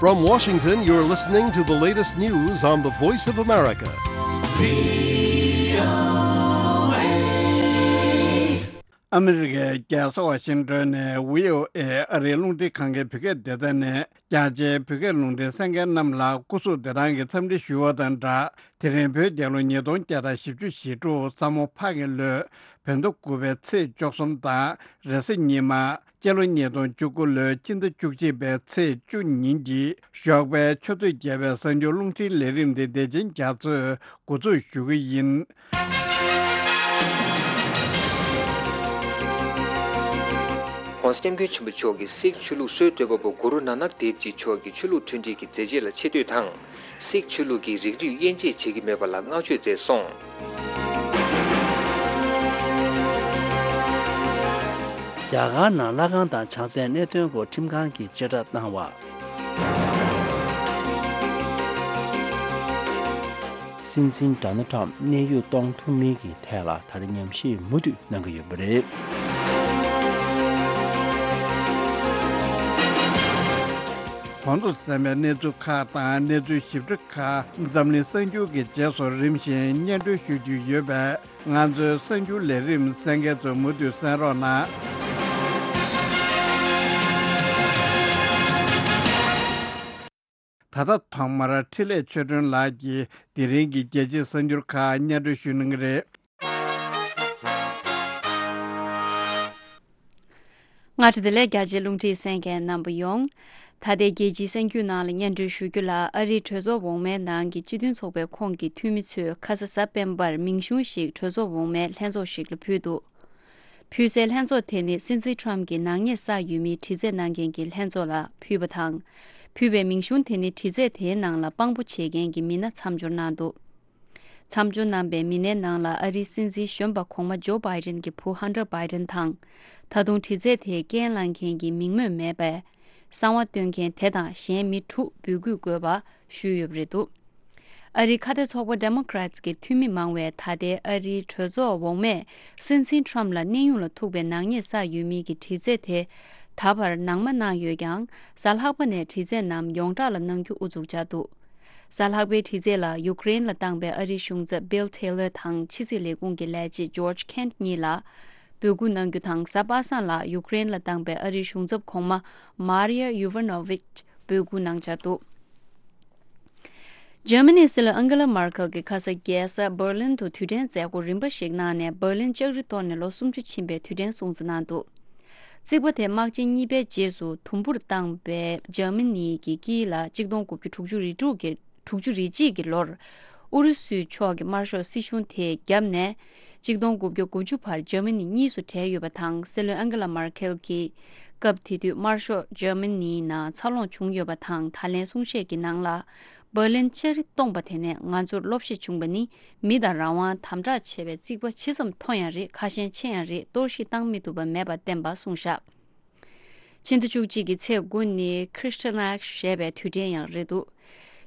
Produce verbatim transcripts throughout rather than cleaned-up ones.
From Washington, you're listening to the latest news on the Voice of America. ཨ་མི་རི་ཀའི་རྒྱལ་ས་ཝ་ཤིང་ཏོན་ནས་བྷི་ཨོ་ཨེ་ཨ་རིའི་རླུང་འཕྲིན་ཁང་གི་བོད་སྐད་སྡེ་ཚན་ནས་རྒྱ་ཆེའི་བོད་སྐད་རླུང་འཕྲིན་གསན་མཁན་རྣམས་ལ་སྐུ་གཟུགས་བདེ་ཐང་གི་འཚམས་འདྲི་ཞུ་བ་དང་སྦྲགས། དེ་རིང་བོད་རྒྱལ་ལོ་ཉིས་སྟོང་བརྒྱ་དང་བཞི་བཅུ་ཞེ་དྲུག་ས་མོ་ཕག་གི་ལོའི་བོད་ཟླ་དགུ་པའི་ཚེས་བཅུ་གསུམ་དང་། རེས་གཟའ་ཉི་མ། སྤྱི་ལོ་ཉིས་སྟོང་བཅུ་དགུ་ལོའི་སྤྱི་ཟླ་བཅུ་གཅིག་པའི་ཚེས་བཅུ་ཉིན་གྱི་ཞོགས་པའི་ཆུ་ཚོད་བརྒྱད་པའི་གསར་འགྱུར་རླུང་འཕྲིན་ལས་རིམ་འདི་བདེ་ཆེན་རྒྱ་མཚོས་འགོ་འཛུགས་ཞུ་གི་ཡིན། ༸གོང་ས་༸སྐྱབས་མགོན་ཆེན་པོ་མཆོག་གིས་སིག་ཆོས་ལུགས་སྲོལ་གཏོད་པ་པོ་གུ་རུ་ནཱ་ནག་དེབ་ཇི་མཆོག་གི་ཆོས་ལུགས་མཐུན་སྒྲིལ་གྱི་མཛད་རྗེས་ལ་ཆེ་བསྟོད་དང་། སིག་ཆོས་ལུགས་ཀྱི་རིགས་རུས་དབྱེ་འབྱེད་བྱེད་ཀྱི་མེད་པ་ལ་བསྔགས་བརྗོད་མཛད་སོང་། རྒྱ་གར་ནང་ལྷ་ཁང་དང་བྱང་རྩེའི་གནད་དོན་སྐོར་ཁྲིམས་ཁང་གིས་བཅད་ཁྲ་བཏང་བ། སྲིད་འཛིན་ཌོ་ནལ་ཊམ་གནས་དབྱུང་གཏོང་ཐུབ་མིན་གྱི་ཐད་ལ་ད་ལྟ་ཉམས་ཞིབ་མུ་མཐུད་གནང་གི་ཡོད་པ་རེད། གོང་དུ་གསན་པའི་གནས་ཚུལ་ཁག་དང་གནས་ཚུལ་ཞིབ་ཕྲ་ཁག་འཛམ་གླིང་གསར་འགྱུར་གྱི་རྗེས་སུ་རིམ་བཞིན་སྙན་སྒྲོན་ཞུ་རྒྱུ་ཡོད་པས། ང་ཚོའི་གསར་འགྱུར་ལས་རིམ་གསན་མཁན་ཚོ་མུ་མཐུད་གསན་རོགས་གནང་། ད་ལྟ་ཐོག་མར་འཕྲིན་ལས་ཆོས་སྒྲོན་ལགས་ཀྱིས་དེ་རིང་གི་རྒྱལ་སྤྱིའི་གསར་འགྱུར་ཁག་སྙན་སྒྲོན་ཞུ་གནང་གི་རེད། སྔ་དྲོ་བདེ་ལེགས། རྒྱ་ཆེའི་རླུང་འཕྲིན་གསན་མཁན་རྣམ་པ་ཡོངས། ད་ལྟའི་རྒྱལ་སྤྱིའི་གསར་འགྱུར་ནང་ལ་སྙན་སྒྲོན་ཞུ་རྒྱུ་ལ། ཨ་རིའི་གྲོས་ཚོགས་འོག་མའི་ནང་གི་སྤྱི་མཐུན་ཚོགས་པའི་ཁོངས་ཀྱི་འཐུས་མི་ཚོས་ཁ་ས་གཟའ་སྤེན་པར་མིང་གཞུང་ཞིག་གྲོས་ཚོགས་འོག་མའི་ལྷན་ཚོགས་ཤིག་ལ་ཕུལ་འདུག་ཕུལ་སའི་ལྷན་ཚོགས་དེ་ནི་སྲིད་འཛིན་ཊམ་གྱི་ནག་ཉེས་བསགས་ཡོད་མིའི་དྲི་རྩད་གནང་མཁན་གྱི་ལྷན་ཚོགས་ལ་ཕུལ་བ་དང་། ཕུལ་བའི་མིང་གཞུང་དེ་ནི་དྲི་རྩད་དེའི་ནང་ལ་དཔང་པོ་བྱེད་མཁན་གྱི་མི་སྣ་མཚམས་སྦྱོར་གནང་འདུག་མཚམས་སྦྱོར་གནང་པའི་མི་སྣའི་ནང་ལ་ཨ་རིའི་སྲིད་འཛིན་གཞོན་པ་གོང་མ་ཇོ་བྷའི་ཌེན་གྱི་བུ་ཧན་ཊར་བྷའི་ཌེན་དང་། ད་དུང་དྲི་རྩད་དེའི་རྐྱེན་བླངས་མཁན་གྱི་མིང་སྨོས་མེད་པའི་གསང་བ་སྟོན་མཁན་དེ་དང་གཞན་མི་དྲུག་འབོད་སྐུལ་དགོས་པ་ཞུས་ཡོད་པ་རེད་འདུག་ཨ་རིའི་ཁ་གཏད་ཚོགས་པ་ཌེ་མོ་ཀ་རེ་ཊི་གི་འཐུས་མི་མང་བས་ད་ལྟའི་ཨ་རིའི་གྲོས་ཚོགས་འོག་མས་སྲིད་འཛིན་ཊམ་ལ་གནས་དབྱུང་ལ་ཐུག་པའི་ནག་ཉེས་བསགས་ཡོད་མིན་གྱི་དྲི་རྩད་དེ་ད་བར་ནང་མ་གནང་ཡོད་ཀྱང་། གཟའ་ལྷག་པ་ནས་དྲི་རྩད་རྣམས་ཡོངས་གྲགས་ལ་གནང་རྒྱུ་ཨུ་ཚུགས་བྱས་འདུག་གཟའ་ལྷག་པའི་དྲི་རྩད་ལ་ཡུཀ་རེན་ལ་བཏང་པའི་ཨ་རིའི་གཞུང་ཚབ་བྷིལ་ཐེ་ལར་དང་ཕྱི་སྲིད་ལས་ཁུངས་ཀྱི་ལས་བྱེད་ཇོརྗ་ཁེན་གཉིས་ལ་འབོད་སྐུལ་གནང་རྒྱུ་དང་། གཟའ་པ་སངས་ལ་ཡུཀ་རེན་ལ་བཏང་པའི་ཨ་རིའི་གཞུང་ཚབ་གོང་མ་མཱ་རི་ཡ་ཡུ་ཝ་ནོ་ཝིཆ་འབོད་སྐུལ་གནང་འཆར་འདུག་ཇར་མ་ནིའི་སྲིད་བློན་ཨན་གྷེ་ལ་མར་ཁེལ་གྱིས་ཁ་ས་རྒྱལ་ས་འབར་ལིན་དུ་དུས་དྲན་མཛད་སྒོ་རིམ་པ་ཞིག་གནང་ནས། འབར་ལིན་ལྕགས་རི་གཏོར་ནས་ལོ་སུམ་ཅུ་ཕྱིན་པའི་དུས་དྲན་སྲུང་བརྩི་གནང་འདུག་རྩིག་པ་དེ་དམག་ཆེན་གཉིས་པའི་རྗེས་སུ་དུམ་བུར་བཏང་བའི་ཇར་མ་ནི་གི་དཀྱིལ་ལ་གཅིག་སྟོང་དགུ་བརྒྱ་དྲུག་ཅུ་རེ་དྲུག་གི་དྲུག་ཅུ་རེ་གཅིག་གི་ལོར་ཨུ་རུ་སུའི་ཕྱོགས་ཀྱི་དམར་ཤོག་སྲིད་གཞུང་དེས་བརྒྱབ་ནས། གཅིག་སྟོང་དགུ་བརྒྱ་དགུ་བཅུ་བར་ཇར་མ་ནི་གཉིས་སུ་བྲལ་ཡོད་པ་དང་། སྲིད་བློན་ཨན་གྷེ་ལ་མར་ཁེལ་གྱིས་སྐབས་དེ་དུས་དམར་ཤོག་ཇར་མ་ནིའི་ནང་འཚར་ལོངས་བྱུང་ཡོད་པ་དང་། ད་ལན་གསུང་བཤད་ཀྱི་ནང་ལ། འབར་ལིན་ལྕགས་རི་སྟོངས་པ་དེ་ནས་ང་ཚོར་སློབ་གཞི་བྱུང་བ་ནི། མི་དང་རང་དབང་དམ་དྲག་ཆེ་བའི་རྩིག་པ་ཇི་ཙམ་མཐོ་ཡང་རེད། ཁ་ཞེང་ཆེ་ཡང་རེད། གཏོར་བཤིག་བཏང་མི་ཐུབ་པ་མེད་པ་བསྟན་པ་གསུངས་བཞག་ཕྱི་ཟླ་བཅུ་གཅིག་གི་ཚེས་དགུ་ནི་Kristallnacht ཞེས་པའི་དུས་དྲན་ཡང་རེད་འདུག་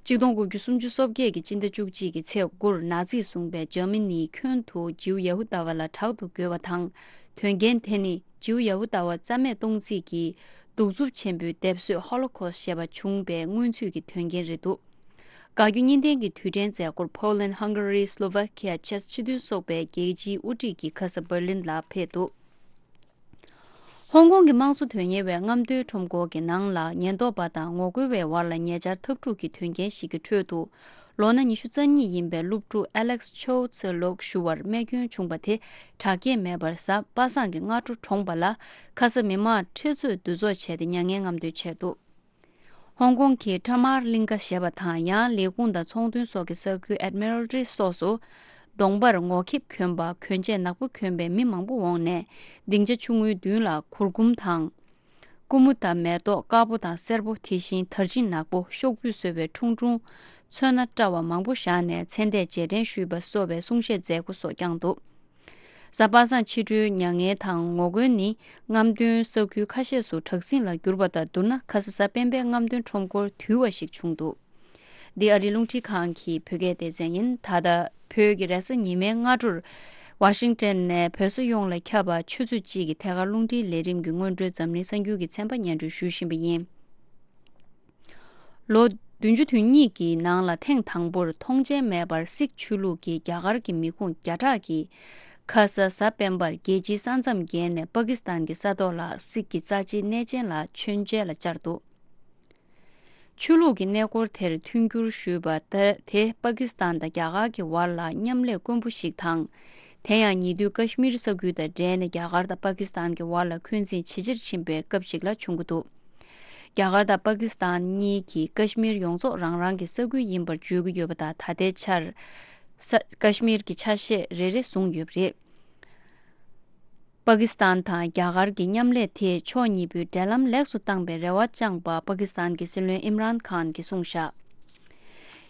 གཅིག་སྟོང་དགུ་བརྒྱ་སུམ་ཅུ་སོ་བརྒྱད་ཀྱི་སྤྱི་ཟླ་བཅུ་གཅིག་གི་ཚེས་དགུར་ནཱ་ཛི་བཟུང་པའི་ཇར་མ་ནིའི་ཁྱོན་དུ་ཇིའུ་ཡ་ཧུ་དཱ་བ་ལ་དྲག་ཏུ་རྒོལ་བ་དང་། དོན་རྐྱེན་དེ་ནི་ཇིའུ་ཡ་ཧུ་དཱ་བ་རྩ་མེད་གཏོང་རྩིས་ཀྱི་གདུག་རྩུབ་ཆེན་པོའི་སྡེབ་གསོད་ཧོ་ལོ་ཁོ་སི་ཞེས་པ་བྱུང་བའི་སྔོན་ཚུད་ཀྱི་དོན་རྐྱེན་རེད་འདུག་དགའ་སྐྱོ་གཉིས་ལྡན་གྱི་དུས་དྲན་མཛད་སྒོར་Poland, Hungary, Slovakia, Czech སྤྱི་མཐུན་ཚོགས་པའི་རྒྱལ་སྤྱིའི་དབུ་ཁྲིད་ཀྱིས་ཁ་ས་འབར་ལིན་ལ་ཕེབས་འདུག་ཧོང་ཀོང་གི་དམངས་གཙོ་དོན་གཉེར་བས་རྔམ་སྟོན་ཁྲོམ་སྐོར་གྱི་ནང་ལ་ཉེན་རྟོག་པ་དང་ངོ་རྒོལ་བའི་བར་ལ་ཉེ་ཆར་འཐབ་འཁྲུག་གི་དོན་རྐྱེན་ཞིག་གི་ཁྲོད་དུ། ལོ་ན་ཉི་ཤུ་རྩ་གཉིས་ཡིན་པའི་སློབ་ཕྲུག་Alex Chow Tse Lok ཞུ་བར་རྨས་སྐྱོན་བྱུང་བ་དེ་དྲག་སྐྱེད་མེད་པར་གཟའ་པ་སངས་ཀྱི་སྔ་དྲོ་གྲོངས་པ་ལ། ཁ་ས་མི་མང་ཁྲེ་ཚོས་འདུ་ཚོགས་བྱས་ཏེ་མྱ་ངན་རྔམ་སྟོན་བྱས་འདུག་ཧོང་ཀོང་གི་ཊ་མར་གླིང་ཀ་ཞེས་པ་དང་། ཡང་ལས་ཁུངས་དང་ཚོང་དོན་སོགས་ཀྱི་ས་ཁུལ་Admiralty སོགས་སུ། གདོང་པར་ངོ་ཁེབས་གྱོན་པ། གྱོན་ཆས་ནག་པོ་གྱོན་པའི་མི་མང་པོ་འོངས་ནས། སྡིངས་ཆ་ཆུང་ངུའི་མདུན་ལ་གུར་གུམ་དང་། ཀུ་མུད་དང་མེ་ཏོག་དཀར་པོ་དང་སེར་པོ། དེ་བཞིན་དར་ཆིན་ནག་པོ། ཤོག་བུས་བཟོས་པའི་ཁྲུང་ཁྲུང་། ཚོན་སྣ་བཀྲ་བ་མང་པོ་བཞག་ནས་མཚན་ལྟས་རྗེས་དྲན་ཞུས་པ་སོགས་པའི་གསུང་བཤད་མཛད་སྒོ་སོགས་བསྐྱངས་འདུག་གཟའ་པ་སངས་ཕྱི་དྲོའི་མྱ་ངན་དང་ངོ་རྒོལ་ནི་རྔམ་སྟོན་ས་ཁུལ་ཁ་ཤས་སུ་དྲག་ཟིང་ལ་གྱུར་པ་དང་བསྡུར་ན། ཁ་ས་གཟའ་སྤེན་པའི་རྔམ་སྟོན་ཁྲོམ་སྐོར་དུལ་བ་ཞིག་བྱུང་འདུག་འདི་ཨ་རིའི་རླུང་འཕྲིན་ཁང་གི་བོད་སྐད་སྡེ་ཚན་ཡིན། ད་ལྟ་བོད་ཀྱི་རེས་གཟའ་ཉི་མའི་སྔ་དྲོར་ཝ་ཤིང་ཏན་ནས་བོད་ས་ཡོངས་ལ་ཁྱབ་པ་ཆུ་ཚོད་གཅིག་གི་ཐད་ཀར་རླུང་འཕྲིན་ལས་རིམ་གྱི་སྔོན་འགྲོའི་འཛམ་གླིང་གསར་འགྱུར་གྱི་ཚན་པ་སྙན་སྒྲོན་ཞུ་བཞིན་པ་ཡིན། ལོ་བདུན་ཅུ་དོན་གཉིས་ཀྱི་ནང་ལ་ཐེངས་དང་པོར་མཐོང་མཆན་མེད་པར་སིག་ཆོས་ལུགས་ཀྱིས་རྒྱ་གར་གྱི་མི་ཁུངས་བརྒྱ་ཕྲག་གིས་ཁ་ས་གཟའ་སྤེན་པར་རྒྱལ་སྤྱིའི་ས་མཚམས་བརྒལ་ནས་པ་ཀི་སི་ཐན་གྱི་ས་ཐོག་ལ་སིག་གི་རྩ་ཆེའི་གནས་ཆེན་ལ་མཆོད་མཇལ་ལ་བཅར་འདུག་ཆོས་ལུགས་ཀྱི་གནས་སྐོར་དེར་མཐུན་འགྱུར་ཞུས་པ་དེ་པ་ཀི་སི་ཐན་དང་རྒྱ་གར་གྱི་བར་ལ་མཉམ་ལས་དཀོན་པོ་ཞིག་དང་། དེ་ཡང་ཉེ་དུས་ཀ་ཤི་མིར་ས་ཁུལ་དང་འབྲེལ་ནས་རྒྱ་གར་དང་པ་ཀི་སི་ཐན་གྱི་བར་ལ་འཁོན་འཛིན་ཇེ་ཆེར་ཕྱིན་པའི་སྐབས་ཤིག་ལ་བྱུང་གི་འདུག་རྒྱ་གར་དང་པ་ཀི་སི་ཐན་གཉིས་ཀྱིས་ཀ་ཤི་མིར་ཡོངས་རྫོགས་རང་རང་གི་ས་ཁུལ་ཡིན་པར་བརྗོད་ཀྱི་ཡོད་པ་དང་། ད་ལྟའི་ཆར་ས་ཀ་ཤི་མིར་གྱི་ཆ་ཤས་རེ་རེ་བཟུང་ཡོད་པ་རེད། པ་ཀི་སི་ཐན་དང་རྒྱ་གར་གྱི་མཉམ་ལས་དེས་ཕྱོགས་གཉིས་པོའི་འབྲེལ་ལམ་ལེགས་སུ་བཏང་པའི་རེ་བ་བཅངས་པ་པ་ཀི་སི་ཐན་གྱི་སྲིད་བློན་ཨིམ་རཱན་ཁཱན་གྱིས་གསུངས་བཞག་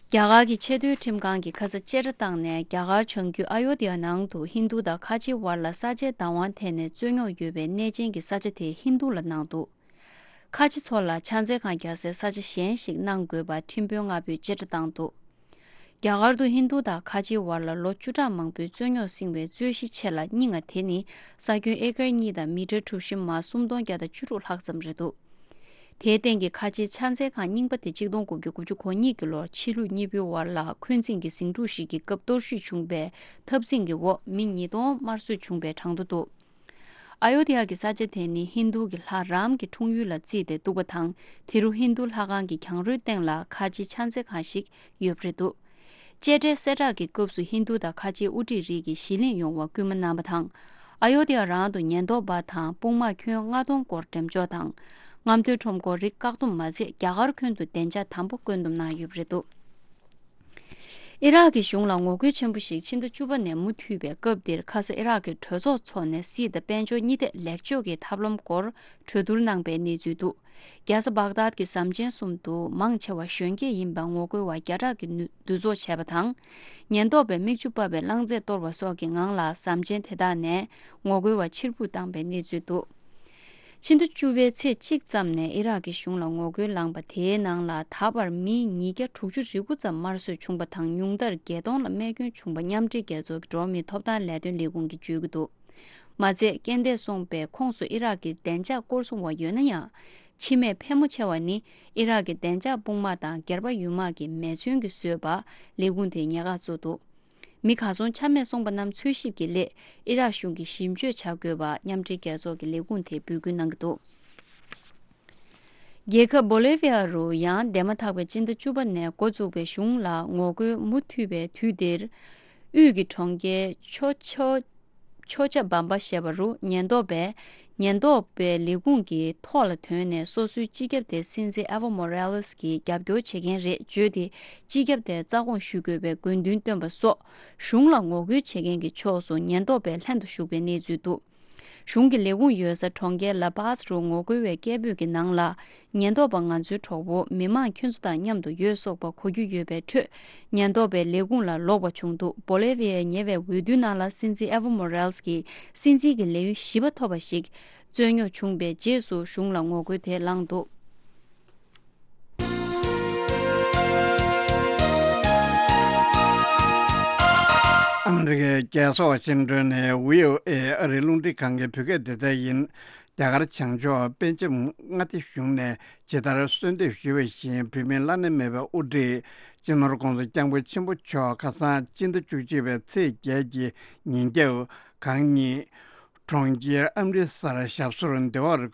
རྒྱ་གར་གྱི་ཆེས་མཐོའི་ཁྲིམས་ཁང་གིས་ཁ་ས་བཅད་ཁྲ་བཏང་ནས་རྒྱ་གར་བྱང་རྒྱུད་ཨ་ཡོ་དྷི་ཡ་ནང་དུ་ཧིན་རྡུ་དང་ཁ་ཆེའི་བར་ལ་ས་ཆའི་བདག་དབང་ཐད་ནས་རྩོད་རྙོག་ཡོད་པའི་གནས་ཆེན་གྱི་ས་ཆ་དེ་ཧིན་རྡུ་ལ་གནང་འདུག་ཁ་ཆེ་ཚོ་ལ་ཕྱག་འཚལ་ཁང་རྒྱག་སའི་ས་ཆ་གཞན་ཞིག་གནང་དགོས་པ་ཁྲིམས་དཔོན་ལྔ་པོས་བཅད་ཁྲ་བཏང་འདུག་རྒྱ་གར་དུ་ཧིན་རྡུ་དང་ཁ་ཆེའི་བར་ལ་ལོ་བཅུ་ཕྲག་མང་པོའི་རྩོད་རྙོག་བསྲིངས་པའི་རྩོད་གཞི་ཆེ་ལ་རྙིང་བ་དེ་ནི་ས་ཁྱོན་ཨེ་ཀར་གཉིས་དང་མི་ཊར་གྲུ་བཞི་མ་སུམ་སྟོང་བརྒྱ་དང་བཅུ་དྲུག་ལྷག་ཙམ་རེད་འདུག་དེའི་སྟེང་གི་ཁ་ཆེའི་ཕྱག་འཚལ་ཁང་རྙིང་པ་དེ་གཅིག་སྟོང་དགུ་བརྒྱ་དགུ་བཅུ་གོ་གཉིས་ཀྱི་ལོར་ཕྱི་ལུགས་གཉིས་པོའི་བར་ལ་འཁོན་འཛིན་གྱི་ཟིང་འཁྲུག་ཞིག་གི་སྐབས་གཏོར་བཤིག་བྱུང་བའི་འཐབ་འཛིང་གི་འོག་མི་ཉིས་སྟོང་དམར་གསོད་བྱུང་བའི་གྲངས་ཐོ་འདུག་ཨ་ཡོ་དྷི་ཡ་གི་ས་ཆ་དེ་ནི་ཧིན་རྡུ་གི་ལྷ་རཱམ་གྱི་འཁྲུངས་ཡུལ་ལ་བརྩིས་ཏེ་འདུག་པ་དང་། དེ་རུ་ཧིན་རྡུ་ལྷ་ཁང་གི་གྱང་རོའི་སྟེང་ལ་ཁ་ཆེའི་ཕྱག་འཚལ་ཁང་ཞིག་ཡོད་པ་རེད་འདུག་བཅད་ཁྲའི་གསལ་བསྒྲགས་ཀྱི་སྐབས་སུ་ཧིན་རྡུ་དང་ཁ་ཆེའི་དབུ་ཁྲིད་རིགས་ཀྱིས་གཞིས་ལེན་ཡོང་བར་སྐུལ་མ་གནང་བ་དང་། ཨ་ཡོ་དྷི་ཡ་རང་དུ་ཉེན་རྟོག་པ་དང་དཔུང་དམག་ཁྱོན་ལྔ་སྟོང་སྐོར་འགྲེམས་འཇོག་དང་། རྔམ་སྟོན་ཁྲོམ་སྐོར་རིགས་བཀག་སྡོམ་མ་ཚད་རྒྱ་གར་ཁྱོན་དུ་བདེ་འཇགས་དམ་པོ་བཀོད་འདོམས་གནང་ཡོད་པ་རེད་འདུག་ཨི་རག་གི་གཞུང་ལ་ངོ་རྒོལ་ཆེན་པོ་ཞིག་ཕྱི་ཟླ་བཅུ་པ་ནས་མུ་མཐུད་པའི་སྐབས་འདིར་ཁ་ས་ཨི་རག་གི་གྲོས་ཚོགས་འཚོགས་ནས་སྲིད་དང་དཔལ་འབྱོར་གཉིས་ཐད་ལེགས་བཅོས་ཀྱི་ཐབས་ལམ་སྐོར་གྲོས་བསྡུར་གནང་པའི་གནས་ཚུལ་འདུག་རྒྱལ་ས་བག་དཱད་ཀྱི་ཟམ་ཆེན་གསུམ་དུ་མང་ཆེ་བ་གཞོན་སྐྱེས་ཡིན་པ་ངོ་རྒོལ་བ་བརྒྱ་ཕྲག་གིས་འདུ་འདུ་འཛོམས་བྱས་པ་དང་། ཉེན་རྟོག་པས་མིག་ཆུ་ཕབ་པའི་རླངས་རྫས་གཏོར་བ་སོགས་ཀྱི་ངང་ལ་ཟམ་ཆེན་དེ་དག་ནས་ངོ་རྒོལ་བ་ཕྱིར་འབུད་བཏང་པའི་གནས་ཚུལ་འདུག་ཕྱི་ཟླ་བཅུ་པའི་ཚེས་གཅིག་ཙམ་ནས་ཨི་རག་གི་གཞུང་ལ་ངོ་རྒོལ་ལངས་པ་དེའི་ནང་ལ་ད་བར་མི་ཉིས་བརྒྱ་དྲུག་ཅུ་རེ་དགུ་ཙམ་དམར་གསོད་བྱུང་པ་དང་། ཉུང་མཐར་བརྒྱད་སྟོང་ལ་རྨས་སྐྱོན་བྱུང་པ་མཉམ་འབྲེལ་རྒྱལ་ཚོགས་ཀྱི་འགྲོ་བ་མིའི་ཐོབ་ཐང་ལས་དོན་ལས་ཁུངས་ཀྱིས་བརྗོད་ཀྱི་འདུག་མ་ཚད་རྐྱེན་འདས་སོང་པའི་ཁོངས་སུ་ཨི་རག་གི་བདེ་འཇགས་སྐོར་སྲུང་བ་ཡོད་ན་ཡང་། འཆི་རྨས་ཕལ་མོ་ཆེ་བ་ནི་ཨི་རག་གི་བདེ་འཇགས་དཔུང་དམག་དང་སྒེར་པ་ཡུལ་དམག་གིས་མེ་མཚོན་གྱིས་བཟོས་པ་ལས་ཁུངས་དེས་ཉེན་ཁ་བཟོས་འདུག་མི་གར་སོང་ཆ་མེད་སོང་པ་རྣམས་འཚོལ་ཞིབ་ཀྱི་སླད་ཨི་རག་གཞུང་གིས་ཞིབ་དཔྱོད་བྱ་དགོས་པ་མཉམ་འབྲེལ་རྒྱལ་ཚོགས་ཀྱི་ལས་ཁུངས་དེས་འབོད་སྐུལ་གནང་གི་འདུག་རྒྱལ་ཁབ་བོ་ལེ་བྷི་ཡ་རུ་ཡང་འདས་མ་ཐག་པའི་སྤྱི་ཟླ་བཅུ་པ་ནས་འགོ་བཙུགས་པའི་གཞུང་ལ་ངོ་རྒོལ་མུ་མཐུད་པའི་དུས་འདིར། དབུས་ཀྱི་གྲོང་ཁྱེར་ཆོ་ཆོ་ཆོ་ཆ་བམ་པ་ཞེས་པ་རུ་ཉེན་རྟོག་པས་ཉེན་རྟོག་པའི་ལས་ཁུངས་ཀྱི་ཐོག་ལ་ཐོན་ནས་སོ་སོའི་སྤྱི་ཁྱབ་དེ་སྲིད་འཛིན་ཨེ་ཝོ་མོ་རེ་ལེས་ཀྱིས་རྒྱབ་སྐྱོར་བྱེད་མཁན་རེད་བརྗོད་དེ། སྤྱི་ཁྱབ་དེ་རྩ་དགོངས་ཞུ་དགོས་པའི་དགོས་འདུན་བཏོན་པ་སོགས་གཞུང་ལ་ངོ་རྒོལ་བྱེད་མཁན་གྱི་ཕྱོགས་སུ་ཉེན་རྟོག་པས་ལྷན་དུ་ཞུགས་པའི་གནས་ཚུལ་འདུག་གཞུང་གི་ལས་ཁུངས་ཡོད་ས་གྲོང་ཁྱེར་ལ་པཱས་རུ་ངོ་རྒོལ་བའི་སྐད་འབོད་ཀྱི་ནང་ལ། ཉེན་རྟོག་པ་ང་ཚོའི་གྲོགས་པོ་མི་མང་ཁྱོད་ཚོ་དང་མཉམ་དུ་ཡོད་སོགས་པ་གོ་རྒྱུ་ཡོད་པའི་ཁྲོད། ཉེན་རྟོག་པའི་ལས་ཁུངས་ལ་ལོག་པ་བྱུང་འདུག་བོ་ལེ་བྷི་ཡའི་ཉེ་བའི་འོས་བསྡུའི་ནང་ལ་སྲིད་འཛིན་ཨེ་ཝོ་མོ་རེ་ལེས་ཀྱིས་སྲིད་འཛིན་གྱི་ལས་ཡུན་བཞི་པ་ཐོབ་པ་ཞིག་རྩོད་རྙོག་བྱུང་བའི་རྗེས་སུ་གཞུང་ལ་ངོ་རྒོལ་དེ་ལངས་འདུག་ཨ་མི་རི་ཀའི་རྒྱལ་ས་ཝ་ཤིང་ཏོན་ནས་བྷི་ཨོ་ཨེ་ཨ་རིའི་རླུང་འཕྲིན་ཁང་གི་བོད་སྐད་སྡེ་ཚན་ཡིན། རྒྱ་གར་བྱང་ཕྱོགས་པེ་ཅིང་མངའ་སྡེ་གཞུང་ནས་ཇི་ལྟར་གསོལ་འདེབས་ཞུས་པ་བཞིན། བོད་མིའི་བླ་ན་མེད་པའི་དབུ་ཁྲིད་སྤྱི་ནོར་༧གོང་ས་༧སྐྱབས་མགོན་ཆེན་པོ་མཆོག་ཁ་སང་སྤྱི་ཟླ་བཅུ་གཅིག་པའི་ཚེས་བརྒྱད་ཀྱི་ཉིན་རྒྱབ་གང་ཉིད་གྲོང་ཁྱེར་ཨམ་རི་སར་ཞབས་སོར་བདེ་བར་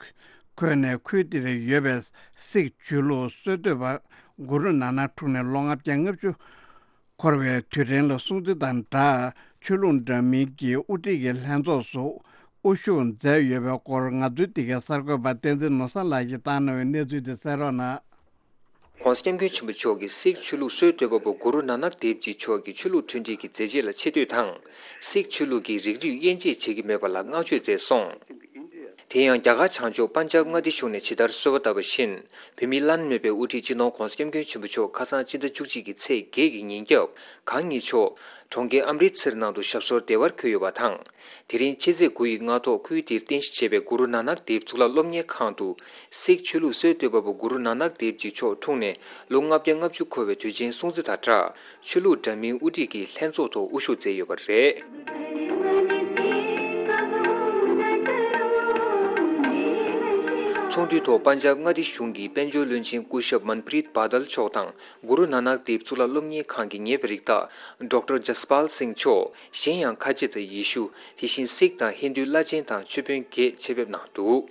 འཁོད་ནས། ཁུལ་དེར་ཡོད་པའི་སིག་ཆོས་ལུགས་སྲོལ་གཏོད་པ་གུ་རུ་ནཱ་ནག་འཁྲུངས་ནས་ལོ་ལྔ་བརྒྱ་ལྔ་བཅུ་འཁོར་བའི་དུས་དྲན་ལ་སྲུང་བརྩི་དང་སྦྲགས། ཆོས་ལུགས་འདྲ་མིན་གྱི་དབུ་ཁྲིད་ཀྱི་ལྷན་ཚོགས་སུ་དབུ་བཞུགས་མཛད་ཡོད་པའི་སྐོར། ང་ཚོའི་འདི་གའི་གསར་འགོད་པ་བསྟན་འཛིན་ནོར་བཟང་ལགས་ཀྱིས་བཏང་གནང་བའི་གནས་ཚུལ་དེ་གསན་རོགས་གནང་། ༧གོང་ས་༧སྐྱབས་མགོན་ཆེན་པོ་མཆོག་གིས་སིག་ཆོས་ལུགས་སྲོལ་གཏོད་པ་པོ་གུ་རུ་ནཱ་ནག་དེབ་ཇི་མཆོག་གི་ཆོས་ལུགས་མཐུན་སྒྲིལ་གྱི་མཛད་རྗེས་ལ་ཆེ་བསྟོད་དང་། སིག་ཆོས་ལུགས་ཀྱིས་རིགས་རུས་དབྱེ་འབྱེད་བྱེད་ཀྱི་མེད་པ་ལ་བསྔགས་བརྗོད་མཛད་སོང་། དེ་ཡང་རྒྱ་གར་བྱང་ཕྱོགས་པན་ཇབ་མངའ་སྡེ་གཞུང་ནས་ཇི་ལྟར་གསོལ་བ་བཏབ་པ་བཞིན། བོད་མིའི་བླ་ན་མེད་པའི་དབུ་ཁྲིད་སྤྱི་ནོར་༧གོང་ས་༧སྐྱབས་མགོན་ཆེན་པོ་མཆོག་ཁ་སང་སྤྱི་ཟླ་བཅུ་གཅིག་གི་ཚེས་བརྒྱད་ཀྱི་ཉིན་རྒྱབ་གང་ཉིད་མཆོག་གྲོང་ཁྱེར་ཨམ་རི་ཚིར་ནང་དུ་ཞབས་སོར་བདེ་བར་འཁོད་ཡོད་པ་དང་། དེ་རིང་ཕྱི་ཚེས་དགུ་ཡི་སྔ་ཐོག་ཁུལ་དེར་རྟེན་གཞི་བྱས་པའི་གུ་རུ་ནཱ་ནག་དེབ་གཙུག་ལག་སློབ་གཉེར་ཁང་དུ། སིག་ཆོས་ལུགས་སྲོལ་གཏོད་པ་པོ་གུ་རུ་ནཱ་ནག་དེབ་ཇི་མཆོག་འཁྲུངས་ནས་ལོ་ལྔ་བརྒྱ་ལྔ་བཅུ་འཁོར་བའི་དུས་ཆེན་སྲུང་བརྩི་དང་སྦྲགས། ཆོས་ལུགས་འདྲ་མིན་དབུ་ཁྲིད་ཀྱི་ལྷན་ཚོགས་ཐོག་དབུ་བཞུགས་མཛད་ཡོད་པ་རེད། ཚོགས་འདུའི་ཐོག་པན་ཇབ་མངའ་སྡེ་གཞུང་གི་དཔལ་འབྱོར་བློན་ཆེན་སྐུ་ཞབས་མན་པྲིད་བྷ་དལ་མཆོག་དང་། གུ་རུ་ནཱ་ནག་དེབ་གཙུག་ལག་སློབ་གཉེར་ཁང་གི་ངེས་པར་རིགས་བདག་ཌོག་ཊར་ཇ་སི་པཱལ་སིང་མཆོག་གཞན་ཡང་ཁ་ཆེ་དང་ཡེ་ཤུ། དེ་བཞིན་སིག་དང་ཧིན་རྡུའི་བླ་ཆེན་དང་ཆོས་དཔོན་བརྒྱད་ཆེད་ཕེབས་གནང་འདུག་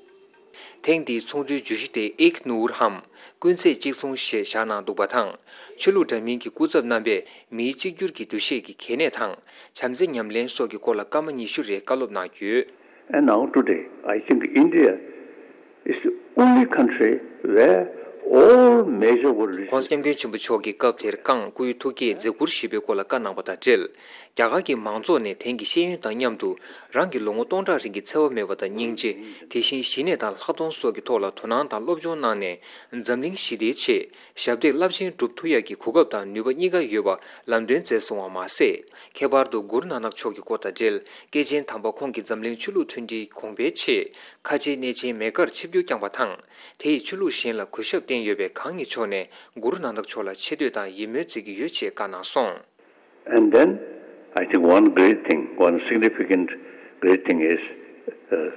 ཐེངས་འདིའི་ཚོགས་འདུའི་བརྗོད་གཞི་དེ་ཨེག་ནུར་ཧམ། ཀུན་ཚེ་གཅིག་མཚུངས་ཞེས་བཞག་གནང་འདུག་པ་དང་། ཆོས་ལུགས་འདྲ་མིན་གྱི་སྐུ་ཚབ་རྣམ་པས་མིའི་གཅིག་གྱུར་གྱི་འདུ་ཤེས་ཀྱི་གལ་གནད་དང་། བྱམས་བརྩེ་ཉམས་ལེན་སོགས་ཀྱི་སྐོར་ལ་སྐར་མ་ཉི་ཤུ་རེ་བཀའ་སློབ་གནང་ཡོད། And now today, I think India is the only country where all major world religions. ྋགོང་ས་ྋསྐྱབས་མགོན་ཆེན་པོ་མཆོག་གིས་སྐབས་དེར་བཀའ་དབང་སྐུའི་ཐུགས་བསྐྱེད་མཛད་ཁུར་ཞུས་པའི་སྐོར་ལ་བཀའ་གནང་བ་དང་འབྲེལ། རྒྱ་གར་གྱི་མང་ཚོགས་ནས་དེང་གི་ཤེས་ཡོན་དང་མཉམ་དུ་རང་གི་ལོ་ངོ་སྟོང་ཕྲག་རིང་གི་འཚེ་བ་མེད་པ་དང་སྙིང་རྗེ། དེ་བཞིན་ཞི་གནས་དང་ལྷག་མཐོང་སོགས་ཀྱི་ཐོག་ལ་དོ་སྣང་དང་སློབ་སྦྱོང་གནང་ནས། འཛམ་གླིང་ཞི་བདེའི་ཆེད་ཞབས་འདེགས་རླབས་ཆེན་སྒྲུབ་ཐུབ་ཡག་གི་གོ་སྐབས་དང་ནུས་པ་གཉིས་ཀ་ཡོད་པ་ལམ་སྟོན་མཛད་སོང་བ་མ་ཟད། ཁྱད་པར་དུ་གུ་རུ་ནཱ་ནག་མཆོག་གི་སྐོར་དང་འབྲེལ། སྐྱེས་ཆེན་དམ་པ་ཁོང་གིས་འཛམ་གླིང་ཆོས་ལུགས་མཐུན་སྒྲིལ་གོང་འཕེལ་ཆེད་ཁ་ཆེའི་གནས་ཆེན་མེ་ཀར་ཆིབས་བསྒྱུར་བསྐྱངས་པ་དང་། དེ་ཡིས་ཆོས་ལུགས་གཞན་ལ་གུས་ཞབས་བསྟན་ཡོད་པས། གང་ཉིད་མཆོག་ནས་གུ་རུ་ནཱ་ནག་མཆོག་ལ་ཆེ་བསྟོད་དང་ཡིད་སྨོན་མཛད་ཀྱི་ཡོད་ཅེས་བཀའ་གནང་སོང་། And then, I think one great thing, one significant great thing is uh,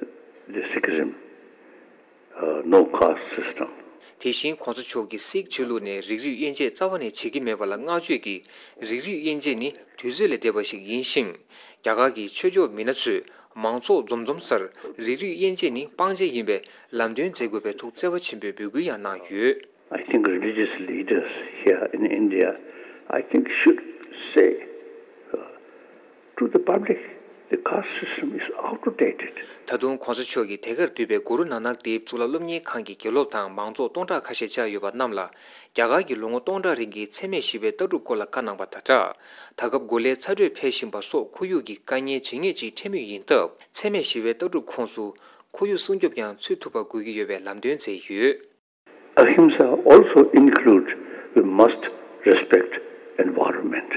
the Sikhism, uh, no caste system. དེ་བཞིན་ྋགོང་ས་མཆོག་གིས་སིག་ཆོས་ལུགས་ནས་རིགས་རུས་དབྱེ་འབྱེད་རྩ་བ་ནས་བྱེད་ཀྱི་མེད་པ་ལ་བསྔགས་བརྗོད་ཀྱིས། རིགས་རུས་དབྱེ་འབྱེད་ནི་དུས་ཚོད་ལས་འདས་པ་ཞིག་ཡིན་ཞིང་། རྒྱ་གར་གྱི་ཆོས་ཕྱོགས་མི་སྣ་ཚོས་མང་ཚོགས་འཛོམས་འཛོམས་སར་རིགས་རུས་དབྱེ་འབྱེད་ནི་སྤང་བྱ་ཡིན་པའི་ལམ་སྟོན་མཛད་དགོས་པའི་ཐུགས་བརྩེ་བ་ཆེན་པོས་འབོད་སྐུལ་ཡང་གནང་ཡོད། I think religious leaders here in India, I think, should say uh, to the public, the caste system is outdated. ད་དུང་ྋགོང་ས་མཆོག་གིས་དེ་གར་འདུས་པའི་གུ་རུ་ནཱ་ནག་དེབ་གཙུག་ལག་སློབ་གཉེར་ཁང་གི་དགེ་སློབ་དང་མང་ཚོགས་སྟོང་ཕྲག་ཁ་ཤས་བཅར་ཡོད་པ་རྣམས་ལ། རྒྱ་གར་གྱི་ལོ་ངོ་སྟོང་ཕྲག་རིང་གི་འཚེ་མེད་ཞི་བའི་ལྟ་གྲུབ་སྐོར་ལ་བཀའ་གནང་བ་དང་སྦྲགས། ད་སྐབས་གོ་ལའི་ཚ་དྲོད་འཕེལ་བཞིན་པ་སོགས་ཁོར་ཡུག་གི་དཀའ་ངལ་ཇེ་ངེས་ཅིག་འཕྲད་མུས་ཡིན་སྟབས། འཚེ་མེད་ཞི་བའི་ལྟ་གྲུབ་ཁོངས་སུ་ཁོར་ཡུག་སྲུང་སྐྱོབ་ཀྱང་ཚུད་ཐུབ་པ་དགོས་ཀྱི་ཡོད་པའི་ལམ་སྟོན་མཛད་ཡོད། Ahimsa also includes we must respect environment.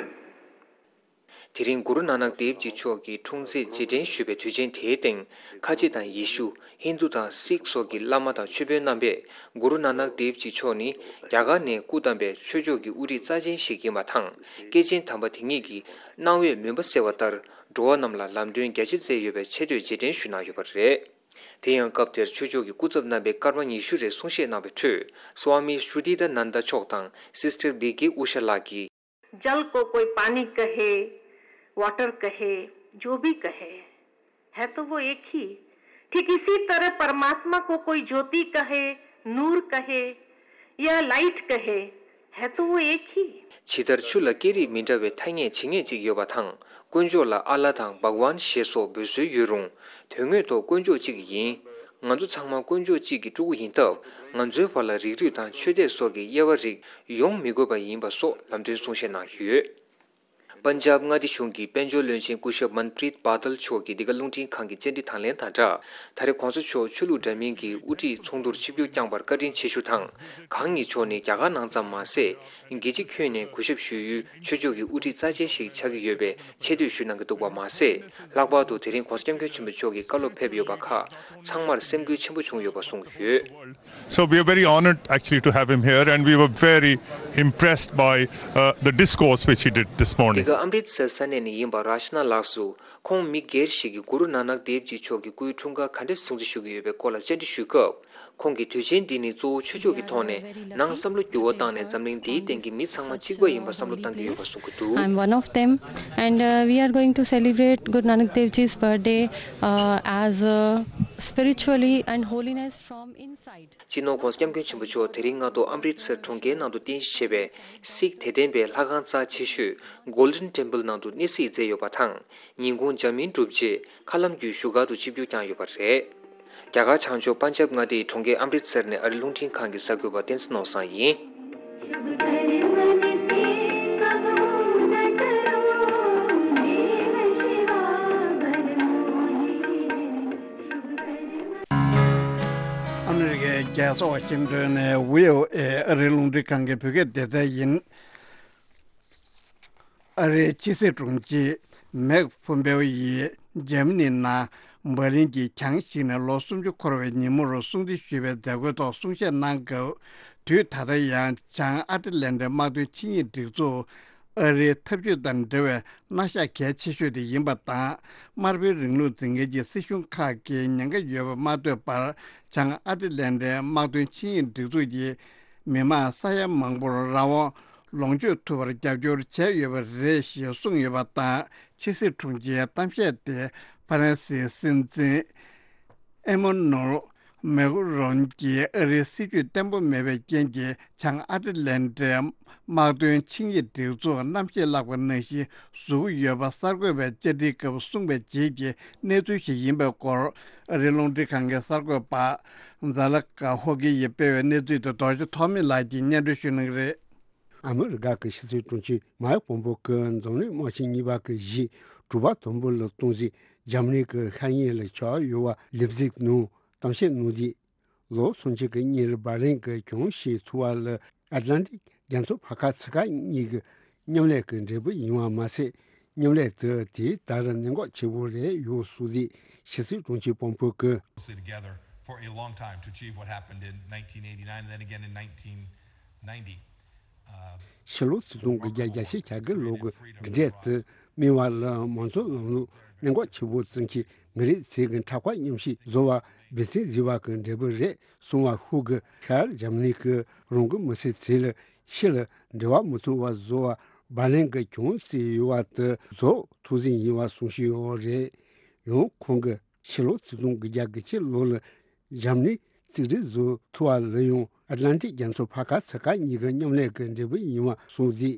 དེ་རིང་གུ་རུ་ནཱ་ནག་དེབ་ཇི་མཆོག་གི་འཁྲུངས་ཚེས་རྗེས་དྲན་ཞུས་པའི་དུས་ཆེན་དེའི་སྟེང་། ཁ་ཆེ་དང་ཡེ་ཤུ། ཧིན་རྡུ་དང་སིག་སོགས་ཀྱི་བླ་མ་དང་ཆོས་དཔོན་རྣམ་པས། གུ་རུ་ནཱ་ནག་དེབ་ཇི་མཆོག་ནི་རྒྱ་གར་ནས་སྐུ་བལྟམས་པའི་ཆོས་ཕྱོགས་ཀྱི་དབུ་ཁྲིད་རྩ་ཆེན་ཞིག་ཡིན་པ་དང་། སྐྱེས་ཆེན་དམ་པ་དེ་ཉིད་ཀྱིས་གནང་བའི་མུན་པ་སེལ་བ་ལྟར། འགྲོ་བ་རྣམས་ལ་ལམ་སྟོན་རྒྱ་ཆེ་མཛད་ཡོད་པའི་ཆེ་བསྟོད་རྗེས་དྲན་ཞུས་གནང་ཡོད་པ་རེད། དེ་ཡང་སྐབས་དེར་ཆོས་ཕྱོགས་ཀྱི་སྐུ་ཚབ་རྣམ་པས་སྐར་མ་ཉི་ཤུ་རེ་གསུང་བཤད་གནང་བའི་ཁྲོད། སྭ་མི་ཤྲུ་ཏི་དཱ་ནན་ད་མཆོག་དང་སིས་ཊར་བི་ཀེ་ཨུ་ཤ་ལགས་ཀྱིས། जल को कोई पानी कहे, वाटर कहे, जो भी कहे, है तो वो एक ही। ठीक इसी तरह परमात्मा को कोई ज्योति कहे, नूर कहे या लाइट कहे, है तो वो एक ही। ཇི་ལྟར་ཆུ་ལ་སྐད་རིགས་མི་འདྲ་བའི་ཐ་སྙད་ཇི་སྙེད་ཅིག་ཡོད་པ་དང་། དཀོན་མཆོག་ལ་ཨ་ལ་དང་བྷག་ཝཱན་ཞེས་སོགས་འབོད་སྲོལ་ཡོད་རུང་། དོན་དངོས་ཐོག་དཀོན་མཆོག་གཅིག་ཡིན། ང་ཚོ་ཚང་མ་དཀོན་མཆོག་གཅིག་གི་ཕྲུ་གུ་ཡིན་སྟབས། ང་ཚོའི་བར་ལ་རིགས་རུས་དང་ཆོས་དད་སོགས་ཀྱི་དབྱེ་བ་རིགས་ཡོང་མི་དགོས་པ་ཡིན་པ་སོགས་ལམ་སྟོན་གསུང་བཤད་གནང་ཡོད། པན་ཇབ་མངའ་སྡེ་གཞུང་གི་དཔལ་འབྱོར་བློན་ཆེན་སྐུ་ཞབས་མན་པྲིད་བྷ་དལ་མཆོག་གིས་འདི་ག་རླུང་འཕྲིན་ཁང་གི་བཅར་འདྲི་དང་ལེན་དང་སྦྲགས། ད་རེས་ྋགོང་ས་མཆོག་ཆོས་ལུགས་འདྲ་མིན་གྱི་དབུ་ཁྲིད་ཚོགས་འདུར་ཆིབས་བསྒྱུར་བསྐྱངས་པར་བཀའ་དྲིན་ཆེ་ཞུ་དང་། གང་ཉིད་མཆོག་ནི་རྒྱ་གར་ནང་ཙམ་མ་ཟད། རྒྱལ་སྤྱི་ཁྱོན་ནས་གུས་ཞབས་ཞུ་ཡུལ་ཆོས་ཕྱོགས་ཀྱི་དབུ་ཁྲིད་རྩ་ཆེན་ཞིག་ཆགས་ཀྱི་ཡོད་པའི་ཆེ་བསྟོད་ཞུ་གནང་གི་འདུག་པ་མ་ཟད། ལྷག་པར་དུ་དེ་རིང་ྋགོང་ས་ྋསྐྱབས་མགོན་ཆེན་པོ་མཆོག་གི་བཀའ་སློབ་ཕེབས་ཡོད་པ་ཁག་ཚང་མར་སེམས་འགུལ་ཆེན་པོ་བྱུང་ཡོད་པ་གསུངས་ཡོད། So we are very honored actually to have him here, and we were very impressed by uh, the discourse which he did this འདི་morning. ག་ཨམ་རིད་སར་ས་གནས་ནས་ཡིན་པ་རཱཤ་ན་ལགས་སུ། ཁོང་མི་སྒེར་ཞིག་གིས་གུ་རུ་ནཱ་ནག་དེབ་ཇི་མཆོག་གི་སྐུའི་འཁྲུངས་སྐར་ག་འདྲ་སྲུང་བརྩི་ཞུ་གི་ཡོད་པའི་སྐོར་ལ་བཅར་འདྲི་ཞུས་སྐབས། ཁོང་གིས་དུས་ཆེན་འདི་ནི་གཙོ་བོ་ཆོས་ཕྱོགས་ཀྱི་ཐོག་ནས་ནང་བསམ་བློ་འགྱུར་བ་བཏང་ནས་འཛམ་གླིང་འདིའི་སྟེང་གི་མི་ཚང་མ་གཅིག་པ་ཡིན་པ་བསམ་བློ་བཏང་གི་ཡོད་པ་གསུངས་ཀྱི་འདུག I'm one of them, and uh, we are going to celebrate Guru Nanak Dev Ji's birthday uh, as uh, spiritually and holiness from inside. སྤྱི་ནོར་ྋགོང་ས་ྋསྐྱབས་མགོན་ཆེན་པོ་མཆོག་དེ་རིང་སྔ་དྲོ་ཨམ་རིད་སར་གྲོང་ཁྱེར་ནང་དུ་རྟེན་གཞི་བྱས་པའི་སིག་དད་ལྡན་པའི་ལྷ་ཁང་རྩ་ཆེ་ཤོས་Golden Temple ནང་དུ་གནས་གཟིགས་མཛད་ཡོད་པ་དང་། ཉིན་གུང་འཇར་མན་གྲུབ་རྗེས་མཁའ་ལམ་བརྒྱུད་བཞུགས་སྒར་དུ་ཆིབས་བསྒྱུར་བསྐྱངས་ཡོད་པ་རེད། རྒྱ་གར་བྱང་ཕྱོགས་པན་ཇབ་མངའ་སྡེའི་གྲོང་ཁྱེར་ཨམ་རིད་སར་ནས་ཨ་རིའི་རླུང་འཕྲིན་ཁང་གི་གསར་འགོད་པ་བསྟན་འཛིན་ནོར་བཟང་ཡིན། ཨ་མི་རི་ཀའི་རྒྱལ་ས་ཝ་ཤིང་ཏོན་ནས་བྷི་ཨོ་ཨེ་ཨ་རིའི་རླུང་འཕྲིན་ཁང་གི་བོད་སྐད་སྡེ་ཚན་ཡིན། ཨ་རིའི་ཕྱི་སྲིད་དྲུང་ཆེ་མེག་ཕོམ་པེའོ་ཡིས་འཇར་མ་ནིའི་ནང་འབར་ལིན་གྱི་གྱང་བཤིག་ནས་ལོ་སུམ་ཅུ་འཁོར་བའི་ཉིན་མོར་སྲུང་བརྩི་ཞུས་པའི་མཛད་སྒོའི་ཐོག་གསུང་བཤད་གནང་སྐབས། དུས་ད་ལྟ་ཡང་བྱང་ཨ་ཊ་ལན་ཊའི་དམག་དོན་ཆིངས་ཡིག་སྒྲིག་འཛུགས་ ཨ་རིའི་འཐབ་ཇུས་དང་འབྲེལ་བའི་མནའ་ཤག་གལ་ཆེ་ཤོས་དེ་ཡིན་པ་དང་། དམར་པོའི་རིང་ལུགས་འཛིན་མཁན་གྱི་སྲིད་གཞུང་ཁག་གིས་ཉེན་ཁ་ཡོད་པ་མ་ཐོས་པར། བྱང་ཨ་ཏི་ལན་ཏའི་དམག་དོན་ཆིངས་ཡིག་སྒྲིག་འཛུགས་ཀྱིས་མི་མང་ས་ཡ་མང་པོར་རང་དབང་ལོངས་སྤྱོད་ཐུབ་པར་རྒྱབ་སྐྱོར་བྱས་ཡོད་པ་རེད་ཞེས་གསུངས་ཡོད་པ་དང་། ཕྱི་སྲིད་དྲུང་ཆེའི་གཏམ་བཤད་དེ་ཧྥ་རན་སིའི་སྲིད་འཛིན་ཨེ་མོ་ནུལ་མེག་རོན་གྱིས་ཨ་རིའི་སྲིད་ཇུས་བརྟན་པོ་མེད་པའི་རྐྱེན་གྱིས། བྱང་ཨ་ཏི་ལན་ཏའི་དམག་དོན་ཆིངས་ཡིག་སྒྲིག་འཛུགས་རྣམ་ཤེས་བརླག་པ་ནང་བཞིན་བཟོ་གི་ཡོད་པ། གསར་འགོད་པས་བཅར་འདྲིའི་སྐབས་གསུངས་པའི་རྗེས་ཀྱི་གནས་ཚུལ་ཞིག་ཡིན་པའི་སྐོར། ཨ་རིའི་རླུང་འཕྲིན་ཁང་གི་གསར་འགོད་པ་ཛ་ལ་ཀ་ཧོ་ཀི་ཡིས་སྤེལ་བའི་གནས་ཚུལ་དེ་རྡོ་རྗེ་ཐོགས་མེད་ལགས་ཀྱིས་སྙན་སྒྲོན་ཞུ་གནང་གི་རེད། ཨ་མི་རི་ཀ་གི་ཕྱི་སྲིད་དྲུང་ཆེ་མཱིག་པོམ་པོ་གིས་འཛམ་གླིང་དམག་ཆེན་གཉིས་པ་གི་གཞི་དྲུག་པ་དུམ་བུ་ལ་གཏོང་རྩིས་འཇར་མ་ནི་གི་ཤར་ཉེ་ལ་ཆགས་ཡོད་པ་ལེབ་ཛིག་ནང་གཏམ་བཤད་གནང་དུས། ལོ་སུམ་ཅུ་གི་སྔོན་ལ་འབར་ལིན་གྱི་གྱོང་ཞིག་ཐུག་པ་ལ་ཨེཊ་ལན་ཊིག་རྒྱ་མཚོ་ཕར་ཁ་ཚུར་ཁ་གཉིས་ཀྱི་མཉམ་ལས་ཀྱི་འབྲས་བུ་ཡིན་པ་མ་ཟད། མཉམ་ལས་དེ་དེའི་ལྟར་གནད་འགག་ཆེ་པོ་རེད་ཡོད་གསུངས་ཏེ། ཕྱི་སྲིད་དྲུང་ཆེ་པོམ་པོ་གིས། Closely together for a long time to achieve what happened in nineteen eighty-nine and then again in nineteen ninety. ཕྱི་ལོ་ཆིག་སྟོང་དགུ་བརྒྱ་གྱ་བརྒྱད་ལོ་གི་འདི་འདྲས་དུ་སྨིན་པ་ལ་མང་གཙོ་ལམ་ལུགས་གནད་འགག་ཆེ་པོ་བརྩི་མཁན་མི་རིགས་ཚོའི་གི་འཁྲབ་ཁ་མཉམ་བཤད་བཟོ་བ་འབད་བརྩོན་བྱས་པ་གི་འབྲས་བུ་རེད་གསུངས་པ། ཧུ་གིས་ཤར་འཇར་མ་ནི་གི་རང་གི་མི་སེར་ཚོ་ལ་ཕྱི་ལ་འབྲེལ་བ་མི་བཙུགས་པ་བཟོ་བ་འབར་ལིན་གྱི་གྱོང་བརྩིས་ཡོད་པ་དེ་རྫོགས་ཐུགས་བཞེད་ཡིན་པ་གསུངས་བཞིན་ཡོད་རེད། ཡང་ཁོང་གིས་ཕྱི་ལོ་ཆིག་སྟོང་དགུ་བརྒྱ་གྱ་གཅིག་ལོ་ལ་འཇར་མ་ནི་རྩིས་སྤྲོད་བཟོ་ཐུབ་པ་ལ་ཡང་ཨེཊ་ལན་ཊིག་རྒྱ་མཚོ་ཕར་ཁ་ཚུར་ཁ་གཉིས་ཀྱི་མཉམ་ལས་ཀྱི་འབྲས་བུ་ཡིན་པ་གསུངས་ཏེ།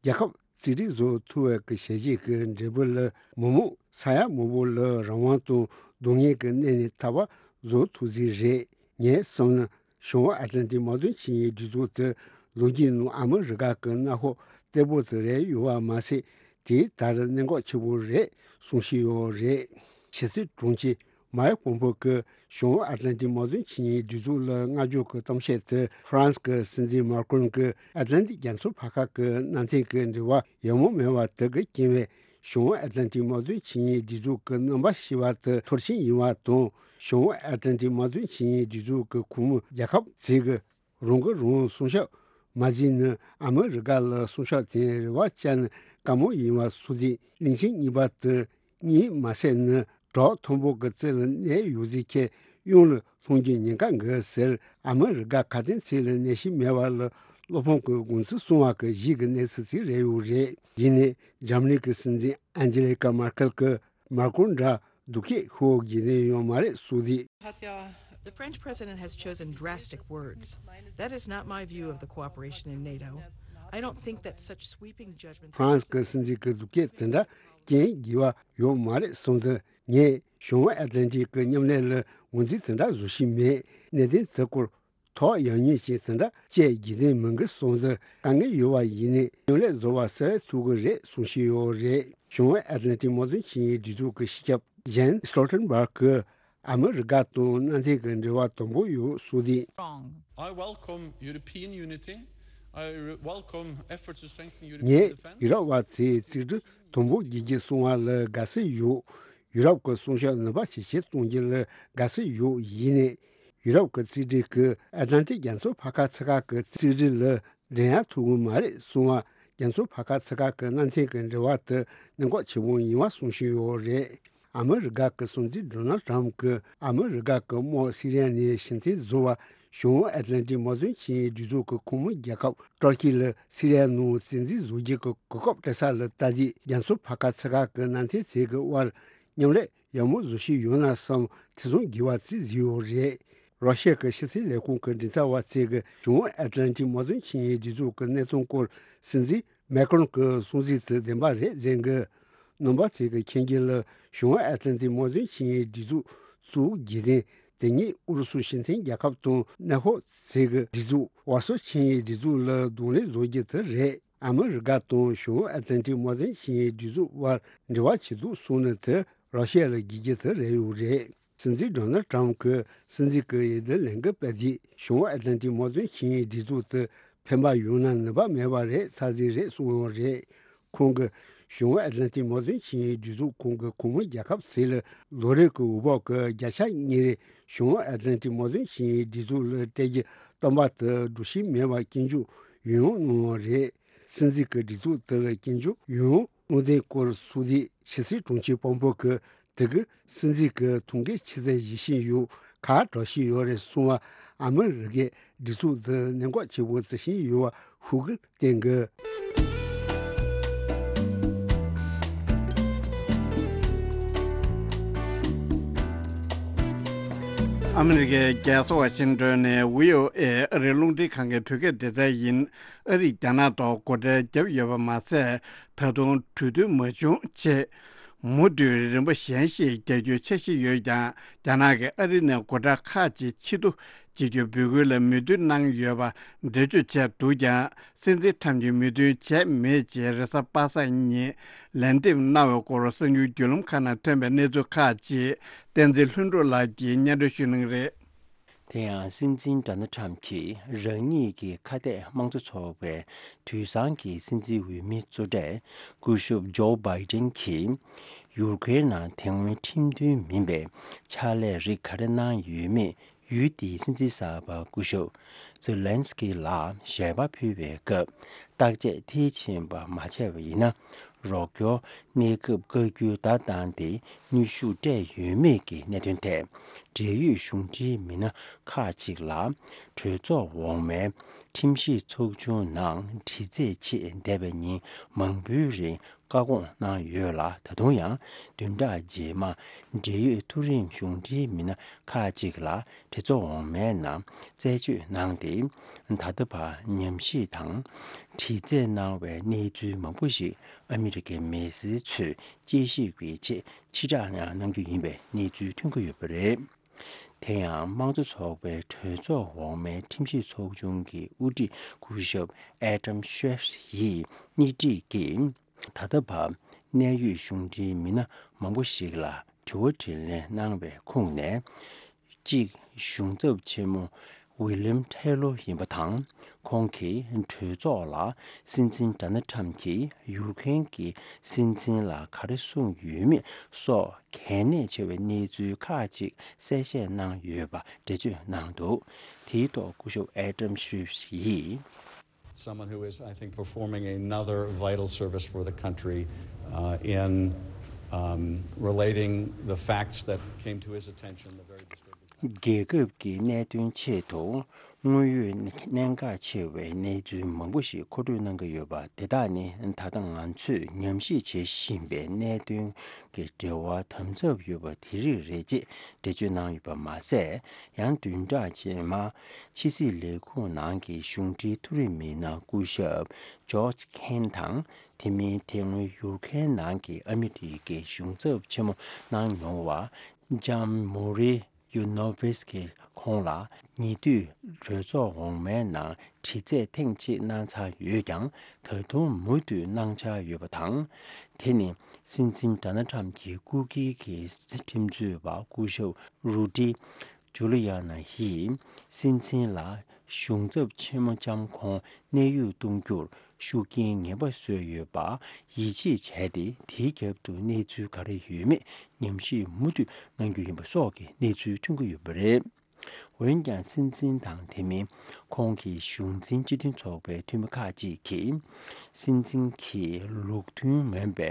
རྒྱལ་ཁབ་རྩིས་སྤྲོད་བཟོ་ཐུབ་པའི་གི་བྱས་རྗེས་ཀྱི་འབྲས་བུ་ལ་མི་མང་ས་ཡ་མང་པོ་ལ་རང་དབང་དང་སྡུག་བསྔལ་གྱི་གནས་ནས་ཐར་བ་བཟོ་ཐུབ་རྩིས་རེད། ངས་བསམ་ན་བྱང་ཨེཊ་ལན་ཊིག་དམག་དོན་ཆིངས་ཡིག་སྒྲིག་འཛུགས་དེ་ལོ་རྒྱུས་ནང་ཨ་མི་རི་ཀ་གི་མནའ་ཤོག་བརྟན་པོ་དེ་རེད་ཡོད་པ་མ་ཟད། དེའི་ལྟར་གནད་འགག་ཆེ་པོ་རེད་གསུངས་བཞིན་ཡོད་རེད། ཕྱི་སྲིད་དྲུང་ཆེ་མཱིག་པོམ་པོ་གིས་བྱང་ཨེཊ་ལན་ཊིག་དམག་དོན་ཆིངས་ཡིག་སྒྲིག་འཛུགས་ལ་བསྔགས་བརྗོད་ཀྱི་གཏམ་བཤད་དེ་ཧྥ་རན་སི་གི་སྲིད་འཛིན་མཱ་ཀྲོན་གྱིས་ཨེཊ་ལན་ཊིག་རྒྱ་མཚོ་ཕར་ཁ་གི་མནའ་མཐུན་གྱི་འབྲེལ་བ་ཡག་མོ་མེད་པ་དེ་གི་རྐྱེན་པས། བྱང་ཨེཊ་ལན་ཊིག་དམག་དོན་ཆིངས་ཡིག་སྒྲིག་འཛུགས་ཀྱི་རྣམ་པ་ཤེས་པ་དེ་མཐོར་ཕྱིན་ཡིན་པ་དང་། བྱང་ཨེཊ་ལན་ཊིག་དམག་དོན་ཆིངས་ཡིག་སྒྲིག་འཛུགས་ཀྱི་ཁོངས་མི་རྒྱལ་ཁབ་ཚོས་ཀྱི་རང་གིས་རང་སྲུང་སྐྱོབ་མ་བྱས་ན། ཨ་མི་རི་ཀ་ལ་སྲུང་སྐྱོབ་དང་རེ་བ་བཅངས་ན་དཀའ་མོ་ཡིན་པ་གསུངས་ཏེ། གླིང་ཆེན་གཉིས་པ་དེ་གཉིད་མ་སད་ན་བྲག་མཐོན་པོ་གི་རྩེ་ལ་གནས་ཡོད་ཚད་ཁྱེད་གཡུལ་ལ་ལྷུང་རྒྱུའི་ཉེན་ཁ་འགའ་ཟེར། ཨ་མི་རི་ཀ་ཁ་དན་ཚིག་ལ་གནས་ཤིང་མེད་པ་ལ་བློ་ཕམ་གྱི་དགོངས་ཚུལ་གསུངས་པ་གི་གཞི་གི་གནས་ཚུལ་ཅིག་རེད་ཡོད་རེད། ཡིན་ནའི་འཇར་མ་ནི་གི་སྲིད་འཛིན་ཨན་ཇེ་ལི་ཀ་མར་ཀེལ་གྱིས་མར་ཀོན་འདྲ་སྡུག་སྐད་ཤོར་དགོས་ནི་ཡོད་མ་རེད་གསུངས་ཏེ། The French president has chosen drastic words. That is not my view of the cooperation in NATO. I don't think that such sweeping judgments ཧྥ་རན་སི་གི་སྲིད་འཛིན་གྱི་སྡུག་སྐད་དེ་འདྲ་སྐྱོན་དགོས་པ་ཡོད་མ་རེད་གསུངས་ཏེ། ངས་བྱང་ཨེཊ་ལན་ཊིག་གི་མཉམ་ལས་ལ་ངོས་འཛིན་དེ་འདྲ་བཟོ་བཞིན་མེད། གནད་དོན་དེ་སྐོར་ཐོག་ཡང་སྙིང་ཅིག་དེ་འདྲ་བྱེད་དགོས་དོན་མི་འདུག་གསུངས་ཏེ། དཀའ་ངལ་ཡོད་པ་ཡིན་ནའི་མཉམ་ལས་བཟོ་བ་གསལ་བོ་ཐུབ་ཀྱི་རེད་གསུངས་བཞིན་ཡོད་རེད། བྱང་ཨེཊ་ལན་ཊིག་དམག་དོན་ཆིངས་ཡིག་སྒྲིག་འཛུགས་ཀྱི་སྤྱི་ཁྱབ་ཇན་སི་ཊོལ་ཊེན་བྷག་གིས་ཨ་མི་རི་ཀ་དང་མནའ་མཐུན་གྱི་འབྲེལ་བ་དམ་པོ་ཡོད་གསུངས་ཏེ། Wrong. I welcome European unity. I re- welcome efforts to strengthen European ངས་defense. ཡུ་རོབ་པ་ཚོས་རྩིས་སྤྲོད་དམ་པོ་བྱེད་རྒྱུ་གསུང་བ་ལ་དགའ་བསུ་ཡོད། ཡུ་རོབ་ཀྱི་སྲུང་སྐྱོབ་ནུས་པ་ཇེ་ཆེར་གཏོང་རྒྱུ་ལ་དགའ་བསུ་ཡོད། ཡིན་ནའི་ཡུ་རོབ་ཀྱི་རྩིས་སྤྲོད་ཀྱིས་ཨེཊ་ལན་ཊིག་རྒྱ་མཚོ་ཕར་ཁ་ཚུར་ཁ་གི་རྩིས་སྤྲོད་ལ་འགྲན་ཡ་ཐུབ་ཀྱི་མ་རེད་གསུང་བ། རྒྱ་མཚོ་ཕར་ཁ་ཚུར་ཁ་གི་མནའ་མཐུན་གྱི་འབྲེལ་བ་དེ་གནད་འགག་ཆེན་པོ་ཡིན་པ་གསུང་བཞིན་ཡོད་རེད། ཨ་མི་རི་ཀ་གི་སྲིད་འཛིན་ཌོ་ནལ་ཊམ་གྱིས་ཨ་མི་རི་ཀ་གི་དམག་སི་རི་ཡ་ནས་ཕྱིར་འཐེན་བཟོ་བར་བྱང་ཨེཊ་ལན་ཊིག་དམག་དོན་ཆིངས་ཡིག་སྒྲིག་འཛུགས་ཀྱི་ཁོངས་མི་རྒྱལ་ཁབ་ཏུར་ཀི་ལ་སི་རི་ཡ་ནང་བཙན་འཛུལ་བཟོ་རྒྱུ་གི་གོ་སྐབས་སྤྲད་ས་ལ་ལྟ་དུས། རྒྱ་མཚོ་ཕར་ཁ་ཚུར་ཁ་གི་མནའ་མཐུན་ཚོའི་གི་དབར་མཉམ་ལས་ཡག་མོ་བཟོ་བཞིན་ཡོད་ན་བསམ། དེ་ཚོ་འགྱུར་བ་བརྩི་བཞིན་ཡོད་རེད། རོ་ཤི་ཡ་གི་ཕྱི་སྲིད་ལས་ཁུངས་ཀྱི་མགྲིན་ཚབ་པ་ཚོས་གི་བྱང་ཨེཊ་ལན་ཊིག་དམག་དོན་ཆིངས་ཡིག་སྒྲིག་འཛུགས་ཀྱི་གནས་སྟངས་སྐོར་སྲིད་འཛིན་མེ་ཀྲོན་གྱི་གསུང་ཚིག་དེ་བདེན་པ་རེད་ཟེར་གི། རྣམ་པ་ཚོས་གི་མཁྱེན་རྒྱུ་ལ་བྱང་ཨེཊ་ལན་ཊིག་དམག་དོན་ཆིངས་ཡིག་སྒྲིག་འཛུགས་བཙུགས་རྒྱུ་དེ་དེ་ཉིད་ཨུ་རུ་སུ་སྤྱི་མཐུན་རྒྱལ་ཁབ་དང་ནེ་ཧོ་ཚོས་གི་སྒྲིག་འཛུགས་ཝར་སོ་ཆིངས་ཡིག་སྒྲིག་འཛུགས་ལ་གདོང་ལེན་བཟོ་རྒྱུ་དེ་རེད། ཨ་མི་རི་ཀ་དང་བྱང་ཨེཊ་ལན་ཊིག་དམག་དོན་ཆིངས་ཡིག་སྒྲིག་འཛུགས་དབར་འབྲེལ་བ་བྱེད་འདུག་གསུངས་ནི་དེ་རོ་ཤི་ཡ་ལ་དགོས་རྒྱུ་དེ་རེད་ཡོད་རེད། སྲིད་འཛིན་ཌོ་ནལ་ཊམ་གྱིས་སྲིད་འཛིན་གྱི་འོས་བསྡུ་ལས་འགུལ་སྤེལ་དུས། བྱང་ཨེཊ་ལན་ཊིག་དམག་དོན་ཆིངས་ཡིག་སྒྲིག་འཛུགས་དེ་ཕན་པ་ཡོང་ན་ནུས་པ་མེད་པ་རེད་ཚར་གཅིག་རེད་གསུངས་ཡོད་རེད། ཁོང་གིས་བྱང་ཨེཊ་ལན་ཊིག་དམག་དོན་ཆིངས་ཡིག་སྒྲིག་འཛུགས་ཁོངས་ཀྱི་ཁོངས་མི་རྒྱལ་ཁབ་ཚོ་ལ་ལོ་རེ་གི་འོས་འབབ་ཀྱི་བརྒྱ་ཆ་གཉིས་རེ་བྱང་ཨེཊ་ལན་ཊིག་དམག་དོན་ཆིངས་ཡིག་སྒྲིག་འཛུགས་ལ་སྤྲད་རྒྱུ་བཏོན་པ་དེ་སྒྲུབ་བཞིན་མེད་པ་སྐྱོན་བརྗོད་ཡང་ཡང་གནང་ཡོད་རེད། སྲིད་འཛིན་གྱི་སྒྲིག་འཛུགས་དེར་སྐྱོན་བརྗོད་ཡོང་དགོས་དོན་སྐོར་སོགས་དེ་ཕྱི་སྲིད་དྲུང་ཆེ་པོམ་པོ་གིས་དེ་གའི་སྲིད་འཛིན་གྱི་ཐུགས་འགན་ཆེ་ཚད་བཞེས་བཞིན་ཡོད་ཁག་དྲག་ཤོས་ཡོད་རེད་གསུངས་བ། ཨ་མི་རི་ཀའི་སྒྲིག་འཛུགས་དེ་གནད་འགག་ཆེ་བོ་བརྩི་བཞིན་ཡོད་པ་ཤུགས་ཀྱིས་བསྟན་གྱི། ཨ་མི་རི་ཀའི་རྒྱལ་ས་ཝ་ཤིང་ཏོན་ནས་བྷི་ཨོ་ཨེ་ཨ་རིའི་རླུང་འཕྲིན་ཁང་གི་བོད་སྐད་སྡེ་ཚན་ཡིན། ཨ་རིས་རྒྱ་ནག་ཐོག་སྒོ་ཁྲལ་བརྒྱབ་ཡོད་པ་མ་ཟད། ད་དུང་གྲོས་མཐུན་མ་བྱུང་ཆེད། མུ་མཐུད་རིམ་པ་གཞན་ཞིག་རྒྱག་རྒྱུའི་འཆར་གཞི་ཡོད་ཀྱང་། རྒྱ་ནག་གིས་ཨ་རི་ནས་སྒོ་ཁྲལ་ཁག་ཅིག་ཕྱིར་བསྡུ་བྱེད་རྒྱུའི་འབོད་སྐུལ་ལ་མོས་མཐུན་གནང་ཡོད་པ་འགྲེལ་བརྗོད་བྱས་འདུག་ཀྱང་། སྲིད་འཛིན་ཁྲམ་གྱིས་མོས་མཐུན་བྱས་མེད་ཅེས་རེས་གཟའ་པ་སངས་ཉིན་ལན་འདེབས་གནང་བའི་སྐོར་གསར་འགྱུར་བརྒྱུད་ལམ་ཁག་ནང་ཐོན་པའི་གནས་ཚུལ་ཁག་ཅིག་བསྟན་འཛིན་ལྷུན་གྲུབ་ལགས་ཀྱིས་སྙན་སྒྲོན་ཞུ་གནང་གི་རེད། དེ་ཡང་སྲིད་འཛིན་ཌོ་ནལ་ཁྲམ་གྱིས་རང་ཉིད་ཀྱི་ཁ་གཏད་དམངས་གཙོ་ཚོགས་པའི་དུས་སང་གི་སྲིད་འཛིན་འོས་མི་གཙོ་གྲས་སྐུ་ཞབས་ཇོ་བྷའི་ཏིན་གྱིས་ཡུ་ཀེ་རེན་ནང་དེ་སྔོན་ཁྲིམས་མཐུན་མིན་པའི་ཕྱག་ལས་རིགས་ག་རེ་གནང་ཡོད་མེད་ཡུལ་དེའི་སྲིད་འཛིན་གསར་པ་སྐུ་ཞབས་ཛེ་ལན་སི་ཀི་ལ་ཞལ་པར་ཕུལ་བའི་སྐབས། བརྟག་དཔྱད་མཐིལ་ཕྱིན་པ་མ་བྱས་པ་ཡིན་ན། རོགས་སྐྱོར་གནས་སྐབས་བཀའ་བཀྱོན་བརྡ་བཏང་སྟེ་གནོན་ཤུགས་སྤྲད་ཡོད་མེད་ཀྱི་གནད་དོན་ཐད། འབྲེལ་ཡོད་གཞུང་འབྲེལ་མི་སྣ་ཁག་ཅིག་ལ་གྲོས་ཚོགས་འོག་མའི་ཁྲིམས་ཞིབ་ཚོགས་ཆུང་ནང་དྲི་རྩད་ཆེད་འདས་པའི་ཉིན་མང་པོའི་རིང་བཀའ་དགོངས་གནང་ཡོད་ལ། ད་དུང་ཡང་བདུན་ཕྲག་རྗེས་མ་འབྲེལ་ཡོད་མཐོ་རིམ་གཞུང་འབྲེལ་མི་སྣ་ཁག་ཅིག་ལ་གྲོས་ཚོགས་འོག་མའི་ནང་རྩད་གཅོད་གནང་སྟེ། ད་ལྟ་བར་ཉམས་ཞིབ་དང་དྲི་རྩད་གནང་བའི་གནས་ཚུལ་མང་པོ་ཞིག་ཨ་མི་རི་ཀའི་མི་སེར་ཚོས་དཔྱད་ཞིབ་ཀྱི་ཆེད་ཕྱིར་བསྒྲགས་གནང་རྒྱུ་ཡིན་པའི་གནས་ཚུལ་ཐོན་གྱི་ཡོད་པ་རེད། དེ་ཡང་དམངས་གཙོ་ཚོགས་པའི་གྲོས་ཚོགས་འོག་མའི་ཁྲིམས་ཞིབ་ཚོགས་ཆུང་གི་དབུ་ཁྲིད་སྐུ་ཞབས་ཨེ་ཌམ་ཤེབ་ཡིས་སྙན་སྒྲོན་གྱིས། ད་ལྟ་བར་གནད་ཡོད་གཞུང་འབྲེལ་མི་སྣ་མང་པོ་ཞིག་ལ་དྲི་བ་དྲིས་ལན་གནང་བའི་ཁོངས་ནས། གཅིག་གཞུང་ཚབ་ཆེན་མོ་ཝི་ལིམ་ཐེ་ལོ་ཡིན་པ་དང་། ཁོང་གིས་གྲོས་ཚོགས་ལ་སྲིད་འཛིན་ཌོ་ནལ་ཁྲམ་གྱིས་ཡུ་ཀེ་རེན་གྱི་སྲིད་འཛིན་ལ་ག་རེ་གསུངས་ཡོད་མེད་སོགས་གལ་གནད་ཆེ་བའི་གནས་ཚུལ་ཁག་ཅིག་གསལ་བཤད་གནང་ཡོད་པ་འགྲེལ་བརྗོད་གནང་འདུག་དེའི་ཐོག་སྐུ་ཞབས་ཨེ་ཌམ་ཤེབ་ཡིས། Someone who is, I think, performing another vital service for the country, uh, in, um, relating the facts that came to his attention, the very disturbing facts. རྒྱལ་ཁབ་ཀྱི་གནད་དོན་ཆེད་དུ་དངོས་ཡོད་གནད་འགག་ཆེ་བའི་གནས་ཚུལ་མང་པོ་ཞིག་མཁོ་སྤྲོད་གནང་གི་ཡོད་པ། དེ་དག་ནི་ད་ལྟ་ང་ཚོས་ཉམས་ཞིབ་བྱེད་བཞིན་པའི་གནད་དོན་གྱི་འབྲེལ་བ་དམ་ཟབ་ཡོད་པ་དེ་རིགས་རེད་ཅེས་འགྲེལ་བརྗོད་གནང་ཡོད་པ་མ་ཟད། ཡང་བདུན་ཕྲག་རྗེས་མ་ཕྱི་སྲིད་ལས་ཁུངས་ནང་གི་གཞུང་འབྲེལ་མཐོ་རིམ་མི་སྣ་སྐུ་ཞབས་ཇོརྗ་ཁེན་དང་། དེ་མིན་དེ་སྔོན་ཡུ་ཀེ་རེན་ནང་གི་ཨ་མི་རི་ཀའི་གཞུང་ཚབ་ཆེན་མོ་གནང་མྱོང་བ་ཇམ་མོ་རི་ཡུ་ནོ་ཝིས་ཀྱིས་ཁོང་ལ་ཉེ་དུས་གྲོས་ཚོགས་འོག་མའི་ནང་དྲི་རྩད་ཐེངས་གཅིག་གནང་ཚར་ཡོད་ཀྱང་། ད་དུང་མུ་མཐུད་གནང་འཆར་ཡོད་པ་དང་། དེ་ནི་སྲིད་འཛིན་ཌོ་ནལ་ཁྲམ་གྱི་སྐུ་སྒེར་གྱི་ཁྲིམས་རྩོད་པ་སྐུ་ཞབས་རུ་ཌི་ཇུ་ལི་ཡ་ན་ཡིས་སྲིད་འཛིན་ལ་གཞུང་ཚབ་ཆེན་མོ་ལྕམ་ཁོང་གནས་དབྱུང་གཏོང་རྒྱུར་ཤུགས་རྐྱེན་ངན་པ་བཟོས་ཡོད་པ་ཡིད་ཆེས་བྱས་ཏེ། དེའི་རྒྱབ་ཏུ་གནས་ཚུལ་ག་རེ་ཡོད་མེད་ཉམས་ཞིབ་མུ་མཐུད་གནང་རྒྱུ་ཡིན་པ་སོགས་ཀྱི་གནས་ཚུལ་ཐོན་གྱི་ཡོད་པ་རེད། འོན་ཀྱང་། སྲིད་འཛིན་དང་དེ་མིན་ཁོང་གི་གཞུང་འཛིན་སྤྱི་མཐུན་ཚོགས་པའི་འཐུས་མི་ཁག་ཅིག་གིས། སྲིད་འཛིན་གྱིས་ལུགས་མཐུན་མིན་པའི་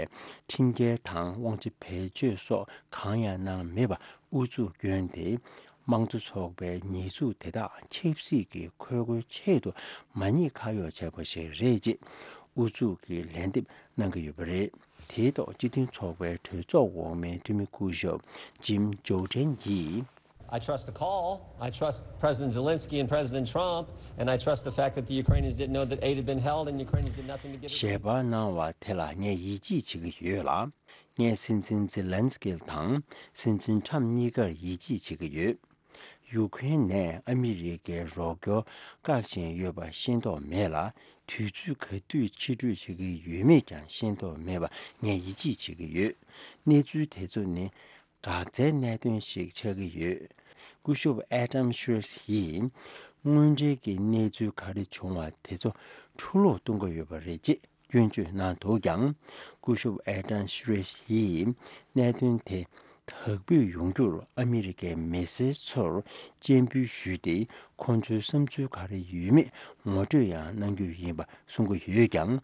ཁྲིམས་འགལ་དང་དབང་ཆ་བེད་སྤྱོད་སོགས་གང་ཡང་གནང་མེད་པ་ཨུ་ཚུགས་བསྐྱོན་ཏེ། དམངས་གཙོ་ཚོགས་པའི་ཉེས་འཛུགས་དེ་དག་ཆབ་སྲིད་ཀྱི་ཁུར་པོའི་ཆེད་དུ་མ་ཉེས་ཁ་གཡོགས་བྱས་པ་ཞིག་རེད་ཅེས་ཨུ་ཚུགས་ཀྱི་ལན་འདེབས་གནང་གི་ཡོད་པ་རེད། དེའི་ཐོག་སྤྱི་མཐུན་ཚོགས་པའི་གྲོས་ཚོགས་འོག་མའི་འཐུས་མི་སྐུ་ཞབས་ཇིམ་ཇོར་ཌན་ཡིས། I trust the call. I trust President Zelensky and President Trump, and I trust the fact that the Ukrainians didn't know that aid had been held and Ukrainians did nothing to give it. ཞལ་པར་གནང་བ་དེ་ལ་ངས་ཡིད་ཆེས་བྱེད་ཀྱི་ཡོད་ལ། ངས་སྲིད་འཛིན་ཛེ་ལན་སི་ཀི་དང་སྲིད་འཛིན་ཁྲམ་གཉིས་ཀར་ཡིད་ཆེས་བྱེད་ཀྱི་ཡོད། ཡུ་ཀེ་རེན་ནས་ཨ་མི་རི་ཀའི་རོགས་སྐྱོར་བཀག་བཞིན་ཡོད་པ་ཤེས་རྟོགས་མེད་ལ། དུས་ཚོད་ག་དུས་ཕྱིར་སྤྲོད་བྱེད་ཀྱི་ཡོད་མེད་ཀྱང་ཤེས་རྟོགས་མེད་པ་ངས་ཡིད་ཆེས་བྱེད་ཀྱི་ཡོད། གནས་ཚུལ་དེ་ཚོ་ནི་འགག་རྩའི་གནད་དོན་ཞིག་ཆགས་ཀྱི་ཡོད། སྐུ་ཞབས་ཨེ་ཌམ་ཤེབ་ཡིས་དངོས་འབྲེལ་གྱི་གནས་ཚུལ་ག་རེ་བྱུང་བ་དེ་ཚོ་འཁྲུ་སློག་གཏོང་གི་ཡོད་པ་རེད་ཅེས་སྐྱོན་བརྗོད་གནང་འདུག་ཀྱང་། སྐུ་ཞབས་ཨེ་ཌམ་ཤེབ་ཡིས་གནད་དོན་དེ་ དག་འབུད་ཡོང་རྒྱུར་ཨ་མི་རི་ཀའི་མི་སེར་ཚོར་སྤྱན་འབུལ་ཞུས་ཏེ། ཁོང་ཚོའི་བསམ་ཚུལ་ག་རེ་ཡོད་མེད་ངོ་སྤྲོད་ཡང་གནང་རྒྱུ་ཡིན་པ་གསུང་གི་ཡོད་ཀྱང་།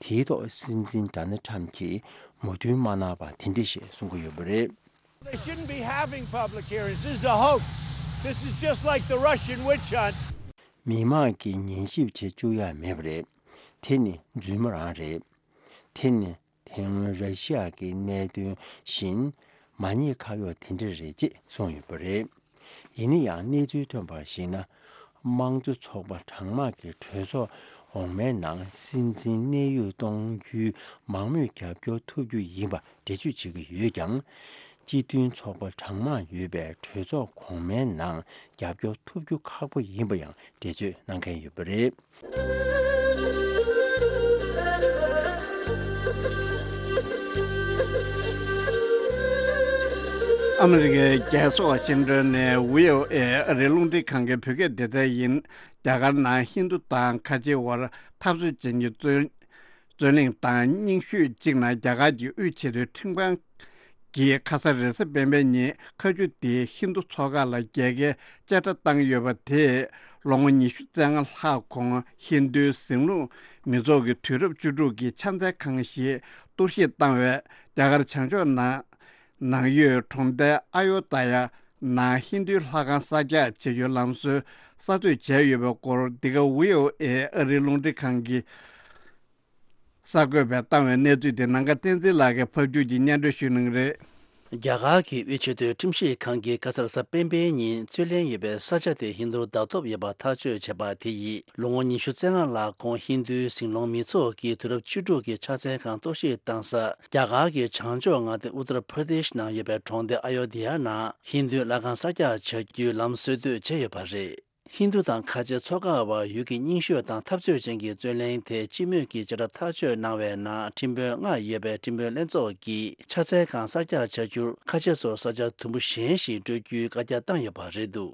དེའི་ཐོག་སྲིད་འཛིན་ཌོ་ནལ་ཊམ་གྱིས་མོས་མཐུན་མ་གནང་བ་དེ་འདྲ་ཞིག་གསུང་གི་ཡོད་པ་རེད། They shouldn't be having public hearings. This is a hoax. This is just like the Russian witch hunt. མི་མང་གིས་ཉན་ཞིབ་བྱེད་བཅུག་ཡ་མེད་པ་རེད། དེ་ནི་རྫུན་མ་རང་རེད། དེ་ནི་དེ་སྔོན་ར་ཤི་ཡ་གི་གནད་དོན་བཞིན་མ་ཉེས་ཁ་གཡོག་དེ་འདྲ་རེད་ཅེས་གསུངས་ཡོད་པ་རེད། ཡིན་ན་ཡང་གནས་ཚུལ་ཐོན་པར་གཞིགས་ན། དམངས་གཙོ་ཚོགས་པ་གྲངས་མང་གི་གྲོས་ཚོགས་འོག་མའི་ནང་སྲིད་འཛིན་གནས་དབྱུང་གཏོང་རྒྱུའི་མང་མོས་རྒྱབ་སྐྱོར་ཐོབ་རྒྱུ་ཡིན་པ་འགྲེལ་བརྗོད་བྱེད་ཀྱི་ཡོད་ཀྱང་། སྤྱི་མཐུན་ཚོགས་པ་གྲངས་མང་ཡོད་པའི་གྲོས་ཚོགས་གོང་མའི་ནང་རྒྱབ་སྐྱོར་ཐོབ་རྒྱུ་ཁག་པོ་ཡིན་པ་ཡང་འགྲེལ་བརྗོད་གནང་མཁན་ཡོད་པ་རེད། ཨ་མི་རི་ཀའི་རྒྱལ་ས་ཝ་ཤིང་ཏོན་ནས་བྷི་ཨོ་ཨེ་ཨ་རིའི་རླུང་འཕྲིན་ཁང་གི་བོད་སྐད་སྡེ་ཚན་ཡིན། རྒྱ་གར་ནང་ཧིན་རྡུ་དང་ཁ་ཆེའི་དབར་འཐབ་རྩོད་ཅན་གྱི་རྩོད་རྩོད་གླེང་དང་རྙིང་ཤོས་གཅིག་ནང་རྒྱ་གར་གྱི་དབུས་ཆེས་མཐོའི་ཁྲིམས་ཁང་གིས་ཁ་ས་རེས་གཟའ་སྤེན་པའི་ཉིན་ཁ་མཆུ་དེ་ཧིན་རྡུ་ཚོགས་ཁག་ལ་རྒྱལ་ཁའི་བཅད་ཁྲ་བཏང་ཡོད་པ་དེས་ལོ་ངོ་ཉི་ཤུ་རྩ་ལྔ་ལྷག་གོང་ཧིན་རྡུའི་ཟིང་ལུགས་མི་ཚོགས་ཀྱི་དུས་རབས་བཅུ་དྲུག་གི་ཕྱག་འཚལ་ཁང་ཞིག་གཏོར་བཤིག་བཏང་བས། རྒྱ་གར་བྱང་ཕྱོགས་ནང་ནང་ཡོད་གྲོང་རྡལ་ཨ་ཡོ་དྷ་ཡ་ནང་ཧིན་རྡུའི་ལྷ་ཁང་གསར་རྒྱག་བྱེད་རྒྱུའི་ལམ་སྲོལ་གསར་གཏོད་བྱས་ཡོད་པའི་སྐོར། འདི་ག་བྷི་ཨོ་ཨེ་ཨ་རིའི་རླུང་འཕྲིན་ཁང་གི་གསར་འགོད་པས་བཏང་བའི་གནས་ཚུལ་དེ་ནམ་མཁའ་བསྟན་འཛིན་ལགས་ཀྱིས་ཕབ་སྒྱུར་གྱིས་སྙན་སྒྲོན་ཞུ་གནང་གི་རེད། རྒྱ་གར་གྱི་དབུས་ཆེས་མཐོའི་ཁྲིམས་ཞིབ་ཁང་གིས་ཁ་སང་རེས་གཟའ་སྤེན་པའི་ཉིན་རྩོད་ལེན་ཡོད་པའི་ས་ཆ་དེ་ཧིན་རྡུར་བརྡ་ཐོབ་ཡོད་པ་ཐག་གཅོད་བྱས་པ་དེ་ཡིས། ལོ་ངོ་ཉི་ཤུ་རྩ་ལྔ་ལྷག་གོང་ཧིན་རྡུའི་ཟིང་སློང་མི་ཚོགས་ཀྱི་དུས་རབས་བཅུ་དྲུག་གི་ཕྱག་འཚལ་ཁང་གཏོར་བཤིག་བཏང་ས། རྒྱ་གར་གྱི་བྱང་ཕྱོགས་མངའ་སྡེ་ཨུ་ཏར་པར་དེཤ་ནང་ཡོད་པའི་གྲོང་སྡེ་ཨ་ཡོ་དྷི་ཡ་ནང་ཧིན་རྡུའི་ལྷ་ཁང་གསར་རྒྱག་བྱ་རྒྱུའི་ལམ་སྲོལ་གཏོད་བྱས་ཡོད་པ་རེད། ཧིན་རྡུ་དང་ཁ་ཆེ་ཚོགས་ཁག་བར་ཡུལ་གྱི་རྙིང་ཤོས་དང་འཐབ་རྩོད་ཅན་གྱི་རྩོད་གླེང་དེ་སྤྱི་མོས་ཀྱིས་བཅད་ཁྲ་ཐག་གཅོད་གནང་བའི་ནང་ཁྲིམས་དཔོན་ལྔ་ཡོད་པའི་ཁྲིམས་དཔོན་ལྷན་ཚོགས་ཀྱིས་ཕྱག་འཚལ་ཁང་གསར་རྒྱག་བྱ་རྒྱུར་ཁ་ཆེ་ཚོར་ས་ཆ་དུམ་བུ་གཞན་ཞིག་སྤྲོད་རྒྱུའི་བཀའ་རྒྱ་བཏང་ཡོད་པ་རེད་འདུག་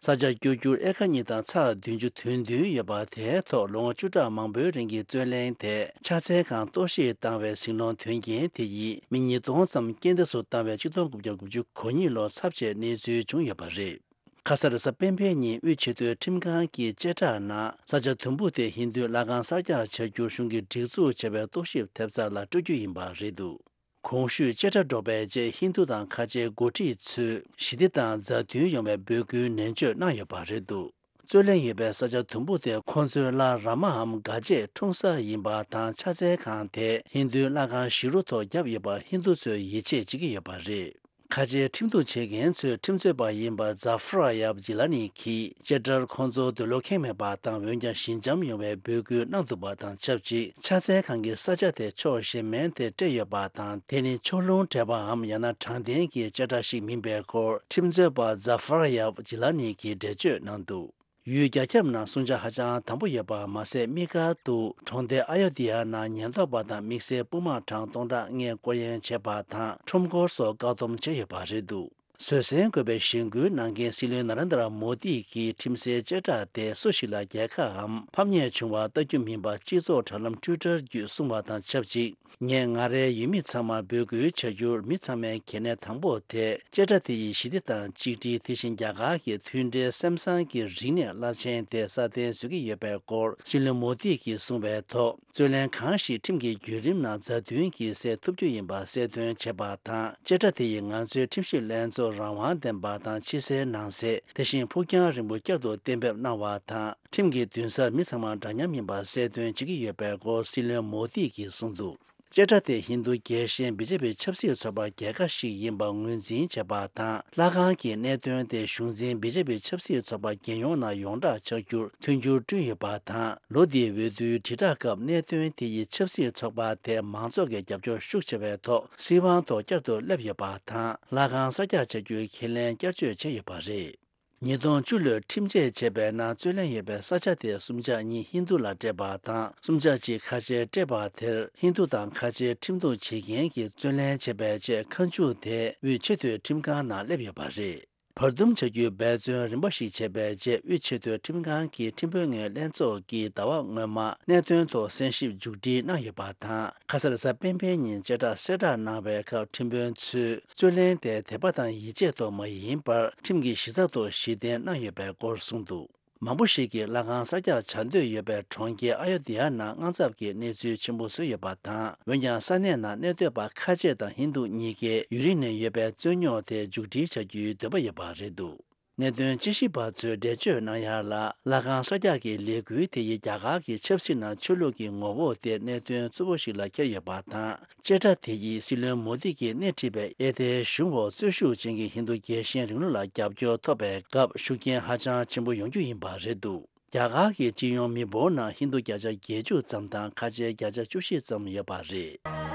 ས་ཆ་བསྐྱོད་རྒྱུར་ཨེ་ཀར་གཉིས་དང་ཚེག་བདུན་ཅུ་དོན་བདུན་ཡོད་པ། དེའི་ཐོག་ལོ་ངོ་བཅུ་ཕྲག་མང་པོའི་རིང་གི་རྩོད་གླེང་དེ་ཕྱག་འཚལ་ཁང་གཏོར་བཤིག་བཏང་བའི་ཟིང་སློང་དོན་རྐྱེན་དེ་ཡིས་མི་ཉིས་སྟོང་ཙམ་རྐྱེན་འདས་སུ་བཏང་བའི་ཆིག་སྟོང་དགུ་བརྒྱ་དགུ་བཅུ་གོ་གཉིས་ལོར་ཚབས་ཆེའི་གནས་ཚུལ་བྱུང་ཡོད་པ་རེད། ཁ་ས་རེས་གཟའ་སྤེན་པའི་ཉིན་དབུས་ཆེས་མཐོའི་ཁྲིམས་ཁང་གི་བཅད་ཁྲ་ནང་ས་ཆ་དུམ་བུ་དེ་ཧིན་རྡུའི་ལྷ་ཁང་གསར་རྒྱག་བྱ་རྒྱུར་གཞུང་གིས་སྒྲིག་འཛུགས་བྱས་པའི་རྟོག་ཞིབ་ཐེབས་རྩ་ལ་སྤྲོད་རྒྱུ་ཡིན་པ་རེད་འདུག་གོང་ཞུས་བཅད་ཁྲ་སྒྲོག་པའི་རྗེས་ཧིན་རྡུ་དང་ཁ་ཆེའི་འགོ་ཁྲིད་ཚོས་ཞི་བདེ་དང་མཛའ་མཐུན་ཡོང་བའི་འབོད་སྐུལ་ནན་བརྗོད་གནང་ཡོད་པ་རེད་འདུག་རྩོད་གླེང་ཡོད་པའི་ས་ཆ་དུམ་བུ་དེ་ཁོང་ཚོའི་ལྷ་ར་མའམ་དགའ་བྱེད་འཁྲུངས་ས་ཡིན་པ་དང་། ཕྱག་འཚལ་ཁང་དེ་ཧིན་རྡུའི་ལྷ་ཁང་བཞི་རུ་ཐོག་བརྒྱབ་ཡོད་པ་ཧིན་རྡུ་ཚོས་ཡིད་ཆེས་བྱེད་ཀྱི་ཡོད་པ་རེད། ཁ་ཆེའི་ཁྲིམས་གཏུག་བྱེད་མཁན་ཚོའི་ཁྲིམས་རྩོད་པ་ཡིན་པ་ཛ་ཧྥ་ར་ཡབ་ཇི་ལ་ནི་གིས་བཅད་ཁྲར་ཁོང་ཚོར་འདོད་བློ་ཁེངས་མེད་པ་དང་། འོན་ཀྱང་ཞི་འཇམ་ཡོང་བའི་འབོད་སྐུལ་གནང་འདུག་པ་དང་ཆབས་ཅིག་ཕྱག་འཚལ་ཁང་གི་ས་ཆ་དེ་ཕྱོགས་གཞན་མའི་ཐད་སྤྲད་ཡོད་པ་དང་། དེ་ནི་ཕྱོགས་ལྷུང་སྤྲད་པའམ་ཡང་ན་དྲང་བདེན་གྱི་བཅད་ཁྲ་ཞིག་མིན་པའི་སྐོར་ཁྲིམས་རྩོད་པ་ཛ་ཧྥ་ར་ཡབ་ཇི་ལ་ནི་གིས་འགྲེལ་བརྗོད་གནང་འདུག་ཡུལ་རྒྱ་ཁྱབ་ནང་སྲུང་བྱ་ཧ་ཅང་དམ་པོ་ཡོད་པ་མ་ཟད། དམིགས་བཀར་དུ་གྲོང་སྡེ་ཨ་ཡོ་དྷི་ཡ་ནང་ཉེན་རྟོག་པ་དང་དམིགས་བསལ་དཔུང་དམག་གྲངས་སྟོང་ཕྲག་ལྔས་སྐོར་གཡེང་བྱས་པ་དང་། ཁྲོམ་སྐོར་སོགས་བཀག་སྡོམ་བྱས་ཡོད་པ་རེད་འདུག་བཟོད་བསྲན་དགོས་པའི་གཞེན་སྐུལ་གནང་མཁན་སྲིད་བློན་ན་རེན་དྲ་མོ་དི་གིས་ཁྲིམས་སའི་བཅད་ཁྲ་དེ་སུ་ཞིག་ལ་རྒྱལ་ཁའམ་ཕམ་ཉེས་བྱུང་བ་ལྟ་རྒྱུ་མིན་པ་སྤྱི་ཚོགས་དྲ་ལམ་ཊུའི་ཊར་བརྒྱུད་གསུངས་པ་དང་ཆབས་ཅིག་ངས་ང་རའི་ཡུལ་མི་ཚང་མར་འབོད་སྐུལ་བྱ་རྒྱུར། མི་ཚང་མའི་གལ་གནད་དང་པོ་དེ་བཅད་ཁྲ་དེ་ཡིས་ཞི་བདེ་དང་གཅིག་སྒྲིལ། དེ་བཞིན་རྒྱ་གར་གྱི་མཐུན་སྒྲིལ། སེམས་བཟང་གི་རིག་གནས་རླབས་ཆེན་དེ་སྲ་བརྟན་བཟོ་གི་ཡོད་པའི་སྐོར་སྲིད་བློན་མོ་དི་གིས་གསུངས་པའི་ཐོག་རྩོད་གླེང་གང་ཞིག་ཁྲིམས་ཀྱི་བརྒྱུད་རིམ་ནང་མཛའ་མཐུན་གྱིས་སེལ་ཐུབ་རྒྱུ་ཡིན་པ་གསལ་སྟོན་བྱས་པ་དང་། བཅད་ཁྲ་དེ་ཡིས་ང་ཚོའི་ཁྲིམས་ཞིབ་ལྷན་ཚོགས་རང་དབང་ལྡན་པ་དང་། ཕྱི་གསལ་ནང་གསལ། དེ་བཞིན་ཕུགས་རྒྱང་རིང་པོ་བསྐྱར་དུ་གཏན་འབེབས་གནང་བ་དང་། ཁྲིམས་ཀྱི་འདུན་སར་མི་ཚང་མ་འདྲ་མཉམ་ཡིན་པ་གསལ་སྟོན་བྱེད་ཀྱི་ཡོད་པའི་སྐོར་སྲིད་བློན་མོ་དི་གིས་གསུངས་འདུག་བཅད་ཁྲ་དེ་ཧིན་རྡུ་རྒྱལ་ཞེན་བི་ཇེ་པི་ཆབ་སྲིད་ཚོགས་པ་རྒྱལ་ཁ་ཞིག་ཡིན་པ་ངོས་འཛིན་བྱས་པ་དང་། ལྷ་ཁང་གི་གནད་དོན་དེ་གཞུང་འཛིན་བི་ཇེ་པི་ཆབ་སྲིད་ཚོགས་པ་རྒྱལ་ཡོངས་ནང་ཡོངས་གྲགས་ཆགས་རྒྱུར་མཐུན་འགྱུར་བསྐྲུན་ཡོད་པ་དང་། ལོ་འདིའི་འོས་བསྡུའི་དྲིལ་བསྒྲགས་སྐབས་གནད་དོན་དེ་ཡིས་ཆབ་སྲིད་ཚོགས་པ་དེ་མང་ཚོགས་ཀྱི་རྒྱབ་སྐྱོར་ཤུགས་ཆེ་བའི་ཐོག་སྲིད་དབང་ཐོག་བསྐྱར་དུ་སླེབས་ཡོད་པ་དང་། ལྷ་ཁང་གསར་རྒྱག་བྱ་རྒྱུའི་ཁས་ལེན་བསྐྱར་བཅོས་བྱས་ཡོད་པ་རེད། ཉིས་སྟོང་བཅུ་ལོའི་ཁྲིམས་ཆད་བྱས་པའི་ནང་རྩོད་གླེང་ཡོད་པའི་ས་ཆ་དེ་གསུམ་ཆ་གཉིས་ཧིན་རྡུ་ལ་སྤྲད་པ་དང་། གསུམ་ཆ་གཅིག་ཁ་ཆེར་སྤྲད་པ་དེར་ཧིན་རྡུ་དང་ཁ་ཆེའི་ཁྲིམས་གཏུག་བྱེད་མཁན་གྱིས་རྩོད་ལེན་བྱས་པའི་རྗེས་ཁ་མཆུ་དེ་དབུས་ཆེས་མཐོའི་ཁྲིམས་ཁང་ནང་སླེབས་ཡོད་པ་རེད། བར་འདུམ་བྱ་རྒྱུའི་འབད་བརྩོན་རིམ་པ་ཞིག་བྱས་པའི་རྗེས། དབུས་ཆེས་མཐོའི་ཁྲིམས་ཁང་གི་ཁྲིམས་དཔོན་ངོས་ལྷན་ཚོགས་ཀྱིས་ཟླ་བ་སྔོན་མ་གནད་དོན་ཐོག་གསན་ཞིབ་མཇུག་སྒྲིལ་གནང་ཡོད་པ་དང་། ཁ་ས་གཟའ་སྤེན་པའི་ཉིན་བཅད་ཁྲ་གསལ་བསྒྲགས་གནང་བའི་སྐབས། ཁྲིམས་དཔོན་ཚོས་རྩོད་ལེན་དེ་དད་པ་དང་ཡིད་ཆེས་ཐོག་མ་ཡིན་པར། ཁྲིམས་ཀྱི་གཞི་རྩ་ཐོག་གཞི་རྟེན་གནང་ཡོད་པའི་སྐོར་གསུངས་འདུག་མང་པོ་ཞིག་གིས་ལྷ་ཁང་གསར་རྒྱག་བྱ་འདོད་ཡོད་པའི་གྲོང་ཁྱེར་ཨ་ཡོ་དི་ཡ་ནང་དངངས་འཚབ་ཀྱི་གནས་ཚུལ་ཆེན་པོ་བཟོས་ཡོད་པ་དང་། འོན་ཀྱང་ས་གནས་ནང་གནས་སྡོད་པ་ཁ་ཆེ་དང་ཧིན་རྡུ་གཉིས་ཀས་ཡུན་རིང་ནས་ཡོད་པའི་རྩོད་རྙོག་དེ་མཇུག་སྒྲིལ་བྱ་རྒྱུའི་འདོད་པ་ཡོད་པ་རེད་འདུག་གནད་དོན་དཔྱད་ཞིབ་པ་ཚོས་འགྲེལ་བརྗོད་གནང་ཡ་ལ། ལྷ་ཁང་གསར་རྒྱག་གི་ལས་འགུལ་དེ་ཡིས་རྒྱ་གར་གྱི་ཆབ་སྲིད་ནང་ཆོས་ལུགས་ཀྱི་ངོ་བོ་དེ་གནད་དོན་གཙོ་བོ་ཞིག་ལ་འཁྱེར་ཡོད་པ་དང་། བཅད་ཁྲ་དེ་ཡིས་སྲིད་བློན་མོ་དི་གིས་སྣེ་ཁྲིད་པའི་ཨེ་ཐའི་གཞུང་འོག་རྩོད་ཤུགས་ཅན་གྱི་ཧིན་རྡུ་རྒྱལ་ཞེན་རིང་ལུགས་ལ་རྒྱབ་སྐྱོར་ཐོབ་པའི་སྐབས་ཤུགས་རྐྱེན་ཧ་ཅང་ཆེན་པོ་ཡོང་རྒྱུ་ཡིན་པ་རེད་འདུག་རྒྱ་གར་གྱི་སྤྱི་ཡོངས་མི་འབོར་ནང་ཧིན་རྡུ་བརྒྱ་ཆ་བརྒྱད་ཅུ་ཙམ་དང་ཁ་ཆེ་བརྒྱ་ཆ་བཅུ་བཞི་ཙམ་ཡོད་པ་རེད།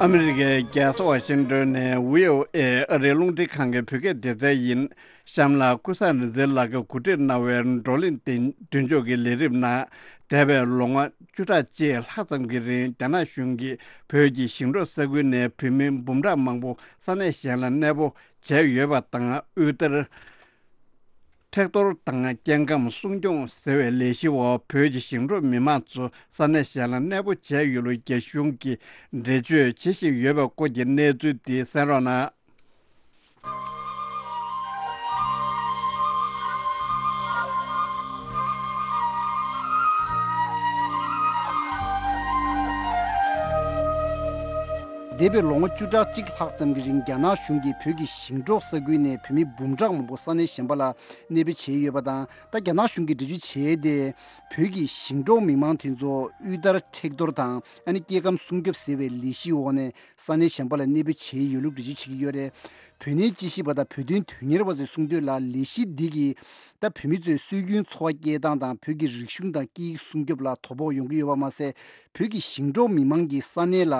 ཨ་མི་རི་ཀའི་རྒྱལ་ས་ཝ་ཤིང་ཏོན་ནས་བྷི་ཨོ་ཨེ་ཨ་རིའི་རླུང་འཕྲིན་ཁང་གི་བོད་སྐད་སྡེ་ཚན་ཡིན། གཤམ་ལ་ཀུན་བཟང་རིག་འཛིན་ལགས་ཀྱིས་གོ་སྒྲིག་གནང་བའི་བགྲོ་གླེང་དེ་མདུན་ཕྱོགས་ཀྱི་ལས་རིམ་ནང་། འདས་པའི་ལོ་ངོ་བཅུ་ཕྲག་གཅིག་ལྷག་ཙམ་གྱི་རིང་རྒྱ་ནག་གཞུང་གིས་བོད་ཀྱི་ཞིང་འབྲོག་ས་ཁུལ་ནས་བོད་མི་འབུམ་ཕྲག་མང་པོ་ས་གནས་གཞན་ལ་གནས་སྤོ་བྱས་ཡོད་པ་དང་། དབུལ་ཐར། མཁྲེགས་གཏོར་དང་སྐྱེ་ཁམས་སྲུང་སྐྱོང་ཟེར་བའི་ལས་གཞི་འོག་བོད་ཀྱི་ཞིང་འབྲོག་མི་མང་ཚོ་ས་གནས་གཞན་ལ་གནས་སྤོ་བྱས་ཡོད་ལུགས་རྒྱ་གཞུང་གིས་འགྲེལ་བརྗོད་བྱེད་བཞིན་ཡོད་པའི་སྐོར་གྱི་གནས་ཚུལ་དེ་གསན་རོགས་གནང་། འདས་པའི་ལོ་ངོ་བཅུ་ཕྲག་གཅིག་ལྷག་ཙམ་གྱི་རིང་རྒྱ་ནག་གཞུང་གིས་བོད་ཀྱི་ཞིང་འབྲོག་ས་ཁུལ་ནས་བོད་མི་འབུམ་ཕྲག་མང་པོ་ས་གནས་གཞན་པ་ལ་གནས་སྤོ་བྱས་ཡོད་པ་དང་། ད་རྒྱ་ནག་གཞུང་གིས་འགྲེལ་བརྗོད་བྱས་ཏེ། བོད་ཀྱི་ཞིང་འབྲོག་མི་མང་དེ་ཚོ་དབུལ་ཐར་མཁྲེགས་གཏོར་དང་། ཨ་ནི་སྐྱེ་ཁམས་སྲུང་སྐྱོབ་ཟེར་བའི་ལས་གཞི་འོག་ནས་ས་གནས་གཞན་པ་ལ་གནས་སྤོ་བྱས་ཡོད་ལུགས་འགྲེལ་བརྗོད་བྱེད་ཀྱི་ཡོད་རེད། བོད་གནས་དཔྱད་ཞིབ་པ་དང་བོད་དོན་དོན་གཉེར་བ་ཚོས་གསུངས་དོན་ལ། ལས་གཞི་འདི་གིས་ད་བོད་མི་ཚོའི་སྲོལ་རྒྱུན་འཚོ་བ་སྐྱེལ་སྟངས་དང་། བོད་ཀྱི་རིག་གཞུང་དང་སྐད་ཡིག་སྲུང་སྐྱོབ་ལ་དོ་ཕོག་ཡོང་གི་ཡོད་པ་མ་ཟད། བོད་ཀྱི་ཞིང་འབྲོག་མི་མང་གིས་ས་གནས་ལ་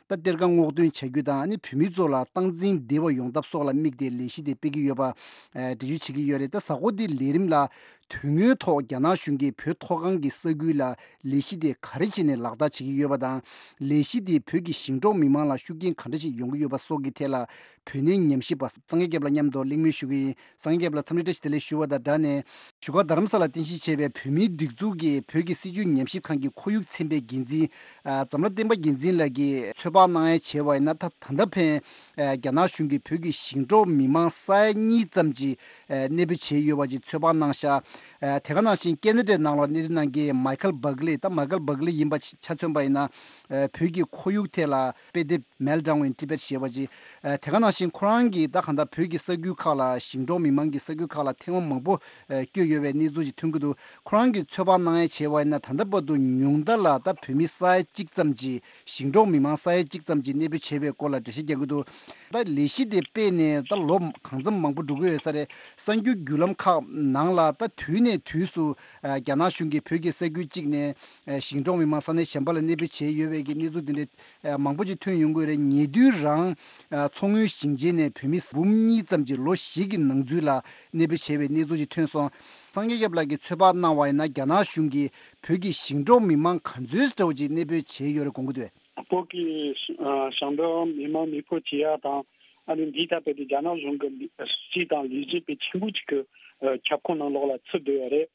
ད་གཏེར་ཁ་སྔོག་འདོན་བྱ་རྒྱུ་དང་། ཨ་ནི་བོད་མི་ཚོ་ལ་སྟངས་འཛིན་བདེ་བ་ཡོང་ཐབས་སོགས་ལ་དམིགས་ཏེ་ལས་གཞི་དེ་སྤེལ་གྱི་ཡོད་པ། ཨ། འགྲེལ་བརྗོད་བྱེད་ཀྱི་ཡོད་རེད། ད་གཟའ་འཁོར་འདིའི་ལས་རིམ་ལ། དོན་དངོས་ཐོག་རྒྱ་ནག་གཞུང་གིས་བོད་མཐོ་སྒང་གི་ས་ཁུལ་ལ་ལས་གཞི་དེ་ག་རེ་བྱས་ནས་ལག་བསྟར་བྱེད་ཀྱི་ཡོད་པ་དང་། ལས་གཞི་དེས་བོད་ཀྱི་ཞིང་འབྲོག་མི་མང་ལ་ཤུགས་རྐྱེན་ག་འདྲ་ཞིག་ཡོང་གི་ཡོད་པ་སོགས་ཀྱི་ཐད་ལ། བོད་གནས་ཉམས་ཞིབ་པ་སངས་རྒྱས་སྐྱབས་ལགས་མཉམ་དུ་གླེང་མོལ་ཞུ་གི་ཡིན། སངས་རྒྱས་སྐྱབས་ལགས། འཚམས་འདྲི་བཀྲ་ཤིས་བདེ་ལེགས་ཞུ་བ་དང་སྦྲགས་ནས། བཞུགས་སྒར་རྡ་རམ་ས་ལར་རྟེན་གཞི་བྱས་པའི་བོད་མིའི་སྒྲིག་འཛུགས་ཀྱི་བོད་ཀྱི་སྲིད་བྱུས་ཉམས་ཞིབ་ཁང་གི་ཁོར་ཡུག་ཚན་པའི་འགན་འཛིན། ཨ། འཛམ་ལྷ་བསྟན་པ་རྒྱལ་མཚན་ལགས་ཀྱིས་ཚོད་དཔག་གནང་ཡ་བྱས་པ་ཡིན་ན། ད་ད་ལྟ་ཕན། ཨ། རྒྱ་ནག་གཞུང་གིས་བོད་ཀྱི་ཞིང་འབྲོག་མི་མང་ས་ཡ་གཉིས་ཙམ་གྱི། ཨ། གནས་སྤོ་བྱས་ཡོད་པ་ཅིག་ཚོད་དཔག་གནང་ཤག་ཨ། དེ་ག་ནང་བཞིན་ཁེ་ན་ཌའི་ནང་ལ་གནས་སྡོད་གནང་མཁན་མའི་ཁལ་བྷག་ལི། ད་མའི་ཁལ་བྷག་ལི་ཡིན་པ་ཆ་མཚོན་པ་ཡིན་ན། ཨ། བོད་ཀྱི་ཁོར་ཡུག་ཐད་ལ་དཔེ་དེབ། Meltdown in Tibet ཞེས་པ་ཅིག་ཨ། དེ་ག་ནང་བཞིན་ཁོ་རང་གིས་ད་གང་ལྟར་བོད་ཀྱི་ས་ཁུལ་ཁག་ལ། ཞིང་འབྲོག་མི་མང་གི་ས་ཁུལ་ཁག་ལ་ཐེངས་མ་མང་པོ། ཨ། བསྐྱོད་ཡོད་པའི་གནས་ཚུལ་ཅིག་ཐོན་གྱི་འདུག་ཁོ་རང་གིས་ཚོད་དཔག་གནང་ཡ་བྱས་པ་ཡིན་ན། ད་ལྟ་བར་དུ་ཉུང་མཐའ་ལ་ད་བོད་མི་ས་ཡ་གཅིག་ཙམ་གྱིས། ཞིང་འབྲོག་མི་མང་ས་ཡ་གཅིག་ཙམ་གྱིས་གནས་སྤོ་བྱས་པའི་སྐོར་ལ་འགྲེལ་བཤད་རྒྱག་གི་འདུག་ད་ལས་གཞི་དེ་སྤེལ་ནས་ད་ལོ་གང་འཚམ་མང་པོ་འགྲོ་གི་ཡོད་ས་རེད། གསར་འགྱུར་བརྒྱུད་ལམ་ཁག་ནང་ལ་ད་དུས་ནས་དུས་སུ། ཨ། རྒྱ་ནག་གཞུང་གིས་བོད་ཀྱི་ས་ཁུལ་གཅིག་ནས། ཨ། ཞིང་འབྲོག་མི་མང་ས་གནས་གཞན་པ་ལ་གནས་སྤོ་བྱས་ཡོད་པའི་གི་གནས་ཚུལ་དེ་འདྲ། ཨ། མང་པོ་ཅིག་ཐོན་ཡོང་གི་ཡོད་རེད། ཉེ་དུས་རང་། ཨ། མཚོ་སྔོན་ཞིང་ཆེན་ནས་བོད་མི་འབུམ་གཉིས་ཙམ་གྱིས་ལོ་བཞི་གི་ནང་ཚུད་ལ་གནས་སྤོ་བྱས་པའི་གནས་ཚུལ་ཅིག་ཐོན་སོང་། སངས་རྒྱས་སྐྱབས་ལགས་ཀྱིས་ཚོད་དཔག་གནང་བ་ཡིན་ན། རྒྱ་ནག་གཞུང་གིས་བོད་ཀྱི་ཞིང་འབྲོག་མི་མང་ག་ཚོད་འདྲ་བོ་ཅིག་གནས་སྤོ་བྱས་ཡོད་རེད་དགོངས་ཀྱི་འདུག་བོད་ཀྱི་ཞིང་འབྲོག་མི་མང་གནས་སྤོ་བྱེད་ཡ་དང་། ཨ་ནི་འདིའི་ཐད་དཔེ་དེ་རྒྱ་ནག་གཞུང་གི་སྲིད་དང་ལས་བྱེད་པའི་ཆེན་པོ་ཅིག་གི་ཁྱབ་ཁོངས་ནང་ལོགས་ལ་ཚུད་བསྡད་ཡོད་རེད།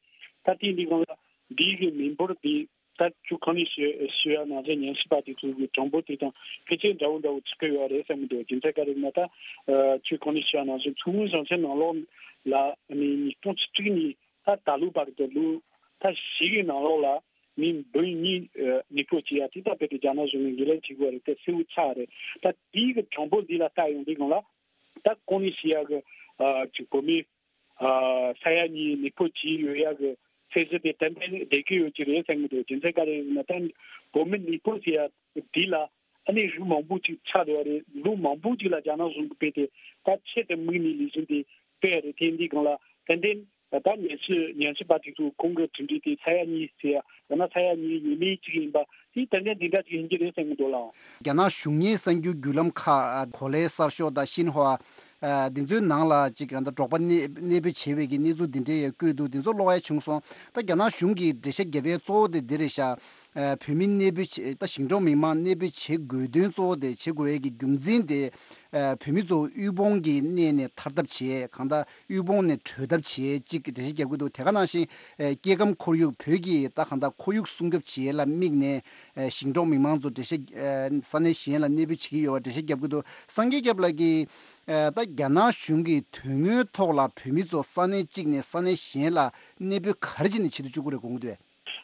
ད་ལྟའི་འདི་སྒང་ལ་འདིའི་གི་མི་འབོར་འདི་ད་ཅུ་གང་ནས་ཞུ་ཞུ་ཡ་ནང་བཞིན་ཉམས་ཞིབ་པ་དེ་ཚོ་གི་གྲངས་འབོར་དེ་དང་ཕལ་ཆེར་འདྲ་བོ་འདྲ་བོ་ཚུད་ཀྱི་ཡོད་རེད་བསམ་གྱི་འདུག་རྒྱུ་མཚན་ག་རེ་ཡིན་ན། ད་ཅུ་གང་ནས་ཞུ་ཡ་ནང་བཞིན་མཚོ་སྔོན་ཞིང་ཆེན་ནང་ལོགས་ལ་ཨ་ནི་ཉིས་སྟོང་བཅུ་གཅིག་ནས་ད་ད་ལོ་བར་དུ་ལོ་ད་བཞི་གི་ནང་ལོགས་ལ། མི་འབུམ་གཉིས་ཨ་གནས་སྤོ་བྱེད་ཡ་དེ་ད་རྦད་དེ་རྒྱ་ནག་གཞུང་གིས་འགན་ལེན་བྱེད་དགོས་རེད། དེ་གསལ་བོ་ཆགས་རེད། ད་དེའི་གི་གྲངས་འབོར་འདི་ལ་ལྟ་ཡོང་དུས་སྒང་ལ་ད་གོང་ནས་བཤད་ཡ་གི་ཨ་ཅིག་བོད་མི་ཨ་ས་ཡ་གཉིས་གནས་སྤོ་བྱས་ཡོད་ཡ་གི་ཚད་གཞི་དེ་ཏན་ཏན་བསྡད་ཀྱི་ཡོད་ཀྱི་རེད་བསམ་གྱི་འདུག་རྒྱུ་མཚན་ག་རེ་ཡིན་ན། ད་བོད་མི་གནས་སྤོ་བྱེད་ཡ་འདི་ལ་ཨ་ནི་རིགས་མང་པོ་ཅིག་ཆགས་བསྡད་པ་རེད། ལོ་མང་པོ་ཅིག་ལ་རྒྱ་ནག་གཞུང་གིས་རྦད་དེ་ད་ཆེད་དུ་དམིགས་ནས་ལས་གཞི་འདི་སྤེལ་ཡ་རེད། དེ་འདི་སྒང་ལ་ཏན་ཏན། ད་ཉམས་ཞིབ་ཉམས་ཞིབ་པ་དེ་ཚོ་ཁོང་གི་གྲུབ་འབྲས་དེ་ས་ཡ་གཉིས་ཟེར་ཡ་ཡང་ན་ས་ཡ་གཉིས་ཡས་མས་གཅིག་ཡིན་པ་དེ་ཏན་ཏན་འདི་འདྲ་ཅིག་ཡིན་གྱི་རེད་བསམ་གྱི་འདུག་ལགས། རྒྱ་ནག་གཞུང་གཉེར་གསར་འགྱུར་བརྒྱུད་ལམ་ཁག་གོ་ལའི་གསར་ཤོག་དང་ཤིན་ཧྭ། ཨ། འདི་ཚོའི་ནང་ལ་ཅིག་ད་འབྲོག་པ་གནས་གནས་སྤོས་བྱས་པའི་གི་གནས་ཚུལ་འདི་འདྲའི་ཡང་བཀོད་འདུག་འདི་ཚོ་ཀློག་ཡ་བྱུང་སོང་། ད་རྒྱ་ནག་གཞུང་གིས་འགྲེལ་བཤད་བརྒྱབ་པའི་གཙོ་བོ་དེ་འདི་རེད་ཤག་ཨ། བོད་མི་གནས་སྤོས་བྱས། ད་ཞིང་འབྲོག་མི་མང་གནས་སྤོས་བྱེད་དགོས་དོན་གཙོ་བོ་དེ་བྱེད་དགོས་ཡས་ཀྱི་རྒྱུ་མཚན་དེ། ཨ། བོད་མི་ཚོ་དབུལ་ཕོངས་ཀྱི་གནས་ནས་ཐར་ཐབས་བྱེད། གང་ལྟར་དབུལ་ཕོངས་ནས་གྲོལ་ཐབས་བྱེད་ཅིག་འགྲེལ་བཤད་རྒྱབ་ཀྱི་འདུག་དེ་ག་ནང་བཞིན། ཨ། སྐྱེ་ཁམས་ཁོར་ཡུག་བོད་ཀྱི་ད་གང་ལྟར་ཁོར་ཡུག་སྲུང་སྐྱོབ་བྱེད་ཡས་ལ་དམིགས་ནས། ཨ། ཞིང་འབྲོག་མི་མང་ཚོ་འགྲེལ་བཤད། ཨ། ས་གནས་གཞན་ལ་གནས་སྤོས་བྱེད་ཀྱི་ཡོད་པ་འགྲེལ་བཤད་རྒྱབ་ཀྱི་འདུག་སངས་རྒྱས་སྐྱབས་ལགས་ཀྱིས། ཨ། ད་རྒྱ་ནག་གཞུང་གི་དོན་དངོས་ཐོག་ལ་བོད་མི་ཚོ་ས་གནས་གཅིག་ནས་ས་གནས་གཞན་ལ་གནས་སྤོས་ག་རེ་བྱས་ནས་བྱེད་དུ་བཅུག་གི་རེད་དགོངས་ཀྱི་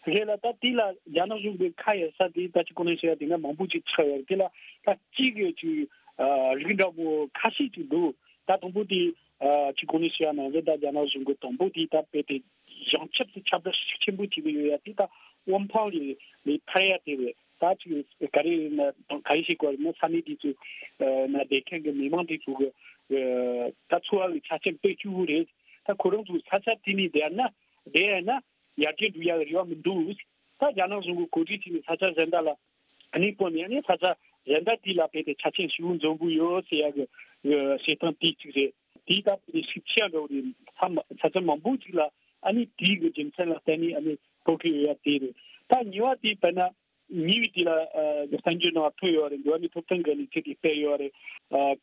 འདུག་རེད་ལ། ད་དེ་ལ་རྒྱ་ནག་གཞུང་གི་ཁ་གཡར་ས་དེ་ད་ཅི་གོང་ནས་བཤད་ཡ་དེ་འདྲ་མང་པོ་ཅིག་ཆགས་ཡོད་རེད། དེ་ལ་ད་གཅིག་གི་ཅིག་ཨ། རིགས་འདྲ་པོ་ཁ་ཤས་ཅིག་འདུག་ད་དང་པོ་དེ། ཨ། ཅི་གོང་ནས་བཤད་ཡ་ནང་བཞིན་ད་རྒྱ་ནག་གཞུང་གི་དང་པོ་དེ་ད་དཔེ་དེ་བྱང་ཆུབ་སེ་ཁྱབ་བསྒྲགས་ཤུགས་ཆེན་པོ་བྱེད་ཀྱི་ཡོད་ཡ་དེ་ད་དབུ་འཕང་ལས་ལས་ཐར་ཡ་དེ་རེད། ད་ཅིག་ག་རེ་ན་ག་རེ་བྱེད་དགོས་རེད་ན་ས་གནས་དེ་ཚོ་ན་བསྡད་མཁན་གྱི་མི་མང་དེ་ཚོ་གི་ད་འཚོ་བ་གི་ཆ་རྐྱེན་དཔེ་སྐྱིད་པོ་རེད། ད་ཁོ་རང་ཚོ་ས་ཆ་དེ་ནས་བསྡད་ན་བསྡད་ཡ་ན། ཡར་རྒྱས་འགྲོ་ཡག་རེ་བ་མི་འདུག་ད་རྒྱ་ནག་གཞུང་གིས་གོ་སྒྲིག་བྱས་ནས་ས་ཆ་གཞན་དག་ལ་གནས་སྤོས་ནས་ནས་ས་ཆ་གཞན་དག་དེ་ལ་བལྟས་ཏེ་ཆ་རྐྱེན་ཞེ་པོ་འཛོམས་པོ་ཡོད་ཟེར་ཡག་གི་བྱེད་སྟངས་དེ་གཅིག་རེད། དེའི་སྟབས་ཀྱིས་ཤུགས་ཆེ་འགྲོ་རེད། ས་མ་ས་ཆ་མང་པོ་ཅིག་ལ་ཨ་ནི་དེའི་གི་རྒྱུ་མཚན་ལ་བརྟེན་ནས་ཨ་ནི་སྤོ་གི་ཡོད་ཡ་དེ་རེད། ད་གཉིས་པ་དེ་དཔེར་ན་ཉེ་བའི་དུས་ལ་གསར་འགྱུར་ནང་ཐོན་ཡོད་རེད། འགྲོ་བ་མིའི་ཐོབ་ཐང་གི་གནས་ཚུལ་དེ་སྤེལ་ཡོད་རེད།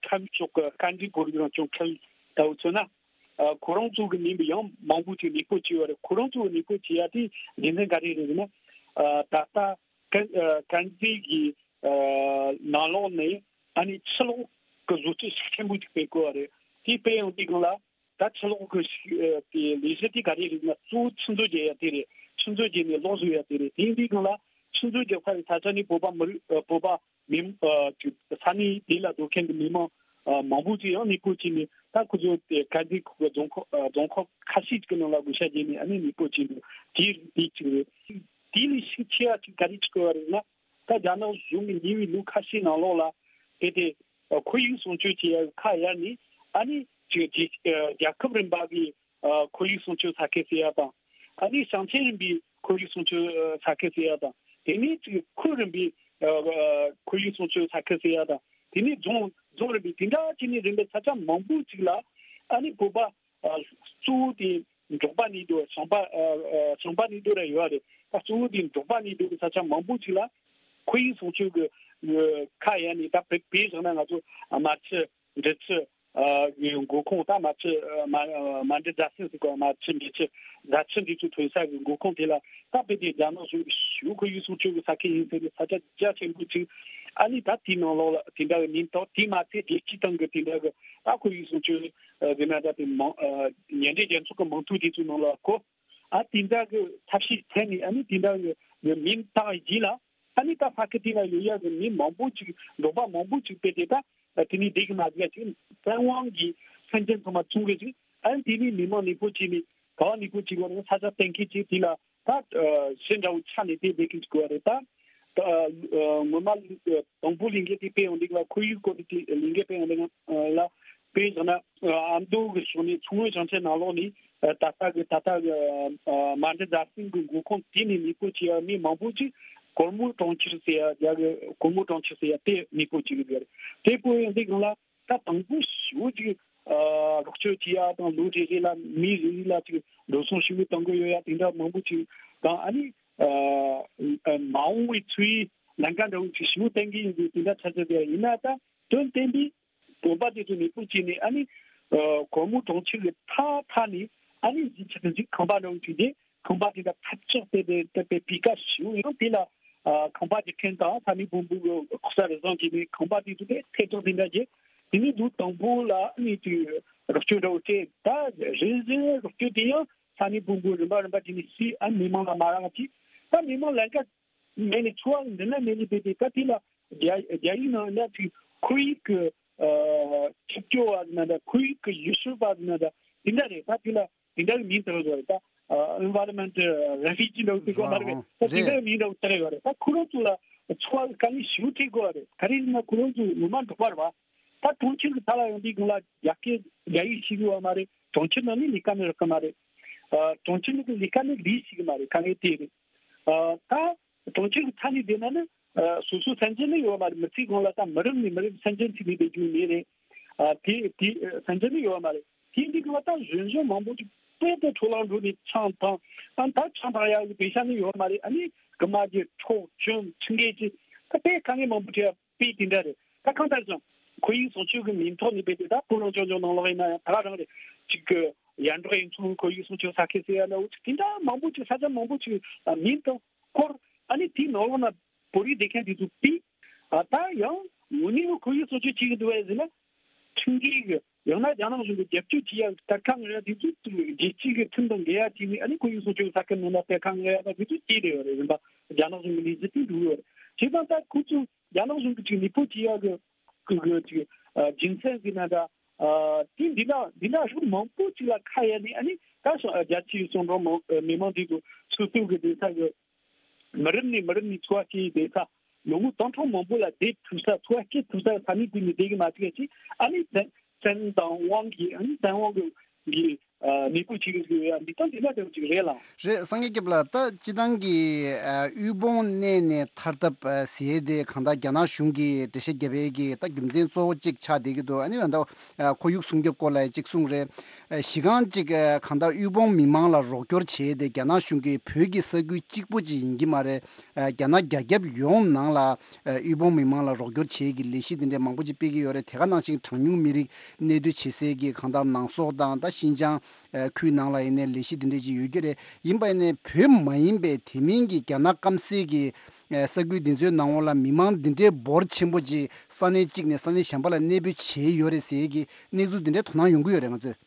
ཁམས་ཕྱོགས་ཀྱི་དཀའ་འགྲེལ་བོད་རིགས་རང་སྐྱོང་ཁུལ་ལྟ་བུ་མཚོན་ན། ཨ། ཁོ་རང་ཚོ་གི་མིན་པའི་ཡང་མང་པོ་ཅིག་གནས་སྤོ་བྱས་ཡོད་རེད། ཁོ་རང་ཚོ་གི་གནས་སྤོ་བྱེད་ཡ་དེ་རྒྱུ་མཚན་ག་རེ་རེད་ཟེར་ན། ཨ། ད་ལྟ་དཀར་ཨ། དཀར་མཛེས་ཀྱི་ཨ། ནང་ལོགས་ནས་ཨ་ནི་ཕྱི་ལོགས་ཀྱི་བཟོ་བཅོས་ཤུགས་ཆེན་པོ་ཅིག་སྤེལ་དགོས་པ་རེད། དེ་སྤེལ་ཡོང་དུས་སྒང་ལ་ད་ཕྱི་ལོགས་ཀྱི་ཤུགས་ཨ། དེ་ལས་གཞི་དེ་ག་རེ་རེད་ན་གཙོ་བོ་ཆུ་མཛོད་བརྒྱབ་ཡ་དེ་རེད། ཆུ་མཛོད་བརྒྱབ་ནས་གློག་བཟོ་ཡ་དེ་རེད། དེ་ཡིན་དུས་སྒང་ལ་ཆུ་མཛོད་རྒྱབ་ཁ་ལ་ས་ཆ་ནས་བོད་པ་མི་རིགས་ཨ། བོད་པ་མི་ཨ། ཅིག་ས་གནས་དེ་ལ་སྡོད་མཁན་གྱི་མི་མང་ཨ། མང་པོ་ཅིག་ཡང་གནས་སྤོ་བྱས་ནས་ད་ཁོ་ཚོ་དེ་དཀར་མཛེས་ཁུལ་གྱི་རྫོང་ཁག་ཨ། རྫོང་ཁག་ཁ་ཤས་ཅིག་གི་ནང་ལ་བགོ་བཤའ་བརྒྱབ་ནས་ཨ་ནི་གནས་སྤོ་བྱས་འདུག་དེ་དེ་གཅིག་རེད། དེ་ལས་ཤུགས་ཆེ་བ་ཅིག་ག་རེ་ཆགས་ཡོད་རེད་ན། ད་རྒྱ་ནག་གཞུང་གིས་ཉེ་བའི་ལོ་ཁ་ཤས་ནང་ལོགས་ལ་དེ་དེ་ཁོར་ཡུག་སྲུང་སྐྱོབ་བྱེད་ཡ་ཁ་གཡར་ནས་ཨ་ནི་ཅིག་རྒྱལ་རྒྱལ་ཁབ་རིམ་པ་གི་ཨ། ཁོར་ཡུག་སྲུང་སྐྱོབ་ས་ཁུལ་ཟེར་ཡ་དང་། ཨ་ནི་ཞིང་ཆེན་རིམ་པའི་ཁོར་ཡུག་སྲུང་སྐྱོབ་ས་ཁུལ་ཟེར་ཡ་དང་། དེ་ནས་ཅིག་ཁུལ་རིམ་པའི་ཨ། ཁོར་ཡུག་སྲུང་སྐྱོབ་ས་ཁུལ་ཟེར་ཡ་དང་། དེ་ནས་རྫོང་རྫོང་རིམ་པའི་དེ་འདྲ་བྱས་ནས་རིམ་པས་ས་ཆ་མང་པོ་ཅིག་ལ་ཨ་ནི་བོད་པ་ཨ། གཙོ་བོ་དེ་འབྲོག་པ་གནས་སྡོད་ཞིང་པ་ཨ། ཨ། ཞིང་པ་གནས་སྡོད་ར་ཡོད་རེད། ད་གཙོ་བོ་དེ་འབྲོག་པ་གནས་སྡོད་ཀྱི་ས་ཆ་མང་པོ་ཅིག་ལ་ཁོར་ཡུག་སྲུང་སྐྱོབ་ཀྱི་ཁ་གཡར་ནས། ད་དཔེ་དཔེ་བཞག་ན་ང་ཚོ་རྨ་ཆུ། འབྲི་ཆུ། ཨ། གི་མགོ་ཁུངས། ད་རྨ་ཆུ། ཨ། རྨ་རྨ་འབྲི་རྫ་ཆུ་ཟེར་གོ་རྨ་ཆུ་འབྲི་ཆུ་རྫ་ཆུ་འདི་ཚོ་ཐོན་ས་གི་མགོ་ཁུངས་དེ་ལ་ད་དཔེ་དེ་རྒྱ་ནག་གཞུང་གི་ཞུ་ཁོར་ཡུག་སྲུང་སྐྱོབ་ཀྱི་ས་ཁུལ་ཡིན་ཟེར་ནས་ས་ཆ་རྒྱ་ཆེན་པོ་ཅིག་ཨ་ནི་ད་དེའི་ནང་ལོགས་ལ་དེ་འདྲ་གི་མིང་བཏགས། དེ་མ་ཚད་རྒྱལ་སྤྱིའི་སྟེང་གི་དེ་འདྲ་གི་ད་ཁོར་ཡུག་སྲུང་སྐྱོབ་ཨ། ཟེར་ན་ད་དེ་མང་ཨ། མཉམ་འབྲེལ་རྒྱལ་ཚོགས་ཀྱི་མིང་ཐོ་དེ་ཚོའི་ནང་ལ་གོ་ཨ། དེ་འདྲ་གི་ཐབས་ཤེས་བཙལ་ནས་ཨ་ནི་དེ་འདྲ་གི་མིང་བཏགས་རྗེས་ལ། ཨ་ནི་ད་ས་ཁུལ་དེ་ལ་ཡོད་ཡག་གི་མི་མང་པོ་ཅིག་འབྲོག་པ་མང་པོ་ཅིག་དཔེ་དེ་ད་དེ་ནས་བསྡད་གི་མ་བསྡད་ཅིག་བཙན་དབང་གིས་སེམས་ཅན་ཚང་མ་བཙོང་གི་ཅིག་ཨ་ནི་དེ་ནས་མི་མང་གནས་སྤོ་བྱས་ནས་ག་བ་གནས་སྤོ་བྱེད་དགོས་རེད། ས་ཆ་གཏན་འཁེལ་ཅིག་དེ་ལ་ད་གཞི་འདྲ་བོ་ཆགས་ནས་དེ་བསྡད་གི་ཅིག་དགོས་རེད། ད་ད་ངོ་མ་དང་པོ་ལས་འགུལ་དེ་སྤེལ་ཡོང་དུས་ལ་ཁོར་ཡུག་སྐོར་གྱི་ལས་འགུལ་སྤེལ་ཡོང་དུས་ལ་དཔེ་བཞག་ན་ཨ་མདོ་གི་ཕྱོགས་ནས་མཚོ་སྔོན་ཞིང་ཆེན་ནང་ལོགས་ནས། ད་ལྟ་གི་ད་ལྟ་གི་རྨ་འབྲི་རྫ་ཆུ་གི་མགོ་ཁུངས་དེ་ནས་གནས་སྤོ་བྱས་ཡ་མི་མང་པོ་ཅིག་གོར་མོ་གྲོང་ཁྱེར་ཟེར་ཡ་རྒྱ་གི་གོར་མོ་གྲོང་ཁྱེར་ཟེར་ཡ་དེ་གནས་སྤོ་བྱེད་ཀྱི་ཡོད་རེད། དེ་སྤོ་ཡོང་དུས་སྒང་ལ་ད་དང་པོ་ཞེ་པོ་ཅིག་རོགས་སྐྱོར་བྱེད་ཡ་དང་ལོ་རེ་རེ་ལ་མི་རེ་རེ་ལ་ཅིག་འགྲོ་སོང་ཞེ་པོ་གཏོང་གི་ཡོད་ཡ་དེ་འདྲ་མང་པོ་ཅིག་དང་། ཨ་ནི་མ་འོངས་པའི་འཚོ་བའི་ལམ་ཁ་འདྲ་བོ་ཅིག་ཞེ་པོ་བསྟན་གྱི་ཡོད་འདུག་དེ་འདྲ་ཆགས་ཀྱི་ཡོད་ཡ་ཡིན་ན། ད་དོན་བསྟན་པའི་བོད་པ་དེ་ཚོ་གནས་སྤོ་བྱས་ནས་ཨ་ནི་ཨ་གོར་མོ་གྲོང་ཁྱེར་གྱི་མཐའ་མཐའ་ནས་ཨ་ནི་གཞིས་ཆགས་གཞིས་ཁང་པ་འདྲ་བོ་ཅིག་དེ་ཁང་པ་དེ་འདྲ་ཐབས་ཆག་དེ་དེ་དེ་དཔེ་སྤུས་ཀ་ཞེ་པོ་ཡང་དེ་ལ་ཨ་ཁང་པ་རྒྱག་མཁན་དང་ས་གནས་དཔོན་པོ་གི་ལྐོག་ཟ་རེ་བཟུང་བྱས་ནས་ཁང་པ་དེ་ཚོ་དེ་ཐེ་གཏོགས་དེ་འདྲ་བྱས། དེ་ནས་དུས་དང་པོ་ལ་ཨ་ནི་དེ་རོགས་སྐྱོར་འདྲ་བོ་སྤྲད། ད་རེས་རེས་རོགས་སྐྱོར་དེ་ཡང་ས་གནས་དཔོན་པོ་རིམ་པ་རིམ་པ་དེ་ནས་སུས་ཨ་མི་མང་ལ་མ་རག་ཅིག་ད་མི་མང་ལམ་ཁ་མེད་ནས་འཚོ་བ་འདི་ན་མེད་ནས་བསྡད་དེ། ད་དེ་ལ་རྒྱ་རྒྱ་ཡིག་ནང་ན་ཅིག་ཁོར་ཡུག་གི་ཨ་ཆིབས་སྐྱོར་བ་ཟེར་ན་འདྲ། ཁོར་ཡུག་གི་ཡུལ་ཤུལ་བ་ཟེར་ན་འདྲ། དེ་འདྲ་རེད། ད་དེ་ལ་དེ་འདྲ་གི་མིང་བཏགས་ཡོད་རེད། ད་ཨ་environment refugee འདྲ་བོ་ཟེར་གོ་མ་རེད། ད་དེ་འདྲ་གི་མིང་འདྲ་བོ་བཏགས་ཡོད་རེད། ད་ཁོ་རང་ཚོ་ལ་འཚོ་བ་དཀའ་ངལ་ཞེ་པོ་འཕྲད་དགོས་པ་རེད། ག་རེ་ཡིན་ན་ཁོ་རང་ཚོ་ངོ་མ་འབྲོག་པ་རེད་བ། ད་གྲོང་ཁྱེར་གི་མཐའ་ལ་ཡོང་དུས་སྒང་ལ་རྒྱ་སྐད་རྒྱ་ཡིག་ཤེས་ཀྱི་ཡོད་མ་རེད། གྲོང་ཁྱེར་ནང་ནས་ལས་ཀ་མེད་རག་གི་མ་རེད། ཨ་གྲོང་ཁྱེར་ནང་གི་ལས་ཀ་ནི་ལས་ཤེས་ཀྱི་མ་རེད། དཀའ་ངལ་དེ་རེད། ཨ་ད་གྲོང་ཁྱེར་གྱི་མཐའ་ནས་བསྡད་ན་ནི་ཨ་སོ་སོ་སེམས་ཅན་ནི་ཡོད་མ་རེད། མི་ཚེ་གང་ལ་ད་མི་རབས་ནས་མི་རབས་སེམས་ཅན་ཚུད་ནས་བསྡད་རྒྱུ་མེད་རེད། ཨ་དེ་དེ་ཨ་ཟིན་རྒྱུ་ནི་ཡོད་མ་རེད། དེ་འདི་གི་བ་ད་གཞོན་གཞོན་མང་པོ་ཅིག་དཔེ་དེ་འཕྲོ་བརླག་འགྲོ་ནས་ཆང་འཐུང་། ཨ་ད་ཆང་འཐུང་ཡག་གི་པེ་ཤ་ནི་ཡོད་མ་རེད། ཨ་ནི་རྐུ་མ་བརྒྱབ། འཕྲོག་བཅོམ་ཁྲིམས་འགལ་གྱི་ད་དཔེ་དཀའ་ངལ་མང་པོ་འཕྲད་ཡ་དཔེ་དེ་འདྲ་རེད། ད་གང་ལྟར་ཀྱང་ཁོར་ཡུག་སྲུང་སྐྱོབ་ཀྱི་མིང་ཐོག་ནས་དཔེ་དེ་ད་བོད་རང་སྐྱོང་ལྗོངས་ནང་ལོགས་ཡིན་ན་ཡང་ད་ག་རང་རེད། ཅིག་གི་ཡར་འབྲོག་གཡུ་མཚོའི་ཁོར་ཡུག་སྲུང་སྐྱོབ་ས་ཁུལ་ཟེར་ཡ་འདྲ་བོ་ཅིག་དེ་འདྲ་མང་པོ་ཅིག་ས་ཆ་མང་པོ་ཅིག་མིང་དང་སྐོར། ཨ་ནི་དེའི་ནང་ལོགས་ན་བོད་རིགས་སྡོད་མཁན་དེ་ཚོ་དཔེ། ཨ་ད་ཡང་དངོས་གནས་ཁོར་ཡུག་སྲུང་སྐྱོབ་བྱེད་ཀྱི་འདུག་བས་ཟེར་ན། ཁྲིམས་འགལ་གྱི་ཡང་ན་རྒྱ་ནག་གཞུང་གི་རྒྱབ་སྐྱོར་བྱེད་ཡག་གི་གཏེར་ཁ་ངོ་ཡ་དེ་ཚོ་རྒྱལ་སྤྱི་གི་ཁྲིམས་དང་འགལ་ཡ་བྱས་ནས། ཨ་ནི་ཁོར་ཡུག་སྲུང་སྐྱོབ་ས་ཁུལ་ནང་ལ་གཏེར་ཁ་ངོ་ཡ་དང་དེ་ཚོ་བྱས་བསྡད་ཡོད་རེད། རིམ་པ་རྒྱ་ནག་གཞུང་གི་ལས་གཞི་དེ་འགྲོ་གི་ཡོད་རེད། བྱས་ཙང་ད་ཁོ་ཚོ་རྒྱ་ནག་གཞུང་གི་ཅིག་ནུས་པ་བྱེད་ཡག་གི་གི་གི་ཅིག་ཨ་རྒྱུ་མཚན་ཟེར་ན་འདྲ། ཨ་དེ་འདི་འདྲ་འདི་འདྲ་རིགས་མང་པོ་ཅིག་ལ་ཁ་གཡར་ནས། ཨ་ནི་ད་སོ་ཨ་རྒྱ་ཆེའི་གསོན་གྲོགས་མང་ཨ་མི་མང་དེ་ཚོ་སོ་སོ་གི་སྡོད་ས་གི་མི་རབས་ནས་མི་རབས་ནས་འཚོ་བ་སྐྱེལ་བསྡད་ས། ལོ་ངོ་སྟོང་ཕྲག་མང་པོ་ལ་བསྡད་ཐུབ་ས། འཚོ་བ་སྐྱེལ་ཐུབ་ས་ས་གནས་དེ་ནས་བསྡད་གི་མ་བཅུག་ཅིག་ཨ་ནི་བཙན་བཙན་དབང་གིས། ཨ་ནི་བཙན་དབང་གི་གི་ཨ་ནུས་པ་བྱེད་གི་ཡ་འདི་ལྟ་འདི་འདྲ་དེ་ཅིག་རེད་ལ། རེད། སངས་རྒྱས་སྐྱབས་ལགས། ད་སྤྱི་བཏང་གི་ཨ་དབུལ་ཕོངས་གནས་ནས་ཐར་ཐབས་ཨ་ཟེར་དེ་གང་ལྟར་རྒྱ་ནག་གཞུང་གིས་འགྲེལ་བཤད་བརྒྱབ་པའི་གི་ད་རྒྱུ་མཚན་གཙོ་བོ་གཅིག་ཆགས་བསྡད་ཀྱི་འདུག་ཨ་ནི་ད་ཨ་ཁོར་ཡུག་སྲུང་སྐྱོབ་སྐོར་ལ་གཅིག་གསུངས་རེད། ཨ་གཞི་རྐང་གཅིག་ཨ་གང་ལྟར་དབུལ་ཕོངས་མི་མང་ལ་རོགས་སྐྱོར་བྱས་ཏེ་རྒྱ་ནག་གཞུང་གིས་བོད་ཀྱི་ས་ཁུལ་གཅིག་པོ་ཅིག་ཡིན་གྱི་མ་རེད། ཨ་རྒྱ་ནག་རྒྱ་ཁྱབ་ཡོངས་ནང་ལ་ཨ་དབུལ་ཕོངས་མི་མང་ལ་རོགས་སྐྱོར་བྱེད་ཀྱི་ལས་གཞི་དེ་འདྲའི་མང་པོ་ཅིག་སྤེལ་གྱི་ཡོད་རེད། དེ་ག་ནང་བཞིན་གྲངས་ཉུང་མི་རིགས་གནས་སྡོད་བྱེད་སའི་གི་གང་ལྟར་ནང་སོག་དང་ད་ཤིན་ཅང་ཨ་ཁུལ་ནང་ལ་ཡིན་ནའི་ལས་གཞི་དེ་འདྲ་ཅིག་ཡོད་ཀྱི་རེད། ཡིན་པ་ཡིན་ནའི་བོད་མ་ཡིན་པའི་དེ་མིན་གྱི་རྒྱ་ནག་སྐམ་སའི་གི་ས་ཁུལ་འདི་ཚོའི་ནང་ལོགས་ལ་མི་མང་འདི་འདྲའི་འབོར་ཆེན་པོ་ཅིག་ས་གནས་གཅིག་ནས་ས་གནས་གཞན་པ་ལ་གནས་སྤོས་བྱས་ཡོད་རེད་ཟེར་གྱི་གནས་ཚུལ་འདི་འདྲའི་དོ་སྣང་ཡོང་གི་ཡོད་རེད་ང་ཚོས།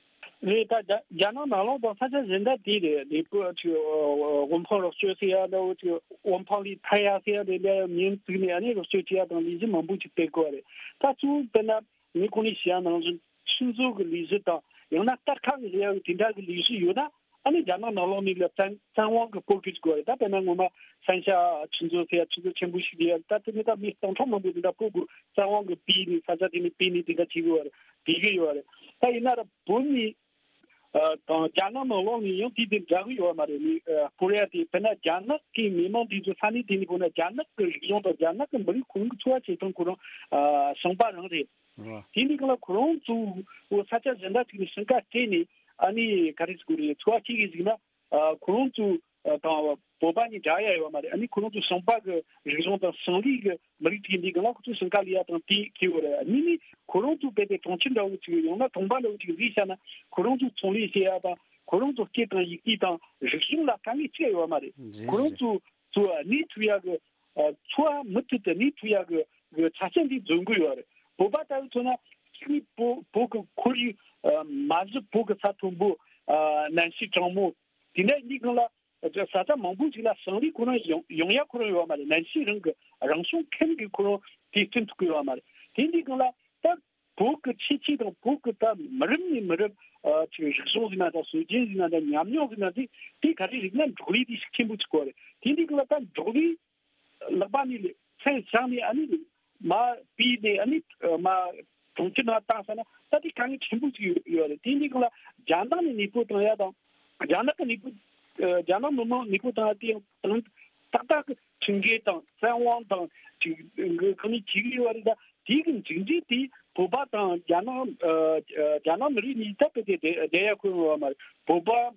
རེད། ད་རྒྱ་རྒྱ་ནག་ནང་ལོགས་དང་ས་ཆ་གཞན་དག་དེ་རེད། ལས་པོ་ཅིག་དབུལ་ཕོངས་རོགས་སྐྱོར་ཟེར་ཡ་འདྲ་བོ་ཅིག་དབུལ་ཕོངས་ལས་ཐར་ཡ་ཟེར་ཡ་དེ་འདྲ་མིང་བཙུགས་ནས་ཨ་ནི་རོགས་སྐྱོར་བྱེད་ཡ་དང་ལས་གཞི་མང་པོ་ཅིག་སྤེལ་དགོས་རེད། ད་གཙོ་བོ་དཔེར་ན་ངས་གོང་ནས་བཤད་ཡ་ནང་བཞིན་ཆུ་མཛོད་ཀྱི་ལས་གཞི་དང་ཡང་ན་གཏེར་ཁ་གི་ཟེར་ཡ་གི་དེ་འདྲ་གི་ལས་གཞི་ཡོད་ན། ཨ་ནི་རྒྱ་ནག་ནང་ལོགས་ནས་ལ་བཙན་བཙན་དབང་གི་སྤོ་གི་དགོས་རེད། ད་དཔེར་ན་ངོ་མ་སན་ཤ་ཆུ་མཛོད་ཟེར་ཡ་ཆུ་མཛོད་ཆེན་པོ་ཞིག་ཡོད། ད་དེ་ནི་ད་མི་སྟོང་ཕྲག་མང་པོ་དེ་འདྲ་སྤོ་དགོས། བཙན་དབང་གི་སྤོས་ནས་ས་ཆ་དེ་ནས་སྤོས་ནས་དེ་འདྲ་བྱེད་གི་ཡོད་རེད། བྱེད་གི་ཡོད་རེད། ད་ཡིན་ན་ར་བོད་ནས་ཨ་དང་རྒྱ་ནག་ནང་ལོགས་ནས་ཡང་དེ་དེ་འདྲ་གི་ཡོད་མ་རེད། ནི་ཨ་སྤོ་ཡ་དེ་དཔེར་ན་རྒྱ་ནག་གི་མི་མང་དེ་ཚོ་ས་གནས་དེ་ནས་སྤོ་ན་རྒྱ་ནག་གི་རིག་གཞུང་དང་རྒྱ་ནག་གི་མི་རིགས་ཁོ་རང་གི་འཚོ་བ་བྱེད་སྟངས་ཁོ་རང་ཨ་ཞིང་པ་རང་རེད། རེད། དེ་འདི་གང་ལ་ཁོ་རང་ཚོ་ས་ཆ་གཞན་དག་ཅིག་ནས་ཞིང་ཁ་སྤྲད་ནས་ཨ་ནི་ག་རེ་ཟེར་དགོས་རེད། འཚོ་བ་སྐྱེལ་གི་ཟིག་ན། ཨ་ཁོ་རང་ཚོ་ཨ་དང་བོད་པ་གཉིས་འདྲ་ཡ་ཡོད་མ་རེད། ཨ་ནི་ཁོ་རང་ཚོ་ཞིང་པ་གི་རིག་གཞུང་དང་ཞིང་ལས་གི་མི་རིགས་ཅིག་འདི་གང་ལ་ཁོ་ཚོ་ཞིང་ཁ་ལས་ཡ་དང་དེ་ཁེ་བོ་རེད། གཉིས་ནི་ཁོ་རང་ཚོ་དཔེ་དེ་གྲོང་ཁྱེར་འདྲ་བོ་ཅིག་ཡང་ན་གྲོང་པ་འདྲ་བོ་ཅིག་བཟོས་བཞག་ན་ཁོ་རང་ཚོ་ཚོང་ལས་བྱེད་ཡ་དང་ཁོ་རང་ཚོ་སྐད་དང་ཡི་གེ་དང་རིག་གཞུང་ལ་དཀའ་ངལ་ཅི་ཡ་ཡོད་མ་རེད། རེད་ཁོ་རང་རེད། ཚོ་ཚོ་གནས་ཐུབ་ཡ་གི་ཨ་འཚོ་བ་མུ་མཐུད་དུ་གནས་ཐུབ་ཡག་གི་གི་ཆ་རྐྱེན་འདི་འཛོམས་གི་ཡོད་རེད། བོད་པ་ལྟ་བུ་མཚོན་ན་གཅིག་ནི་བོད་བོད་གི་ཁོར་ཡུག་ཨ་མ་གཞི་བོད་གི་ས་མཐོན་པོ་ཨ་གནམ་གཤིས་གྲང་མོ་དེ་འདྲ་ཡིན་དུས་སྒང་ལ་ས་ཆ་མང་པོ་ཞིག་ལ་ཞིང་ལས་ཁོ་རང་ཡོང་ཡོང་ཡ་ཁོ་རང་ཡོད་མ་རེད། གནམ་གཤིས་རང་གི་རང་བྱུང་ཁམས་ཀྱི་ཁོ་རང་དེ་བསྐྲུན་ཐུབ་གི་ཡོད་མ་རེད། དེ་འདི་སྒང་ལ་ད་བོད་ཀྱི་ཁྱད་ཆོས་དང་བོད་ཀྱི་ད་མི་རབས་ནས་མི་རབས་ཨ་ཅིག་རིག་གཞུང་ཟེར་ན་འདྲ་སྲོལ་རྒྱུན་ཟེར་ན་འདྲ་ཉམས་མྱོང་ཟེར་ན་འདི་དེ་ག་རེ་རིག་ན་འབྲོག་ལས་དེ་ཤུགས་ཆེན་པོ་ཅིག་དགོས་རེད། དེ་འདི་ག་ལ་ད་འབྲོག་ལས་ལག་པ་ནས་མཚན་བཞག་ནས་ཨ་ནི་མ་སྤོས་ནས་ཨ་ནི་མ་གྲོང་ཁྱེར་ནང་བཏང་ས་ན་ད་དེ་དཀའ་ངལ་ཆེན་པོ་ཅིག་ཡོད་རེད། དེ་འདི་ག་ལ་རྒྱ་ནག་ནས་ནུས་པོ་བཏང་ཡ་དང་རྒྱ་ནག་གི་ནུས་པོ་རྒྱ་ནག་མི་མང་ནུས་པོ་བཏང་ཡ་དེ་ཡང་ཏག་ཏག་གི་ཁྲིམས་འགལ་དང་བཙན་དབང་དང་ཅིག་གང་ནས་བྱེད་ཀྱི་ཡོད་རེད། ད་དེ་གི་མཇུག་འབྲས་དེ་བོད་པ་དང་རྒྱ་ནག་ཨ་རྒྱ་ནག་མི་རིགས་གཉིས་ད་དཔེ་དེ་བསྡད་ཡ་ཁོ་ཡོང་བ་མ་རེད། བོད་པ་ཨ་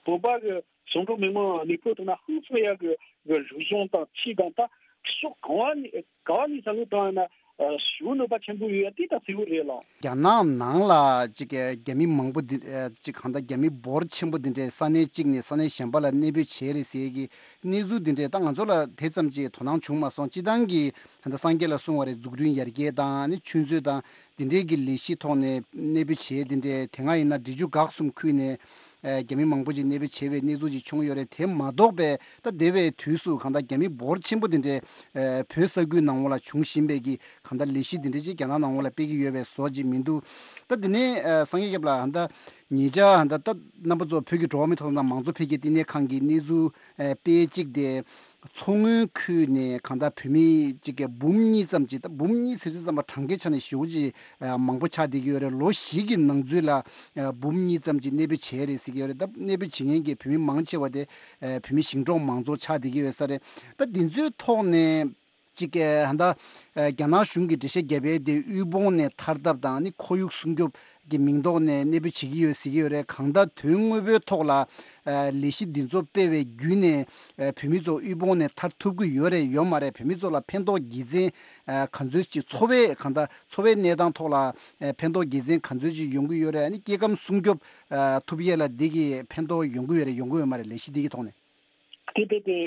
བོད་པ་གི་ཞིང་འབྲོག་མི་མང་ནུས་པོ་བཏང་ན་ཧང་སང་ཡ་གི་གི་རིག་གཞུང་དང་ཆོས་དང་ད་ཕྱོགས་གང་བ་ནས་ག་བ་ནས་བསམ་བློ་བཏང་ཡ་ན་ཨ་ཞེ་པོ་གནོད་པ་ཆེན་པོ་ཡོད་ཡ་དེ་ད་གསལ་པོ་རེད་ལགས། རྒྱ་ནག་ནང་ལ་ཅིག་རྒྱ་མི་མང་པོ་འདི་ཅིག་གང་ལྟར་རྒྱ་མི་འབོར་ཆེན་པོ་འདི་འདྲས་ས་གནས་གཅིག་ནས་ས་གནས་གཞན་པ་ལ་གནས་སྤོས་བྱས་རེད་ཟེར་གི་གནས་ཚུལ་འདི་འདྲས་ད་ང་ཚོ་ལ་དེ་ཙམ་ཅིག་དོ་སྣང་བྱུང་མ་སོང་། སྤྱི་བཏང་གི་ད་ལྟ་སངས་རྒྱས་ལགས་གསུངས་པ་རེད། འཛུགས་སྐྲུན་ཡར་རྒྱས་དང་ནི་ཆུ་མཛོད་དང་འདི་འདྲས་ཀྱི་ལས་གཞི་ཐོག་ནས་གནས་སྤོས་བྱས་འདི་འདྲས་དེ་སྔ་ཡིན་ན་འབྲི་ཆུ་འགག་གསུམ་ཁུལ་ནས་ཨ་རྒྱ་མི་མང་པོ་ཅིག་གནས་སྤོས་བྱས་པའི་གནས་ཚུལ་ཅིག་བྱུང་ཡོད་རེད། དེ་མ་གཏོགས་པའི་ད་འདས་པའི་དུས་སུ་གང་ལྟར་རྒྱ་མི་འབོར་ཆེན་པོ་འདི་འདྲས་ཨ་བོད་ས་ཁུལ་ནང་ལ་བྱུང་བཞིན་པའི་གི་གང་ལྟར་ལས་གཞི་འདི་འདྲས་ཅིག་རྒྱ་ནག་ནང་ལ་སྤེལ་གྱི་ཡོད་པའི་བཟོ་ཅིག་མི་འདུག་ད་འདི་ནས་ཨ་སངས་རྒྱས་སྐྱབས་ལགས་ད་ཉེ་ཆར་ད་ལྟ་རྣམ་པ་ཚོ་བོད་ཀྱི་འགྲོ་བ་མིའི་ཐོབ་ཐང་དང་མང་གཙོ་འཕེལ་རྒྱས་བསྟི་གནས་ཁང་གི་གནས་ཚུལ་ཨ་དཔེ་གཅིག་དེ། མཚོ་སྔོན་ཁུལ་ནས་གང་ལྟར་བོད་མི་གཅིག་གི་འབུམ་གཉིས་ཙམ་ཅིག་ད་འབུམ་གཉིས་ཟེར་དུས་ཙམ་པ་གྲངས་ཀའི་ཆ་ནས་ཞེ་པོ་ཅིག་ཨ་མང་པོ་ཆགས་བསྡད་ཀྱི་ཡོད་རེད། ལོ་བཞི་གི་ནང་ཚུད་ལ་ཨ་འབུམ་གཉིས་ཙམ་ཅིག་གནས་སྤོས་བྱས་རེད་ཟེར་གྱི་ཡོད་རེད། ད་གནས་སྤོས་བྱེད་མཁན་གྱི་བོད་མི་མང་ཆེ་བ་དེ་ཨ་བོད་མི་ཞིང་འབྲོག་མང་ཚོགས་ཆགས་བསྡད་ཀྱི་ཡོད་ས་རེད། ད་འདི་ཚོའི་ཐོག་ནས། ཅིག་གི་ཧ་ད་རྒྱ་ནག་གཞུང་གི་འགྲེལ་བཤད་བརྒྱབ་པའི་དེ་དབུལ་ཕོངས་ནས་ཐར་ཐབས་དང་ནི་ཁོར་ཡུག་སྲུང་སྐྱོབ་ཀྱི་མིང་ཐོག་ནས་གནས་སྤོ་བྱེད་ཀྱི་ཡོད་ཟེར་གྱི་ཡོད་རེད། གང་ལྟར་དོན་དངོས་པོའི་ཐོག་ལ་ལས་གཞི་འདི་ཚོ་སྤེལ་བའི་བརྒྱུད་ནས་བོད་མི་ཚོ་དབུལ་ཕོངས་ནས་ཐར་ཐུབ་ཀྱི་ཡོད་རེད་ཡོད་མ་རེད། བོད་མི་ཚོ་ལ་ཕན་ཐོགས་དགེ་མཚན་ག་ཚོད་ཅིག་འཚོ་བའི་གང་ལྟར་འཚོ་བའི་གནས་སྟངས་ཐོག་ལ་ཕན་ཐོགས་དགེ་མཚན་ག་ཚོད་ཅིག་ཡོང་གི་ཡོད་རེད། ཨ་ནི་སྐྱེ་ཁམས་སྲུང་སྐྱོབ་ཐུབ་ཡས་ལ་འདི་གི་ཕན་ཐོགས་ཡོང་གི་ཡོད་རེད་ཡོང་གི་ཡོད་མ་རེད། ལས་གཞི་འདི་གི་ཐོག་ནས། དེ་དེ་དེ་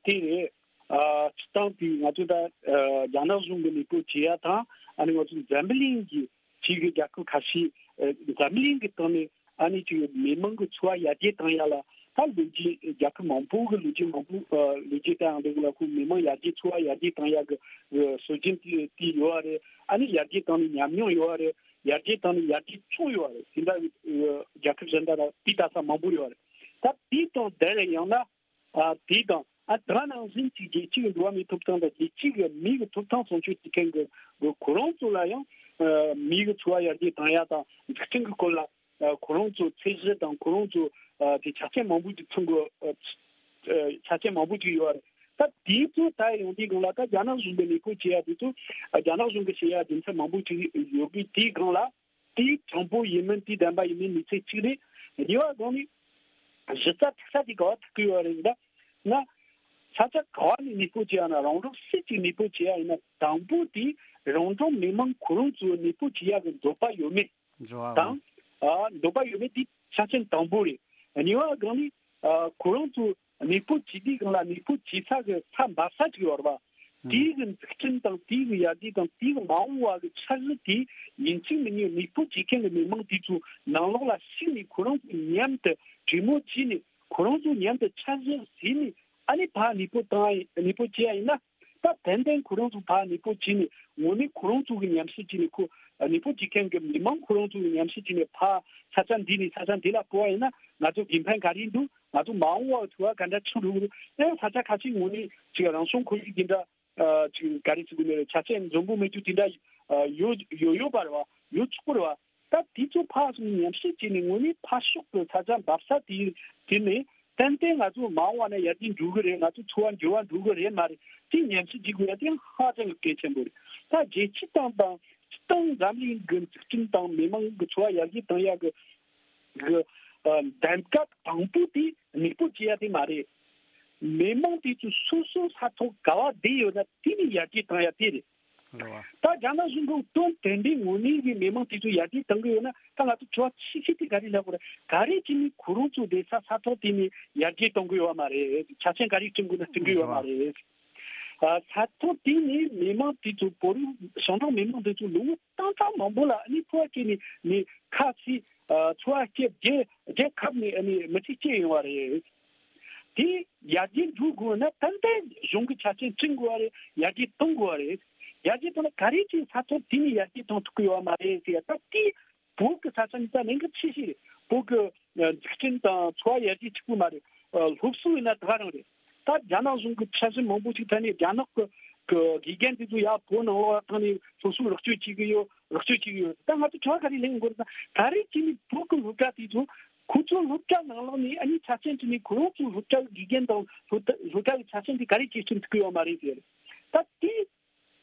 དེ་རེད། ཨ་སྤྱིར་བཏང་དེ་ང་ཚོ་ད་ཨ་རྒྱ་ནག་གཞུང་གི་ལས་ཁུངས་བྱེད་ཡ་དང་ཨ་ནི་ང་ཚོ་འཛམ་བུ་གླིང་གི་ཕྱི་གི་རྒྱལ་ཁབ་ཁ་ཤས་ཨ་འཛམ་བུ་གླིང་གི་སྟེང་ནས་ཨ་ནི་ཅིག་མི་མང་གི་འཚོ་བ་ཡར་རྒྱས་བཏང་ཡ་ལ་ད་ལོ་རྒྱུས་རྒྱལ་ཁབ་མང་པོ་གི་ལོ་རྒྱུས་མང་པོ་ཨ་ལོ་རྒྱུས་ལྟ་ཡང་འདུག་ལ། ཁོ་མི་མང་ཡར་རྒྱས་འཚོ་བ་ཡར་རྒྱས་བཏང་ཡ་གི་ཨ་སྲོལ་རྒྱུན་དེ་དེ་ཡོད་རེད། ཨ་ནི་ཡར་རྒྱས་བཏང་ནས་ཉམས་མྱོང་ཡོད་རེད། ཡར་རྒྱས་བཏང་ནས་ཡར་རྒྱས་བྱུང་ཡོད་རེད། དེ་འདྲ་ཨ་རྒྱལ་ཁབ་གཞན་དག་ལ་དེ་ལྟ་ས་མང་པོ་ཡོད་རེད། ད་དེ་དང་དེ་ལས་ཡང་ན། ཨ་དེ་དང་ཨ་ད་ནང་བཞིན་གྱི་རྒྱལ་སྤྱི་གི་འགྲོ་བ་མིའི་ཐོབ་ཐང་དང་རྒྱལ་སྤྱི་གི་མི་གི་ཐོབ་ཐང་སྲུང་སྐྱོབ་བྱེད་མཁན་གྱི་གི་ཁོ་རང་ཚོ་ལ་ཡང་ཨ་མི་གི་འཚོ་བ་ཡར་རྒྱས་བཏང་ཡ་དང་འཛུགས་སྐྲུན་གྱི་སྐོར་ལ་ཨ་ཁོ་རང་ཚོ་ཚད་གཞི་དང་ཁོ་རང་ཚོ་ཨ་དེ་ཆ་རྐྱེན་མང་པོ་ཅིག་ཚང་གི་ཨ་ཆ་རྐྱེན་མང་པོ་ཅིག་ཡོད་རེད། ད་དེ་ཚོ་ད་ཡོང་དུས་སྒང་ལ་ད་རྒྱ་ནག་གཞུང་གི་ལས་ཁུངས་བྱེད་ཡ་དེ་ཚོ་ཨ་རྒྱ་ནག་གཞུང་གི་བྱེད་ཡ་རྒྱུ་མཚན་མང་པོ་ཅིག་ཡོད་གི། དེའི་སྒང་ལ། དེའི་དྲང་པོ་ཡིན་མིན་དེའི་བདེན་པ་ཡིན་མིན་མི་ཚེ་གཅིག་རེད། གཉིས་པ་སྒང་ནས་གཞི་རྩ་ཐིག་ས་དེ་ག་བ་ཐུག་གི་ཡོད་རེད་ཟེར་ན། ས་ཆ་ག་བ་ནས་གནས་སྤོ་བྱེད་ཡ་ན་རང་རང་སུ་གཅིག་གནས་སྤོ་བྱེད་ཡ་ཡིན་ན་དང་པོ་དེ་རང་རང་མི་མང་ཁོ་རང་ཚོ་གནས་སྤོ་བྱེད་ཡ་གི་འདོད་པ་ཡོད་མེད་འགྲོ་བ་དང་། ཨ་འདོད་པ་ཡོད་མེད་དེ་ཆ་རྐྱེན་དང་པོ་རེད། གཉིས་པ་སྒང་ནས་ཨ་ཁོ་རང་ཚོ་གནས་སྤོ་བྱེད་དུས་སྒང་ལ་གནས་སྤོ་བྱེད་ས་གི་ས་འབབ་ས་ཅིག་ཡོད་རེད་པ། ཨང་། དེའི་གི་འཛུགས་སྐྲུན་དང་དེའི་གི་ཡར་རྒྱས་དང་དེའི་གི་མ་འོངས་པ་གི་འཆར་གཞི་དེ་ཡིན་གཅིག་མིན་གཉིས་གནས་སྤོ་བྱེད་མཁན་གི་མི་མང་དེ་ཚོ་ནང་ལོགས་ལ་ཞུགས་ནས་ཁོ་རང་ཚོ་མཉམ་དུ་གྲོས་མོལ་བྱས་ནས་ཁོ་རང་ཚོ་མཉམ་དུ་འཆར་གཞི་བཟོས་ནས་ཨ་ནི་ཕར་གནས་སྤོ་བཏང་ཡ་ཡིན། གནས་སྤོ་བྱེད་ཡ་ཡིན་ན་ད་ཏན་ཏན་ཁོ་རང་ཚོ་ཕར་གནས་སྤོ་བྱས་ནས་དངོས་གནས་ཁོ་རང་ཚོ་གི་ཉམས་ཞིབ་བྱས་ནས་ཁོ་གནས་སྤོ་བྱེད་མཁན་གི་མི་མང་ཁོ་རང་ཚོ་གི་ཉམས་ཞིབ་བྱས་ནས་ཕར་ས་ཆ་འདི་ནས་ས་ཆ་འདི་ལ་སྤོ་བ་ཡིན་ན་ང་ཚོ་དགེ་ཕན་ག་རེ་འདུག་ང་ཚོ་མ་འོངས་པར་འཚོ་བ་ག་འདྲ་བྱུང་རུང་ཨེ་ས་ཆ་ཁ་ཤས་ངོས་ནས་ཅིག་རང་བྱུང་ཁོར་ཡུག་འདི་འདྲ་ཨ་ཅིག་ག་རེ་ཟེར་དགོས་ནི་རེད། ཆ་རྐྱེན་འཛོམས་པོ་མེད་རྒྱུ་དེ་འདྲ་ཨ་ཡོད་ཡོད་ཡོད་པ་རེད་བ། ཡོད་ཆོག་གི་རེད་བ། ད་དེ་ཚོ་ཕར་སོང་ཉམས་ཞིབ་བྱས་ནས་ངོས་ནས་ཕར་ཕྱོགས་ཀྱི་ས་ཆ་འབབ་ས་དེ་དེ་ནས་ཏན་ཏན་ང་ཚོ་མ་འོངས་པ་ན་ཡར་རྒྱས་འགྲོ་གི་རེད། ང་ཚོ་འཚོ་བ་འགྱུར་བ་འགྲོ་གི་རེད་མ་རེད། དེ་ཉམས་ཞིབ་བྱེད་དགོས་ཡ་དེ་ཧ་ཅང་གི་གལ་ཆེན་པོ་རེད། ད་རྒྱལ་སྤྱི་དང་དང་སྤྱི་བཏང་འཛམ་གླིང་གི་འཛུགས་སྐྲུན་དང་མི་མང་གི་འཚོ་བ་ཡར་རྒྱས་གཏོང་ཡ་གི་གི་ཨ་གདམ་ག་དང་པོ་དེ་གནས་སྤོ་བྱེད་ཡ་དེ་མ་རེད། མི་མང་དེ་ཚོ་སོ་སོ་ས་ཐོག་ག་བ་བསྡད་ཡོད་ན་དེ་ནས་ཡར་རྒྱས་བཏང་ཡ་དེ་རེད། རེད་བ། ད་རྒྱ་ནག་གཞུང་གིས་དོན་དམ་པའི་ངོས་ནས་ཀྱི་མི་མང་དེ་ཚོ་ཡར་རྒྱས་གཏོང་གི་ཡོད་ན་ད་ང་ཚོ་དྲི་བ་ཆེ་ཤོས་དེ་ག་རེ་ལབ་དགོས་རེད། ག་རེ་བྱས་ནས་ཁོ་རང་ཚོ་བསྡད་ས་ས་ཐོག་དེ་ནས་ཡར་རྒྱས་གཏོང་གི་ཡོད་མ་རེད། ཆ་རྐྱེན་ག་རེ་བསྐྲུན་དགོས་ན་བསྐྲུན་གི་ཡོད་མ་རེད། ཨ་ས་ཐོག་དེ་ནས་མི་མང་དེ་ཚོ་བོད་རིགས་ཞང་ཀྲོང་མི་མང་དེ་ཚོ་ལོ་ངོ་སྟོང་ཕྲག་མང་པོ་ལ་ཨ་ནི་འཚོ་བ་སྐྱེལ་ནས་ནི་ཁ་ཚིག་ཨ་འཚོ་བ་སྐྱེལ་རྒྱལ་རྒྱལ་ཁབ་ནས་ཨ་ནི་མི་ཚེ་སྐྱེལ་ཡོང་བ་རེད། དེ་ཡར་རྒྱས་འགྲོ་དགོས་ན་ཏན་ཏན་གཞུང་གི་ཆ་རྐྱེན་བསྐྲུན་དགོས་བ་རེད། ཡར་རྒྱས་གཏོང་དགོས་བ་རེད། ཡར་རྒྱས་གཏོང་ན་ག་རེ་བྱས་ས་ཐོག་དེ་ནས་ཡར་རྒྱས་གཏོང་ཐུབ་ཀྱི་ཡོད་མ་རེད་ཟེར་ཡ་ད་དེ་བོད་ཀྱི་ས་ཆ་ནི་ད་གནད་འགག་ཆེ་ཤོས་རེད། བོད་ཀྱི་ཨ་འཛུགས་སྐྲུན་དང་འཚོ་བ་ཡར་རྒྱས་གཅིག་པུ་མ་རེད། ཨ་སློབ་གསོ་ཡིན་ན་ད་ག་རང་རེད། ད་རྒྱ་ནག་གཞུང་གི་འཆར་གཞི་མང་པོ་ཞིག་ཐད་ནས་རྒྱ་ནག་གི་གི་དགེ་རྒན་དེ་ཚོ་ཡར་བོད་ནང་ལོགས་ལ་བཏང་ནས་སློབ་གསོ་རོགས་སྐྱོར་བྱེད་ཀྱི་ཡོད། རོགས་སྐྱོར་བྱེད་ཀྱི་ཡོད། ད་ང་ཚོ་དྲི་བ་ག་རེ་ལེན་དགོས་རེད་ད། ག་རེ་བྱས་ནས་བོད་ཀྱི་སློབ་གྲྭ་དེ་ཚོ་ཁོ་ཚོ་སློབ་གྲྭ་ནང་ལོགས་ནས་ཨ་ནི་ཆ་རྐྱེན་བྱས་ནས་ཁོ་རང་ཚོའི་སློབ་གྲྭ་གི་དགེ་རྒན་དང་སློབ་གྲྭ་སློབ་གྲྭ་གི་ཆ་རྐྱེན་དེ་ག་རེ་བྱས་སྐྲུན་ཐུབ་ཀྱི་ཡོད་མ་རེད་ཟེར། ད་དེ་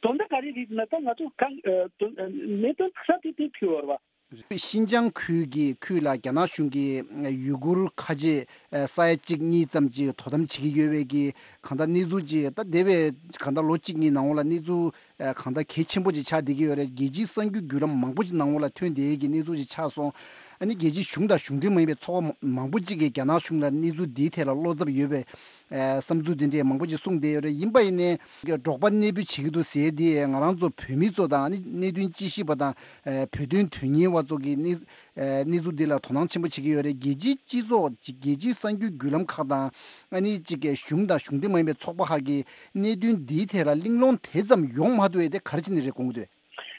དོན་དག་ག་རེ་རེད་ཟེར་ན་ད་ང་ཚོ་གང་ཨ་དོན་ཨ་གནད་དོན་དག་ས་དེ་དེ་ཐུག་ཡོད་རེད་བ། ཤིན་ཅང་ཁུལ་གྱི་ཁུལ་ལ་རྒྱ་ནག་གཞུང་གིས་ཡུ་གུར་ཁ་ཆེ་ས་ཡ་གཅིག་གཉིས་ཙམ་ཅིག་དོ་དམ་བྱེད་ཀྱི་ཡོད་པའི་གི་གང་ལྟར་གནས་ཚུལ་ཅིག་ད་འདས་པའི་གང་ལྟར་ལོ་གཅིག་གཉིས་ནང་ལོགས་ལ་གནས་ཚུལ་གང་ལྟར་གལ་ཆེན་པོ་ཅིག་ཆགས་བསྡད་ཀྱི་ཡོད་རེད། རྒྱལ་སྤྱིའི་གསར་འགྱུར་བརྒྱུད་ལམ་མང་པོ་ཅིག་ནང་ལོགས་ལ་ཐོན་བསྡད་ཀྱི་གནས་ཚུལ་ཅིག་ཆགས་སོང་། ཨ་ནི་རྒྱལ་སྤྱིའི་གཞུང་དང་གཞུང་འབྲེལ་མ་ཡིན་པའི་ཚོགས་པ་མང་པོ་ཅིག་གིས་རྒྱ་ནག་གཞུང་ལ་གནས་ཚུལ་འདིའི་ཐད་ལ་བློ་འཚབ་ཡོད་པའི་ཨ་བསམ་ཚུལ་དེ་འདྲས་མང་པོ་ཅིག་གསུངས་བསྡད་ཡོད་རེད། ཡིན་པ་ཡིན་ནའི་འབྲོག་པ་གནས་སྤོ་བྱེད་ཀྱི་འདུག་ཟེར་དེ་ང་རང་ཚོ་བོད་མི་ཚོ་དང་ཨ་ནི་གནད་དོན་དཔྱད་ཞིབ་པ་དང་ཨ་བོད་དོན་དོན་གཉེར་བ་ཚོ་གིས་གནས་ཨ་གནས་ཚུལ་འདི་ལ་དོ་སྣང་ཆེན་པོ་བྱེད་ཀྱི་ཡོད་རེད། རྒྱལ་སྤྱིའི་སྤྱི་ཚོགས་ཅིག་རྒྱལ་སྤྱིའི་གསར་འགྱུར་བརྒྱུད་ལམ་ཁག་དང་ཨ་ནི་ཅིག་གཞུང་དང་གཞུང་འབྲེལ་མ་ཡིན་པའི་ཚོགས་པ་ཁག་གིས་གནད་དོན་འདིའི་ཐད་ལ་གླེང་སློང་དེ་ཙམ་ཡོང་མ་ཐུབ་པས་དེ་ག་རེ་བྱས་ནས་རེད་དགོངས་ཀྱི་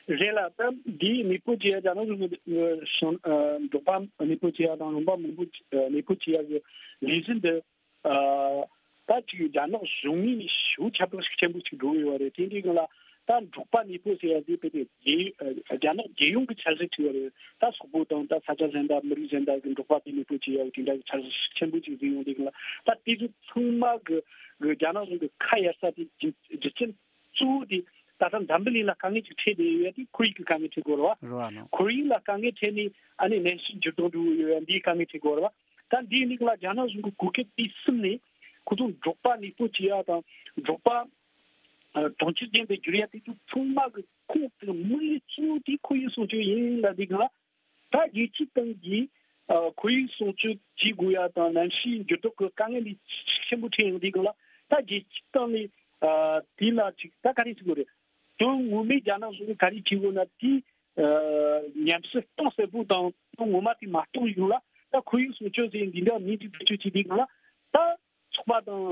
འདུག་རེད་ལ། ད་འདིའི་གནས་སྤོ་བྱེད་ཡ་རྒྱ་ནག་གཞུང་གི་ཨ་གཞུང་ཨ་འབྲོག་པ་གནས་སྤོ་བྱེད་ཡ་དང་ལུང་པ་མང་པོ་ཨ་གནས་སྤོ་བྱེད་ཡ་གི་ལས་གཞི་འདི་ཨ་ད་ཅིག་རྒྱ་ནག་གཞུང་ངོས་ནས་ཞེ་པོ་ཁྱབ་བསྒྲགས་ཤུགས་ཆེན་པོ་ཞིག་འགྲོ་གི་ཡོད་རེད། དེ་འདྲའི་སྒང་ལ་ད་འབྲོག་པ་གནས་སྤོ་ཟེར་ཡ་དེ་དཔེ་དེ་རྒྱལ་ཨ་རྒྱ་ནག་རྒྱལ་ཡོངས་ཀྱི་འཆར་གཞི་ཅིག་ཡོད་རེད། ད་སོག་པོ་དང་ད་ས་ཆ་གཞན་དག་མི་རིགས་གཞན་དག་གི་འབྲོག་པ་དེ་གནས་སྤོ་བྱེད་ཡ་གི་དེ་འདྲ་གི་འཆར་གཞི་ཤུགས་ཆེན་པོ་ཅིག་བཟོས་ཡོང་དུས་སྒང་ལ་ད་དེ་ཚོ་ཚང་མ་གི་གི་རྒྱ་ནག་གཞུང་གི་ཁ་གཡར་ས་དེ་རྒྱུ་རྒྱུ་རྐྱེན། གཙོ་བོ་དེ་ད་ལྟ་འཛམ་བུ་གླིང་ལ་དཀའ་ངལ་ཅིག་འཕྲད་བསྡད་ཡོད་ཡ་དེ་ཁོར་ཡུག་གི་དཀའ་ངལ་འཕྲད་དགོས་རེད་བ། རེད་བ་ནོ། ཁོར་ཡུག་ལ་དཀའ་ངལ་འཕྲད་ནས་ཨ་ནི་གནམ་གཤིས་འགྱུར་ལྡོག་འགྲོ་གི་ཡོད་ཡ་འདིའི་དཀའ་ངལ་འཕྲད་དགོས་རེད་བ། ད་འདིའི་ནང་ལ་རྒྱ་ནག་གཞུང་གི་གོ་སྐབས་དེ་བསུབས་ནས་ཁོ་ཚོ་འབྲོག་པ་ནུས་པ་སྐྱེད་ཡ་དང་འབྲོག་པ་གྲོང་ཁྱེར་ཅན་དུ་བསྒྱུར་ཡ་དེ་ཚོ་ཚང་མ་གི་ཁོང་གི་དམིགས་ཡུལ་གཙོ་བོ་དེ་ཁོར་ཡུག་སྲུང་སྐྱོབ་ཡིན་ལབ་དུས་སྒང་ལ། ད་རྒྱལ་སྤྱིའི་སྟེང་གི་ཨ་ཁོར་ཡུག་སྲུང་སྐྱོབ་བྱེད་དགོས་ཡ་དང་གནམ་གཤིས་འགྱུར་ལྡོག་གི་དཀའ་ངལ་འདི་ཤུགས་ཆེན་པོ་འཕྲད་ཡོང་དུས་སྒང་ལ། ད་རྒྱལ་སྤྱིའི་སྟེང་ནས་ཨ་དེ་ལ་ཅིག་ད་ག་རེ་ཟེར་དགོས་རེད། དོན་ངོ་མའི་རྒྱ་ནག་གཞུང་གིས་ག་རེ་བྱེད་དགོས་ན་དེ་ཨ་ཉམས་ཞིབ་གཏིང་ཟབ་པོ་དང་དོན་ངོ་མ་དེ་མ་རྟོགས་བྱུང་ལ། ད་ཁོར་ཡུག་སྲུང་སྐྱོབ་ཟེར་འདི་འདྲ་མིང་ཅིག་བེད་སྤྱོད་བྱེད་དུས་སྒང་ལ། ད་ཚོགས་པ་དང་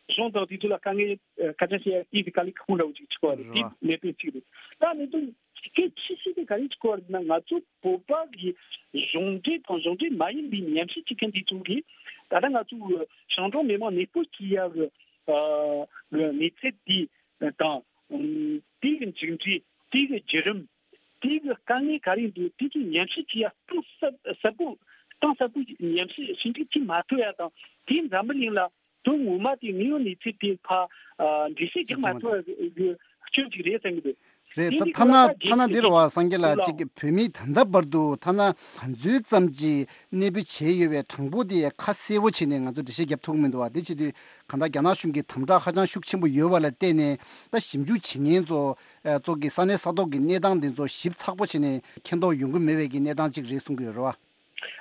གཞུང་དང་དེ་ཚོ་ལ་དཀའ་ངལ་ཨ་སྐད་ཆ་བཤད་ཡ་དེ་དེ་དཀའ་ལས་ཁག་པོ་འདྲ་བོ་ཅིག་ཆགས་པ་རེད། རེད་དེ་བ། གནད་དོན་གཅིག་རེད། ད་གནད་དོན་གལ་ཆེ་ཤོས་དེ་ག་རེ་ཆགས་པ་རེད་ན། ང་ཚོ་བོད་པ་གི་གཞུང་འབྲེལ་དང་གཞུང་འབྲེལ་མ་ཡིན་པའི་ཉམས་ཞིབ་བྱེད་མཁན་དེ་ཚོ་གིས་ད་ལྟ་ང་ཚོ་གི་ཞིང་འབྲོག་མི་མང་ནུས་པ་སྐྱེད་ཡ་གི་ཨ་གི་གནས་ཚུལ་དེ་དང་དེ་གི་མཇུག་འབྲས་དེ་གི་བརྒྱུད་རིམ། དེ་གི་དཀའ་ངལ་ག་རེ་འདུག་དེ་ཚོ་ཉམས་ཞིབ་བྱེད་ཡ་གཏིང་ཟབ་ཟབ་པོ་གཏིང་ཟབ་པོ་ཉམས་ཞིབ་ཞིབ་འཇུག་བྱེད་མ་ཐུབ་ཡ་དང་དེ་འཛམ་བུ་གླིང་ལ་དོན་ངོ་མ་དེ་དངོས་ཡོད་གནས་ཚུལ་དེ་ཕ་ཨ་འགྲེལ་བཤད་རྒྱག་མ་ཐུབ་ཡ་གི་སྐྱོན་ཅིག་རེད་བསམ་གི་འདུག་རེད། དེ་ད་འདི་ཐ་ན་ཁོ་ལ་ད་ཐ་ན་རྒྱལ་འདིར་སྤྱི་བ་སངས་རྒྱས་ལ་ལ་གཅིག་བོད་མིའི་ད་ལྟ་བར་དུ་ཐ་ན་ག་ཚོད་ཙམ་གྱི་གནས་སྤོས་བྱས་ཡོད་པའི་གྲངས་འབོར་དེ་ཁ་གསལ་པོ་བྱས་ནས་ང་ཚོ་འགྲེལ་བཤད་རྒྱབ་ཐུབ་ཀྱི་མི་འདུག་བ། དེ་བྱེད་དུས་གང་ལྟར་རྒྱ་ནག་གཞུང་གིས་དམ་དྲག་ཧ་ཅང་ཤུགས་ཆེན་པོ་ཡོད་པ་ལ་བརྟེན་ནས་ད་ཞིབ་འཇུག་བྱེད་མཁན་ཚོ་ཨ་ཚོ་གི་ས་གནས་ས་ཐོག་གི་གནས་སྟངས་དེ་ཚོ་ཞིབ་ཚགས་པོ་བྱས་ནས་མཁྱེན་རྟོགས་ཡོང་གི་མེད་པའི་གི་གནས་སྟངས་ཅིག་རེད་གསུང་གི་ཡོད་རེད་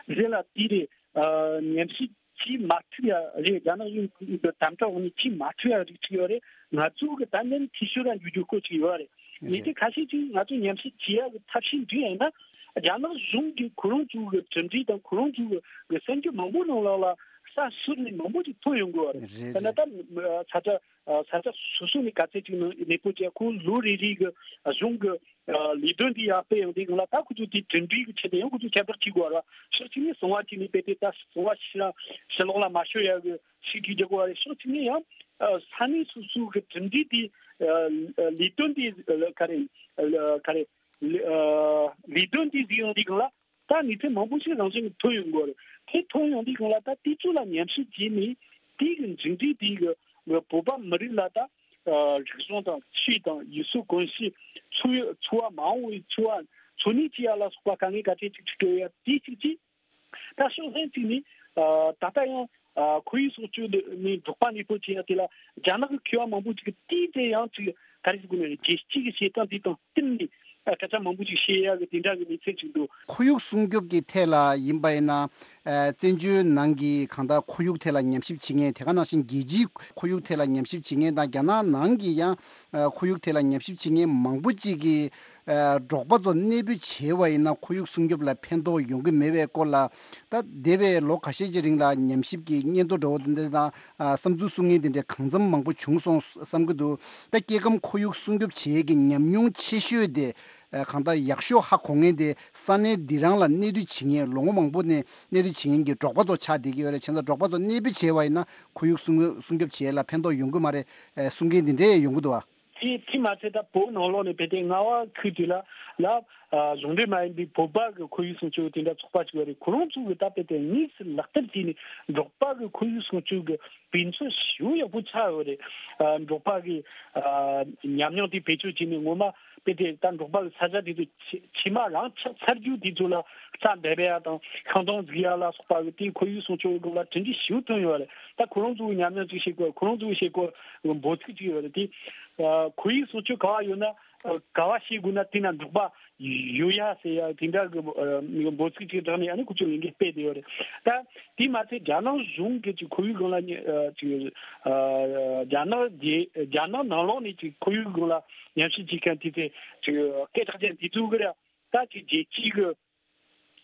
བ། རེད་ལ་དེ་རེད། ཨ་ཉམས་ཞིབ་བྱེད་མ་ཐུབ་ཡ་རེད། རྒྱ་ནག་གཞུང་གི་དམ་དྲག་འོག་ནས་བྱེད་མ་ཐུབ་ཡ་རིགས་ཅིག་ཡོད་རེད། ང་ཚོ་གི་ད་ནི་འཐུས་ཤོར་ལ་འགྱུར་རྒྱུ་སྐོར་ཅིག་ཡོད་རེད། ཡིན་རེད། གྱི་ཁ་ཤས་ཅིག་ང་ཚོ་ཉམས་ཞིབ་བྱེད་ཡ་གི་ཐབས་ཤེས་འདི་ཡིན་ན། རྒྱ་ནག་གཞུང་གིས་ཁོ་རང་ཚོ་གི་གྲུབ་འབྲས་དང་ཁོ་རང་ཚོ་གི་གསར་འགྱུར་མང་པོ་ནང་ལོགས་ལ་ས་ཟུར་ནས་མང་པོ་ཅིག་ཐོན་ཡོང་གི་ཡོད་རེད། རེད་ད་ནི་རེད། ད་ས་ཆ་ས་ཆ་སོ་སོ་ནས་ག་ཚད་ཅིག་ནང་གནས་སྤོ་བྱས། ཁོ་ལོ་རེ་རེ་གི་གཞུང་གི་ལས་དོན་དེ་ཡར་སྤེལ་ཡོང་དུས་སྒང་ལ། ད་ཁོ་ཚོ་དེ་གྲུབ་འབྲས་ཀྱི་ཆེད་དུ་ཡང་ཁོ་ཚོ་ཁྱད་པར་བྱེད་དགོས་ར། ཕྱོགས་གཅིག་ནས་གསང་བ་བྱས་ནས་དཔེ་དེ་ད་གསང་བ་ཕྱི་ཕྱི་ལོགས་ལ་མ་ཤོར་ཡ་གི་ཤུགས་རྒྱག་དགོས་ར། ཕྱོགས་གཅིག་ནས་ཡང་ས་གནས་སོ་སོ་གི་གྲུབ་འབྲས་དེ་ལས་དོན་དེ་ག་རེ་ག་རེ་ལས་དོན་དེ་གཟིགས་ཡོང་དུས་སྒང་ལ། ད་གནས་ཚུལ་མང་པོ་ཞིག་རང་བཞིན་གྱིས་ཐོན་ཡོང་གི་རེད། དེ་ཐོན་ཡོང་དུས་སྒང་ལ་ད་དེ་ཚོ་ལ་ཉམས་ཞིབ་བྱས་ནས་དེ་གི་མཇུག་འབྲས་དེ་གི་བོད་པ་མི་རིགས་ལ་ད་རིག་གཞུང་དང་ཆོས་དང་ཡུལ་སྲོལ་གོམས་གཤིས། འཚོ་འཚོ་བ་མ་འོངས་པའི་འཚོ་བ་འཚོ་གནས་བྱེད་ཡ་ལ་སོགས་པ་དཀའ་ངལ་ག་ཚད་ཅིག་འཕྲད་ཀྱི་ཡོད་ཡ་དེ་གཅིག་བྱས། ད་ཕྱོགས་གཞན་གཅིག་ནས་ད་ལྟ་ཡང་ཁོར་ཡུག་སྲུང་སྐྱོབ་ནས་འབྲོག་པ་གནས་སྤོ་བྱེད་ཡ་དེ་ལ་རྒྱ་ནག་གི་མཁས་པ་མང་པོ་ཅིག་གིས་དེའི་ཐད་ཡང་ཅིག་ག་རེ་ཟེར་དགོས་ན་རེད། རྒྱལ་སྤྱི་གི་བྱེད་སྟངས་དེ་དང་བསྟུན་ནས་སྐད་ཆ་མང་པོ་ཅིག་བཤད་ཡ་གི་དེ་འདྲ་གི་གནས་ཚུལ་ཅིག་འདུག་ཁོར་ཡུག་སྲུང་སྐྱོབ་ཀྱི་ཐད་ལ་ཡིན་པ་ཡིན་ན། ཨ་བཙན་བྱོལ་ནང་གི་གང་ལྟར་ཁོར་ཡུག་ཐད་ལ་ཉམས་ཞིབ་བྱེད་མཁན། དེ་ག་ནང་བཞིན་རྒྱལ་སྤྱིའི་ཁོར་ཡུག་ཐད་ལ་ཉམས་ཞིབ་བྱེད་མཁན་དང་། རྒྱ་ནག་ནང་གི་ཡང་ཨ་ཁོར་ཡུག་ཐད་ལ་ཉམས་ཞིབ་བྱེད་མཁན་མང་པོ་ཅིག་གིས། ཨ་འབྲོག་པ་ཚོ་གནས་སྤོས་བྱས་པ་ཡིན་ན་ཁོར་ཡུག་སྲུང་སྐྱོབ་ལ་ཕན་ཐོགས་ཡོང་གི་མེད་པའི་སྐོར་ལ། ད་འདས་པའི་ལོ་ཁ་ཤས་ཀྱི་རིང་ལ་ཉམས་ཞིབ་ཀྱི་སྙན་ཐོ་འདྲ་བོ་དེ་འདྲ་དང་། ཨ་བསམ་ཚུལ་གསུང་མཁན་དེ་འདྲ་གང་འཚམ་མང་པོ་བྱུང་སོང་བསམ་གྱི་འདུག་ད་སྐྱེ་ཁམས་ཁོར་ཡུག་སྲུང་སྐྱོབ་བྱེད་ཡས་ཀྱི་ཉམས་མྱོང་ཆེ་ཤོས་དེ། ཨ་གང་ལྟར་ཡག་ཤོས་ཧ་གོ་མཁན་དེ་ས་གནས་འདི་རང་ལ་གནས་སྡོད་བྱེད་མཁན། ལོ་ངོ་མང་པོ་ནས་གནས་སྡོད་བྱེད་མཁན་གྱི་འབྲོག་པ་ཚོ་ཆགས་བསྡད་ཀྱི་ཡོད་རེད། བྱས་ཙང་འབྲོག་པ་ཚོ་གནས་སྤོས་བྱས་པ་ཡིན་ན་ཁོར་ཡུག་སྲུང་སྲུང་སྐྱོབ་བྱེད་ཡས་ལ་ཕན་ཐོགས་ཡོང་གི་མ་རེད། ཨ་གསུང་མཁན་དེ་འདྲས་ཡོང་གི་འདུག་བ། དེ་དེ་མ་ཚད་ད་བོད་ནང་ལོགས་ནས་དཔེ་དེ་རྔ་བ་ཁུལ་དེ་ལ་ལ་ཨ་གཞུང་འབྲེལ་མ་ཡིན་པའི་བོད་པ་གི་ཁོར་ཡུག་སྲུང་སྐྱོབ་དེ་འདྲ་ཚོགས་པ་ཅིག་ཡོད་རེད། ཁོ་རང་ཚོ་གི་ད་དཔེ་དེ་དངོས་སུ་ལག་བསྟར་བྱས་ནས་འབྲོག་པ་གི་ཁོར་ཡུག་སྲུང་སྐྱོབ་གི་དཔེ་མཚོན་ཞེ་པོ་ཡག་པོ་ཆགས་ཡོད་རེད། ཨ་འབྲོག་པ་གི་ཨ་ཉམས་མྱོང་དེ་བེད་སྤྱོད་བྱས་ནས་ངོ་མ་དཔེ་དེ་ད་འབྲོག་པ་གི་ས་ཆ་དེ་ཚོ་ཕྱེ་ཕྱེ་མ་རང་ཆགས་ཚར་རྒྱུ་དེ་ཚོ་ལ་རྩྭ་འབེབས་ཡ་དང་ཤིང་སྡོང་འཛུགས་ཡ་ལ་སོགས་པ་གི་དེ་ཁོར་ཡུག་སྲུང་སྐྱོབ་སྒང་ལ་གྲུབ་འབྲས་ཞེ་པོ་ཐོན་ཡོད་རེད། ད་ཁོ་རང་ཚོའི་ཉམས་མྱོང་ཅིག་བཤད་དགོས། ཁོ་རང་ཚོའི་བཤད་སྒོ་འབོད་ཚིག་ཅིག་ཡོད་རེད། དེ་ཨ་ཁོར་ཡུག་སྲུང་སྐྱོབ་ག་བ་ཡོད་ན་ཨ་ག་བ་བྱེད་དགོས་ན་དེ་ན་འབྲོག་པ་ཡོད་ཡ་ཟེར་ཡ་དེ་འདྲ་གི་ཨ་འབོད་ཚིག་ཅིག་བསྒྲགས་ནས་ཨ་ནི་ཁོ་ཚོས་ལས་འགུལ་སྤེལ་བསྡད་ཡོད་རེད། ད་དེ་མ་ཚད་རྒྱ་ནག་གཞུང་གི་ཅིག་ཁོར་ཡུག་སྒང་ལ་ཉེ་ཨ་ཅིག་ཨ་རྒྱ་ནག་རྒྱལ་རྒྱ་ནག་ནང་ལོགས་ནས་ཅིག་ཁོར་ཡུག་སྒང་ལ་ཉམས་ཞིབ་བྱེད་མཁན་དེ་ཚོས་ཅིག་སྐད་གྲགས་ཅན་དེ་ཚོ་གི་ར་ད་ཅིག་རྒྱལ་སྤྱིའི་གི་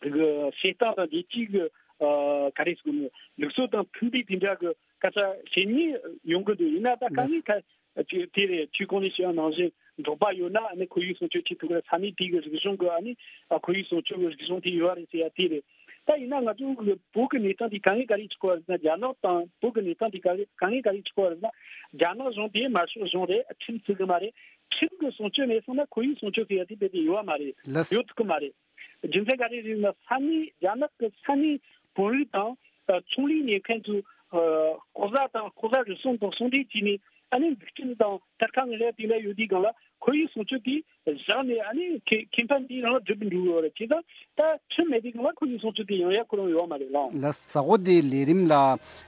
གི་བྱེད་སྟངས་དང་རྒྱལ་སྤྱིའི་གི་ཨ་ག་རེ་ཟེར་དགོས་ནི་ལུགས་སྲོལ་དང་མཐུན་པའི་དེ་འདྲ་གི་སྐད་ཆ་བཤད་མཁན་ཡོང་གི་འདུག་ཡིན་ན་ད་དཀའ་ངལ་ཁ་ཅིག་དེ་རེད། ཁྱོད་གོང་ནས་བཤད་པ་ནང་བཞིན་འབྲོག་པ་ཡོད་ན་ཨ་ནི་ཁོར་ཡུག་སྲུང་སྐྱོབ་བྱེད་ཐུབ་ཀྱི་རེད། ས་གནས་དེ་གི་རིག་གཞུང་གི་ཨ་ནི་ཨ་ཁོར་ཡུག་སྲུང་སྐྱོབ་གི་རིག་གཞུང་དེ་ཡོད་རེད་ཟེར་ཡ་དེ་རེད། ད་ཡིན་ན་ང་ཚོ་གི་བོད་གི་གནས་སྟངས་དེ་དཀའ་ངལ་ག་རེ་ཆགས་ཀྱི་ཡོད་རེད་ཟེར་ན། རྒྱ་ནག་དང་བོད་གི་གནས་སྟངས་དེ་ག་རེ་དཀའ་ངལ་ག་རེ་ཆགས་ཀྱི་ཡོད་རེད་ཟེར་ན། རྒྱ་ནག་གཞུང་དེ་དམར་ཤོག་གཞུང་རེད། ཁྲིམས་བརྩི་གི་མ་རེད། ཁྲིམས་གི་སྲུང་སྐྱོབ་མེད་སོང་ན་ཁོར་ཡུག་སྲུང་སྐྱོབ་ཟེར་ཡ་དེ་དཔེ་དེ་ཡོད་མ་རེད། ལགས། ཡོད་ཐུབ་གི་མ་རེད། རྒྱུ་མཚན་ག་རེ་རེད་ན་ས་གནས་རྒྱ་ནག་གི་ས་གནས་བོད་རིགས་དང་ཨ་ཚོང་ལས་གཉེར་མཁན་ཚོས་ཨ་ལྐོག་ཟ་དང་ལྐོག་ཟ་རུལ་སུངས་དང་ཟུང་འབྲེལ་བྱས་ནས་ ཨ་ནི་འཛུགས་སྐྲུན་དང་དར་ཁ་ངན་ལེ་དེ་འདྲ་ཡོད་དུས་སྒང་ལ་ཁོར་ཡུག་སྲུང་སྐྱོབ་དེ་བཞག་ནས་ཨ་ནི་ཁེ་ཁེ་ཕན་དེ་རང་ལ་སྒྲུབ་འགྲོ་གི་ཡོད་རེད། བྱས་ཙང་ད་ཁྲིམས་མེད་དུས་སྒང་ལ་ཁོར་ཡུག་སྲུང་སྐྱོབ་དེ་ཡང་ཡག་ཁོ་རང་ཡོད་མ་རེད་ལགས། ལགས། གཟའ་འཁོར་འདིའི་ལས་རིམ་ལ་ཨ་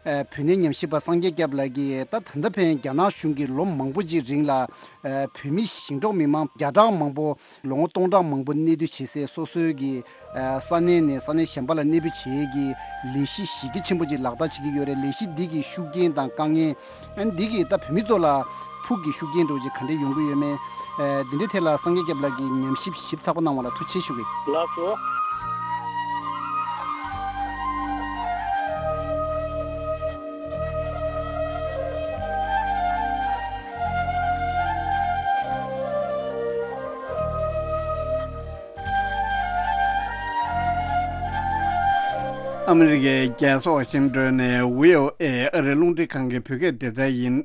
བོད་གནས་ཉམས་ཞིབ་པ་སངས་རྒྱས་སྐྱབས་ལགས་ཀྱིས་ད་ད་ལྟ་ཕན་རྒྱ་ནག་གཞུང་གིས་ལོ་མང་པོ་ཅིག་རིང་ལ་ཨ་བོད་མི་ཞིང་འབྲོག་མི་མང་བརྒྱ་ཕྲག་མང་པོ་ལོ་ངོ་སྟོང་ཕྲག་མང་པོ་གནས་སྡོད་བྱེད་སའི་སོ་སོའི་གི་ས་གནས་ནས་ས་གནས་གཞན་པ་ལ་གནས་སྤོས་བྱེད་ཀྱི་ལས་གཞི་གཞི་རྒྱ་ཆེན་པོ་ཅིག་ལག་བསྟར་བྱེད་ཀྱི་ཡོད་རེད། ལས་གཞི་འདི་གི་ཤུགས་རྐྱེན་དང་དཀའ་ངལ། ཨ་ནི་འདི་གིས་ད་བོད་མི་ཚོ་ལ་ཕུགས་ཀྱི་ཤུགས་རྐྱེན་འདྲ་བོ་ཅིག་ག་འདྲས་ཡོང་གི་ཡོད་མེད། ཨ་འདི་འདྲའི་ཐད་ལ་སངས་རྒྱས་སྐྱབས་ལགས་ཀྱིས་ཉམས་ཞིབ་ཞིབ་ཚགས་པོ་གནང་བ་ལ་ཐུགས་རྗེ་ཆེ་ཞུ་གི། ལགས་སོ། ཨ་མི་རི་ཀའི་རྒྱལ་ས་ཝ་ཤིང་ཏོན་ནས་བྷི་ཨོ་ཨེ་ཨ་རིའི་རླུང་འཕྲིན་ཁང་གི་བོད་སྐད་སྡེ་ཚན་ཡིན།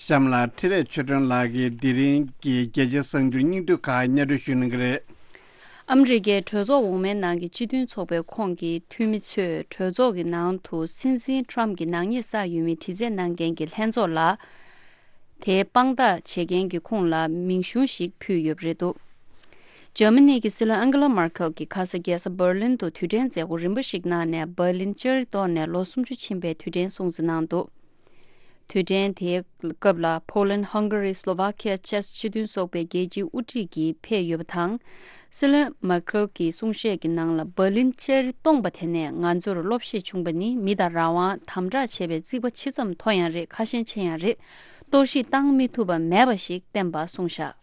གཤམ་ལ་འཕྲིན་ལས་ཆོས་སྒྲོན་ལགས་ཀྱིས་དེ་རིང་གི་རྒྱལ་སྤྱིའི་གསར་འགྱུར་སྙིང་བསྡུས་ཁག་སྙན་སྒྲོན་ཞུ་གནང་གི་རེད། ཨ་མི་རི་ཀའི་གྲོས་ཚོགས་འོག་མའི་ནང་གི་སྤྱི་མཐུན་ཚོགས་པའི་ཁོངས་ཀྱི་འཐུས་མི་ཚོས་གྲོས་ཚོགས་ཀྱི་ནང་དུ་སྲིད་འཛིན་ཊམ་གྱི་ནག་ཉེས་བསགས་ཡོད་མེད་དྲི་རྩད་གནང་མཁན་གྱི་ལྷན་ཚོགས་ལ། དེའི་དཔང་རྟགས་བྱེད་མཁན་གྱི་ཁོངས་ལ་མིང་གཞུང་ཞིག་ཕུལ་ཡོད་པ་རེད་འདུག་འཇར་མ་ནི་གི་སྲིད་བློན་ཨན་གྷེ་ལ་མར་ཁེལ་གྱིས་ཁ་ས་རྒྱལ་ས་འབར་ལིན་དུ་དུས་དྲན་མཛད་སྒོ་རིམ་པ་ཞིག་གནང་ནས། འབར་ལིན་ལྕགས་རི་གཏོར་ནས་ལོ་སུམ་ཅུ་ཕྱིན་པའི་དུས་དྲན་སྲུང་བརྩི་གནང་འདུག་དུས་དྲན་དེའི་སྐབས་ལ་Poland, Hungary, Slovakia བཅས་སྤྱི་མཐུན་ཚོགས་པའི་རྒྱལ་སྤྱིའི་དབུ་ཁྲིད་ཀྱིས་ཕེབས་ཡོད་པ་དང་། སྲིད་བློན་མར་ཁེལ་གྱི་གསུང་བཤད་ཀྱི་ནང་ལ། འབར་ལིན་ལྕགས་རི་སྟོངས་པ་དེ་ནས་ང་ཚོར་བློ་ཤེད་བྱུང་བ་ནི་མི་དང་རང་དབང་དམ་དྲག་བྱེད་པའི་རྩིག་པ་ཇི་ཙམ་མཐོ་ཡང་རེད། ཁ་ཞེང་ཆེ་ཡང་རེད། གཏོར་བཤིག་བཏང་མི་ཐུབ་པ་མེད་པ་ཞིག་བསྟན་པ་གསུངས་བཞག་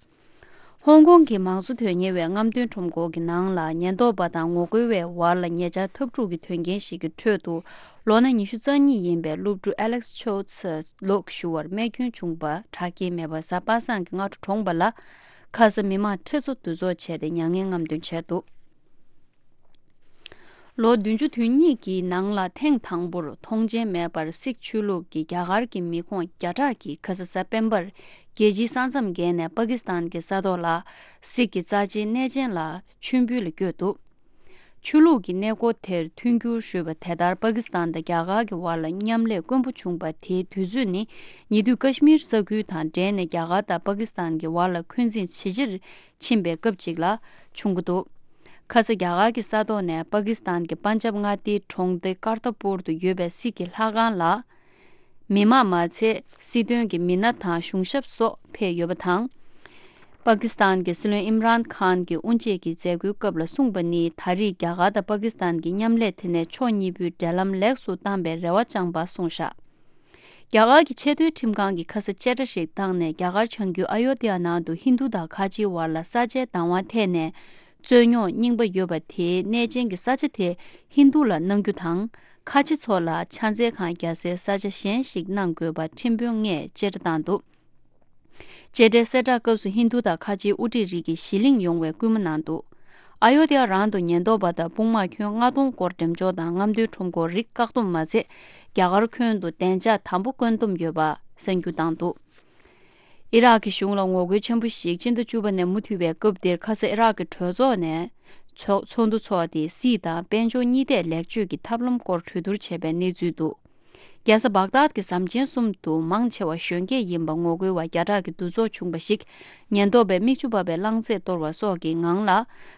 ཧོང་ཀོང་གི་མང་གཙོ་དོན་གཉེར་བའི་རྔམ་སྟོན་ཁྲོམ་སྐོར་གྱི་ནང་ལ་ཉེན་རྟོག་པ་དང་ངོ་རྒོལ་བའི་བར་ལ་ཉེ་ཆར་འཐབ་འཁྲུག་གི་དོན་རྐྱེན་ཞིག་གི་ཁྲོད་དུ་ལོ་ན་ཉི་ཤུ་རྩ་གཉིས་ཡིན་པའི་སློབ་ཕྲུག་ཨ་ལེག་སི་ཆོ་ཚ་ལོག་ཞུ་བར་རྨས་སྐྱོན་བྱུང་བ་དྲག་སྐྱེད་མེད་པ་གཟའ་པ་སངས་ཀྱི་སྔ་དྲོ་གྲོངས་པ་ལ། ཁ་ས་མི་མང་ཁྲི་ཚོ་འདུ་ཚོགས་བྱས་ཏེ་མྱ་ངན་རྔམ་སྟོན་བྱས་འདུག་ལོ་བདུན་ཅུ་དོན་གཉིས་ཀྱི་ནང་ལ་ཐེངས་དང་པོར་མཐོང་མཆན་མེད་པར་སིག་ཆོས་ལུགས་ཀྱི་རྒྱ་གར་གྱི་མི་ཁོངས་བརྒྱ་ཕྲག་གིས་ཁ་ས་གཟའ་སྤེན་པར་རྒྱལ་སྤྱིའི་ས་མཚམས་བརྒལ་ནས་པ་ཀི་སི་ཐན་གྱི་ས་ཐོག་ལ་སིག་གི་རྩ་ཆེའི་གནས་ཆེན་ལ་མཆོད་འབུལ་ལ་བསྐྱོད་འདུག་ཆོས་ལུགས་ཀྱི་གནས་སྐོར་དེར་མཐུན་འགྱུར་ཞུས་པ། དེ་ལྟར་པ་ཀི་སི་ཐན་དང་རྒྱ་གར་གྱི་བར་ལ་མཉམ་ལས་དཀོན་པོ་བྱུང་བ་དེའི་དུས་ཚོད་ནི་ཉེ་དུས་ཀ་ཤི་མིར་ས་ཁུལ་དང་འབྲེལ་ནས་རྒྱ་གར་དང་པ་ཀི་སི་ཐན་གྱི་བར་ལ་འཁོན་འཛིན་ཇེ་ཆེར་ཕྱིན་པའི་སྐབས་ཅིག་ལ་བྱུང་གི་འདུག་ཁ་ས་རྒྱ་གར་གྱི་ས་ཐོག་ནས་པ་ཀི་སི་ཐན་གྱི་པན་ཇབ་མངའ་སྡེའི་གྲོང་སྡེ་ཀར་ཏ་པུར་དུ་ཡོད་པའི་སིག་གི་ལྷ་ཁང་ལ། མི་མང་མ་ཚད་སྲིད་དོན་གྱི་མི་སྣ་དང་གཞུང་ཞབས་སོགས་ཕེབས་ཡོད་པ་དང་། པ་ཀི་སི་ཐན་གྱི་སྲིད་བློན་ཨིམ་རཱན་ཁཱན་གྱིས་དབུ་འབྱེད་ཀྱི་མཛད་སྒོའི་སྐབས་ལ་གསུངས་པ་ནི། ད་རེས་རྒྱ་གར་དང་པ་ཀི་སི་ཐན་གྱི་མཉམ་ལས་དེ་ནས་ཕྱོགས་གཉིས་པོའི་འབྲེལ་ལམ་ལེགས་སུ་བཏང་པའི་རེ་བ་བཅངས་པ་གསུངས་བཞག་རྒྱ་གར་གྱི་ཆེས་མཐོའི་ཁྲིམས་ཁང་གིས་ཁ་ས་བཅད་ཁྲ་ཞིག་བཏང་ནས། རྒྱ་གར་བྱང་རྒྱུད་ཨ་ཡོ་དྷི་ཡ་ནང་དུ་ཧིན་རྡུ་དང་ཁ་ཆེའི་བར་ལ་ས་ཆའི་བདག་དབང་ཐད་ནས་རྩོད་རྙོག་རྙིང་པ་ཡོད་པ་དེའི་གནས་ཆེན་གྱི་ས་ཆ་དེ་ཧིན་རྡུ་ལ་གནང་རྒྱུ་དང་། ཁ་ཆེ་ཚོ་ལ་ཕྱག་འཚལ་ཁང་རྒྱག་སའི་ས་ཆ་གཞན་ཞིག་གནང་དགོས་པ་ཁྲིམས་དཔོན་ལྔས་བཅད་ཁྲ་བཏང་འདུག་བཅད་ཁྲའི་གསལ་བསྒྲགས་སྐབས་སུ་ཧིན་རྡུ་དང་ཁ་ཆེའི་དབུ་ཁྲིད་རིགས་ཀྱིས་གཞི་གླེང་ཡོང་བའི་སྐུལ་མ་གནང་འདུག་ཨ་ཡོ་དྷི་ཡ་རང་དུ་ཉེན་རྟོག་པ་དང་དཔུང་དམག་ཁྱོན་ལྔ་སྟོང་སྐོར་འགྲེམས་འཇོག་དང་རྔམ་སྟོན་ཁྲོམ་སྐོར་རིགས་བཀག་སྡོམ་མ་ཚད། རྒྱ་གར་ཁྱོན་དུ་བདེ་འཇགས་དམ་པོ་བཀོད་འདོམས་ཡོད་པ་གསར་འགྱུར་བཏང་འདུག་ཨི་རག་གི་གཞུང་ལ་ངོ་རྒོལ་ཆེན་པོ་ཞིག་སྤྱི་ཟླ་བཅུ་པ་ནས་མུ་མཐུད་པའི་སྐབས་འདིར། ཁ་ས་ཨི་རག་གི་གྲོས་ཚོགས་ནས་ཚོགས་ཚོགས་འདུ་འཚོགས་ཏེ། སྲིད་དང་དཔལ་འབྱོར་གཉིས་ཐད་ལེགས་བཅོས་ཀྱི་ཐབས་ལམ་སྐོར་གྲོས་བསྡུར་བྱས་པའི་གནས་ཚུལ་འདུག་རྒྱལ་ས་བག་དཱད་ཀྱི་ཟམ་ཆེན་གསུམ་དུ་མང་ཆེ་བ་གཞོན་སྐྱེས་ཡིན་པ་ངོ་རྒོལ་བ་བརྒྱ་ཕྲག་གི་འདུ་ཚོགས་བྱུང་བ་ཞིག་ཉེན་རྟོག་པས་མིག་ཆུ་འབབ་པའི་རླངས་རྫས་གཏོར་བ་སོགས་ཀྱི་ངང་ལ་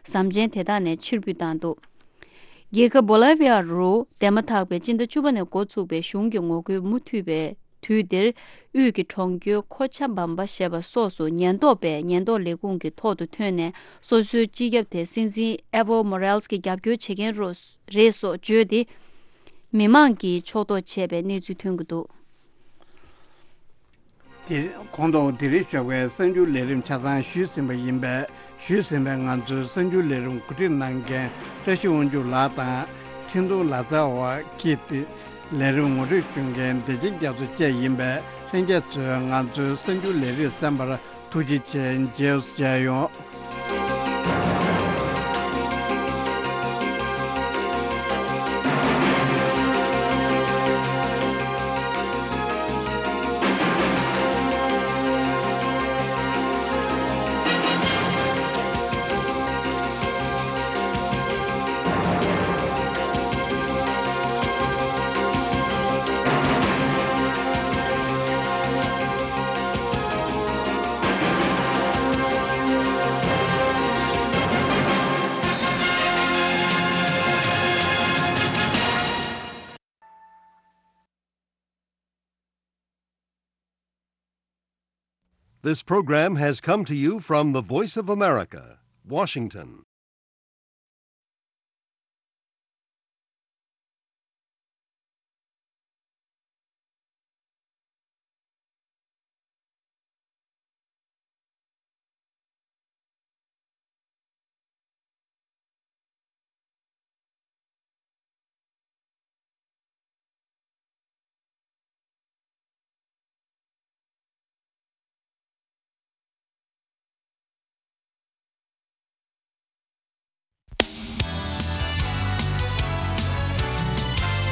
ཟམ་ཆེན་དེ་དག་ནས་ཕྱིར་འབུད་བཏང་འདུག་རྒྱལ་ཁབ་བོ་ལི་བི་ཡ་རུ་འདས་མ་ཐག་པའི་སྤྱི་ཟླ་བཅུ་པ་ནས་འགོ་ཚུགས་པའི་གཞུང་གི་ངོ་རྒོལ་མུ་མཐུད་པའི་དུས་འདིར། དབུས་ཀྱི་གྲོང་ཁྱེར་ཁོ་ཆ་བམ་པ་ཞེས་པ་སོགས་སུ་ཉེན་རྟོག་པས་ཉེན་རྟོག་ལས་ཁུངས་ཀྱི་ཐོག་ཏུ་ཐོན་ནས། སོ་སོའི་སྤྱི་ཁྱབ་དེ་སྲིད་འཛིན་ཨེ་ཝོ་མོ་རེལ་སི་གི་རྒྱབ་སྐྱོར་བྱེད་མཁན་རོ་རེད་སོགས་བརྗོད་དེ། མི་མང་གིས་ཕྱོགས་གཏོགས་བྱས་པའི་གནས་ཚུལ་ཐོན་གྱི་འདུག་དེ་གོང་དུ་དེ་རིང་ཞོགས་པའི་གསར་འགྱུར་ལས་རིམ་ཆ་ཚང་ཞུས་ཟིན་པ་ཡིན་པས། ཞུས་ཟིན་པའི་ང་ཚོའི་གསར་འགྱུར་ལས་རིམ་གོ་སྒྲིག་གནང་མཁན་བཀྲ་ཤིས་དབང་ཕྱུག་ལགས་དང་། འཕྲིན་གཏོང་ལག་རྩལ་བ་ཀིརྟི། ལས་རིམ་ངོ་སྤྲོད་ཞུ་མཁན་བདེ་ཆེན་རྒྱ་མཚོ་བཅས་ཡིན་པས། ལྷན་རྒྱས་ཚོས་ང་ཚོའི་གསར་འགྱུར་ལས་རིམ་གསན་པར་ཐུགས་རྗེ་ཆེ། མཇལ་མཇལ་ཡོང་། This program has come to you from the Voice of America, Washington.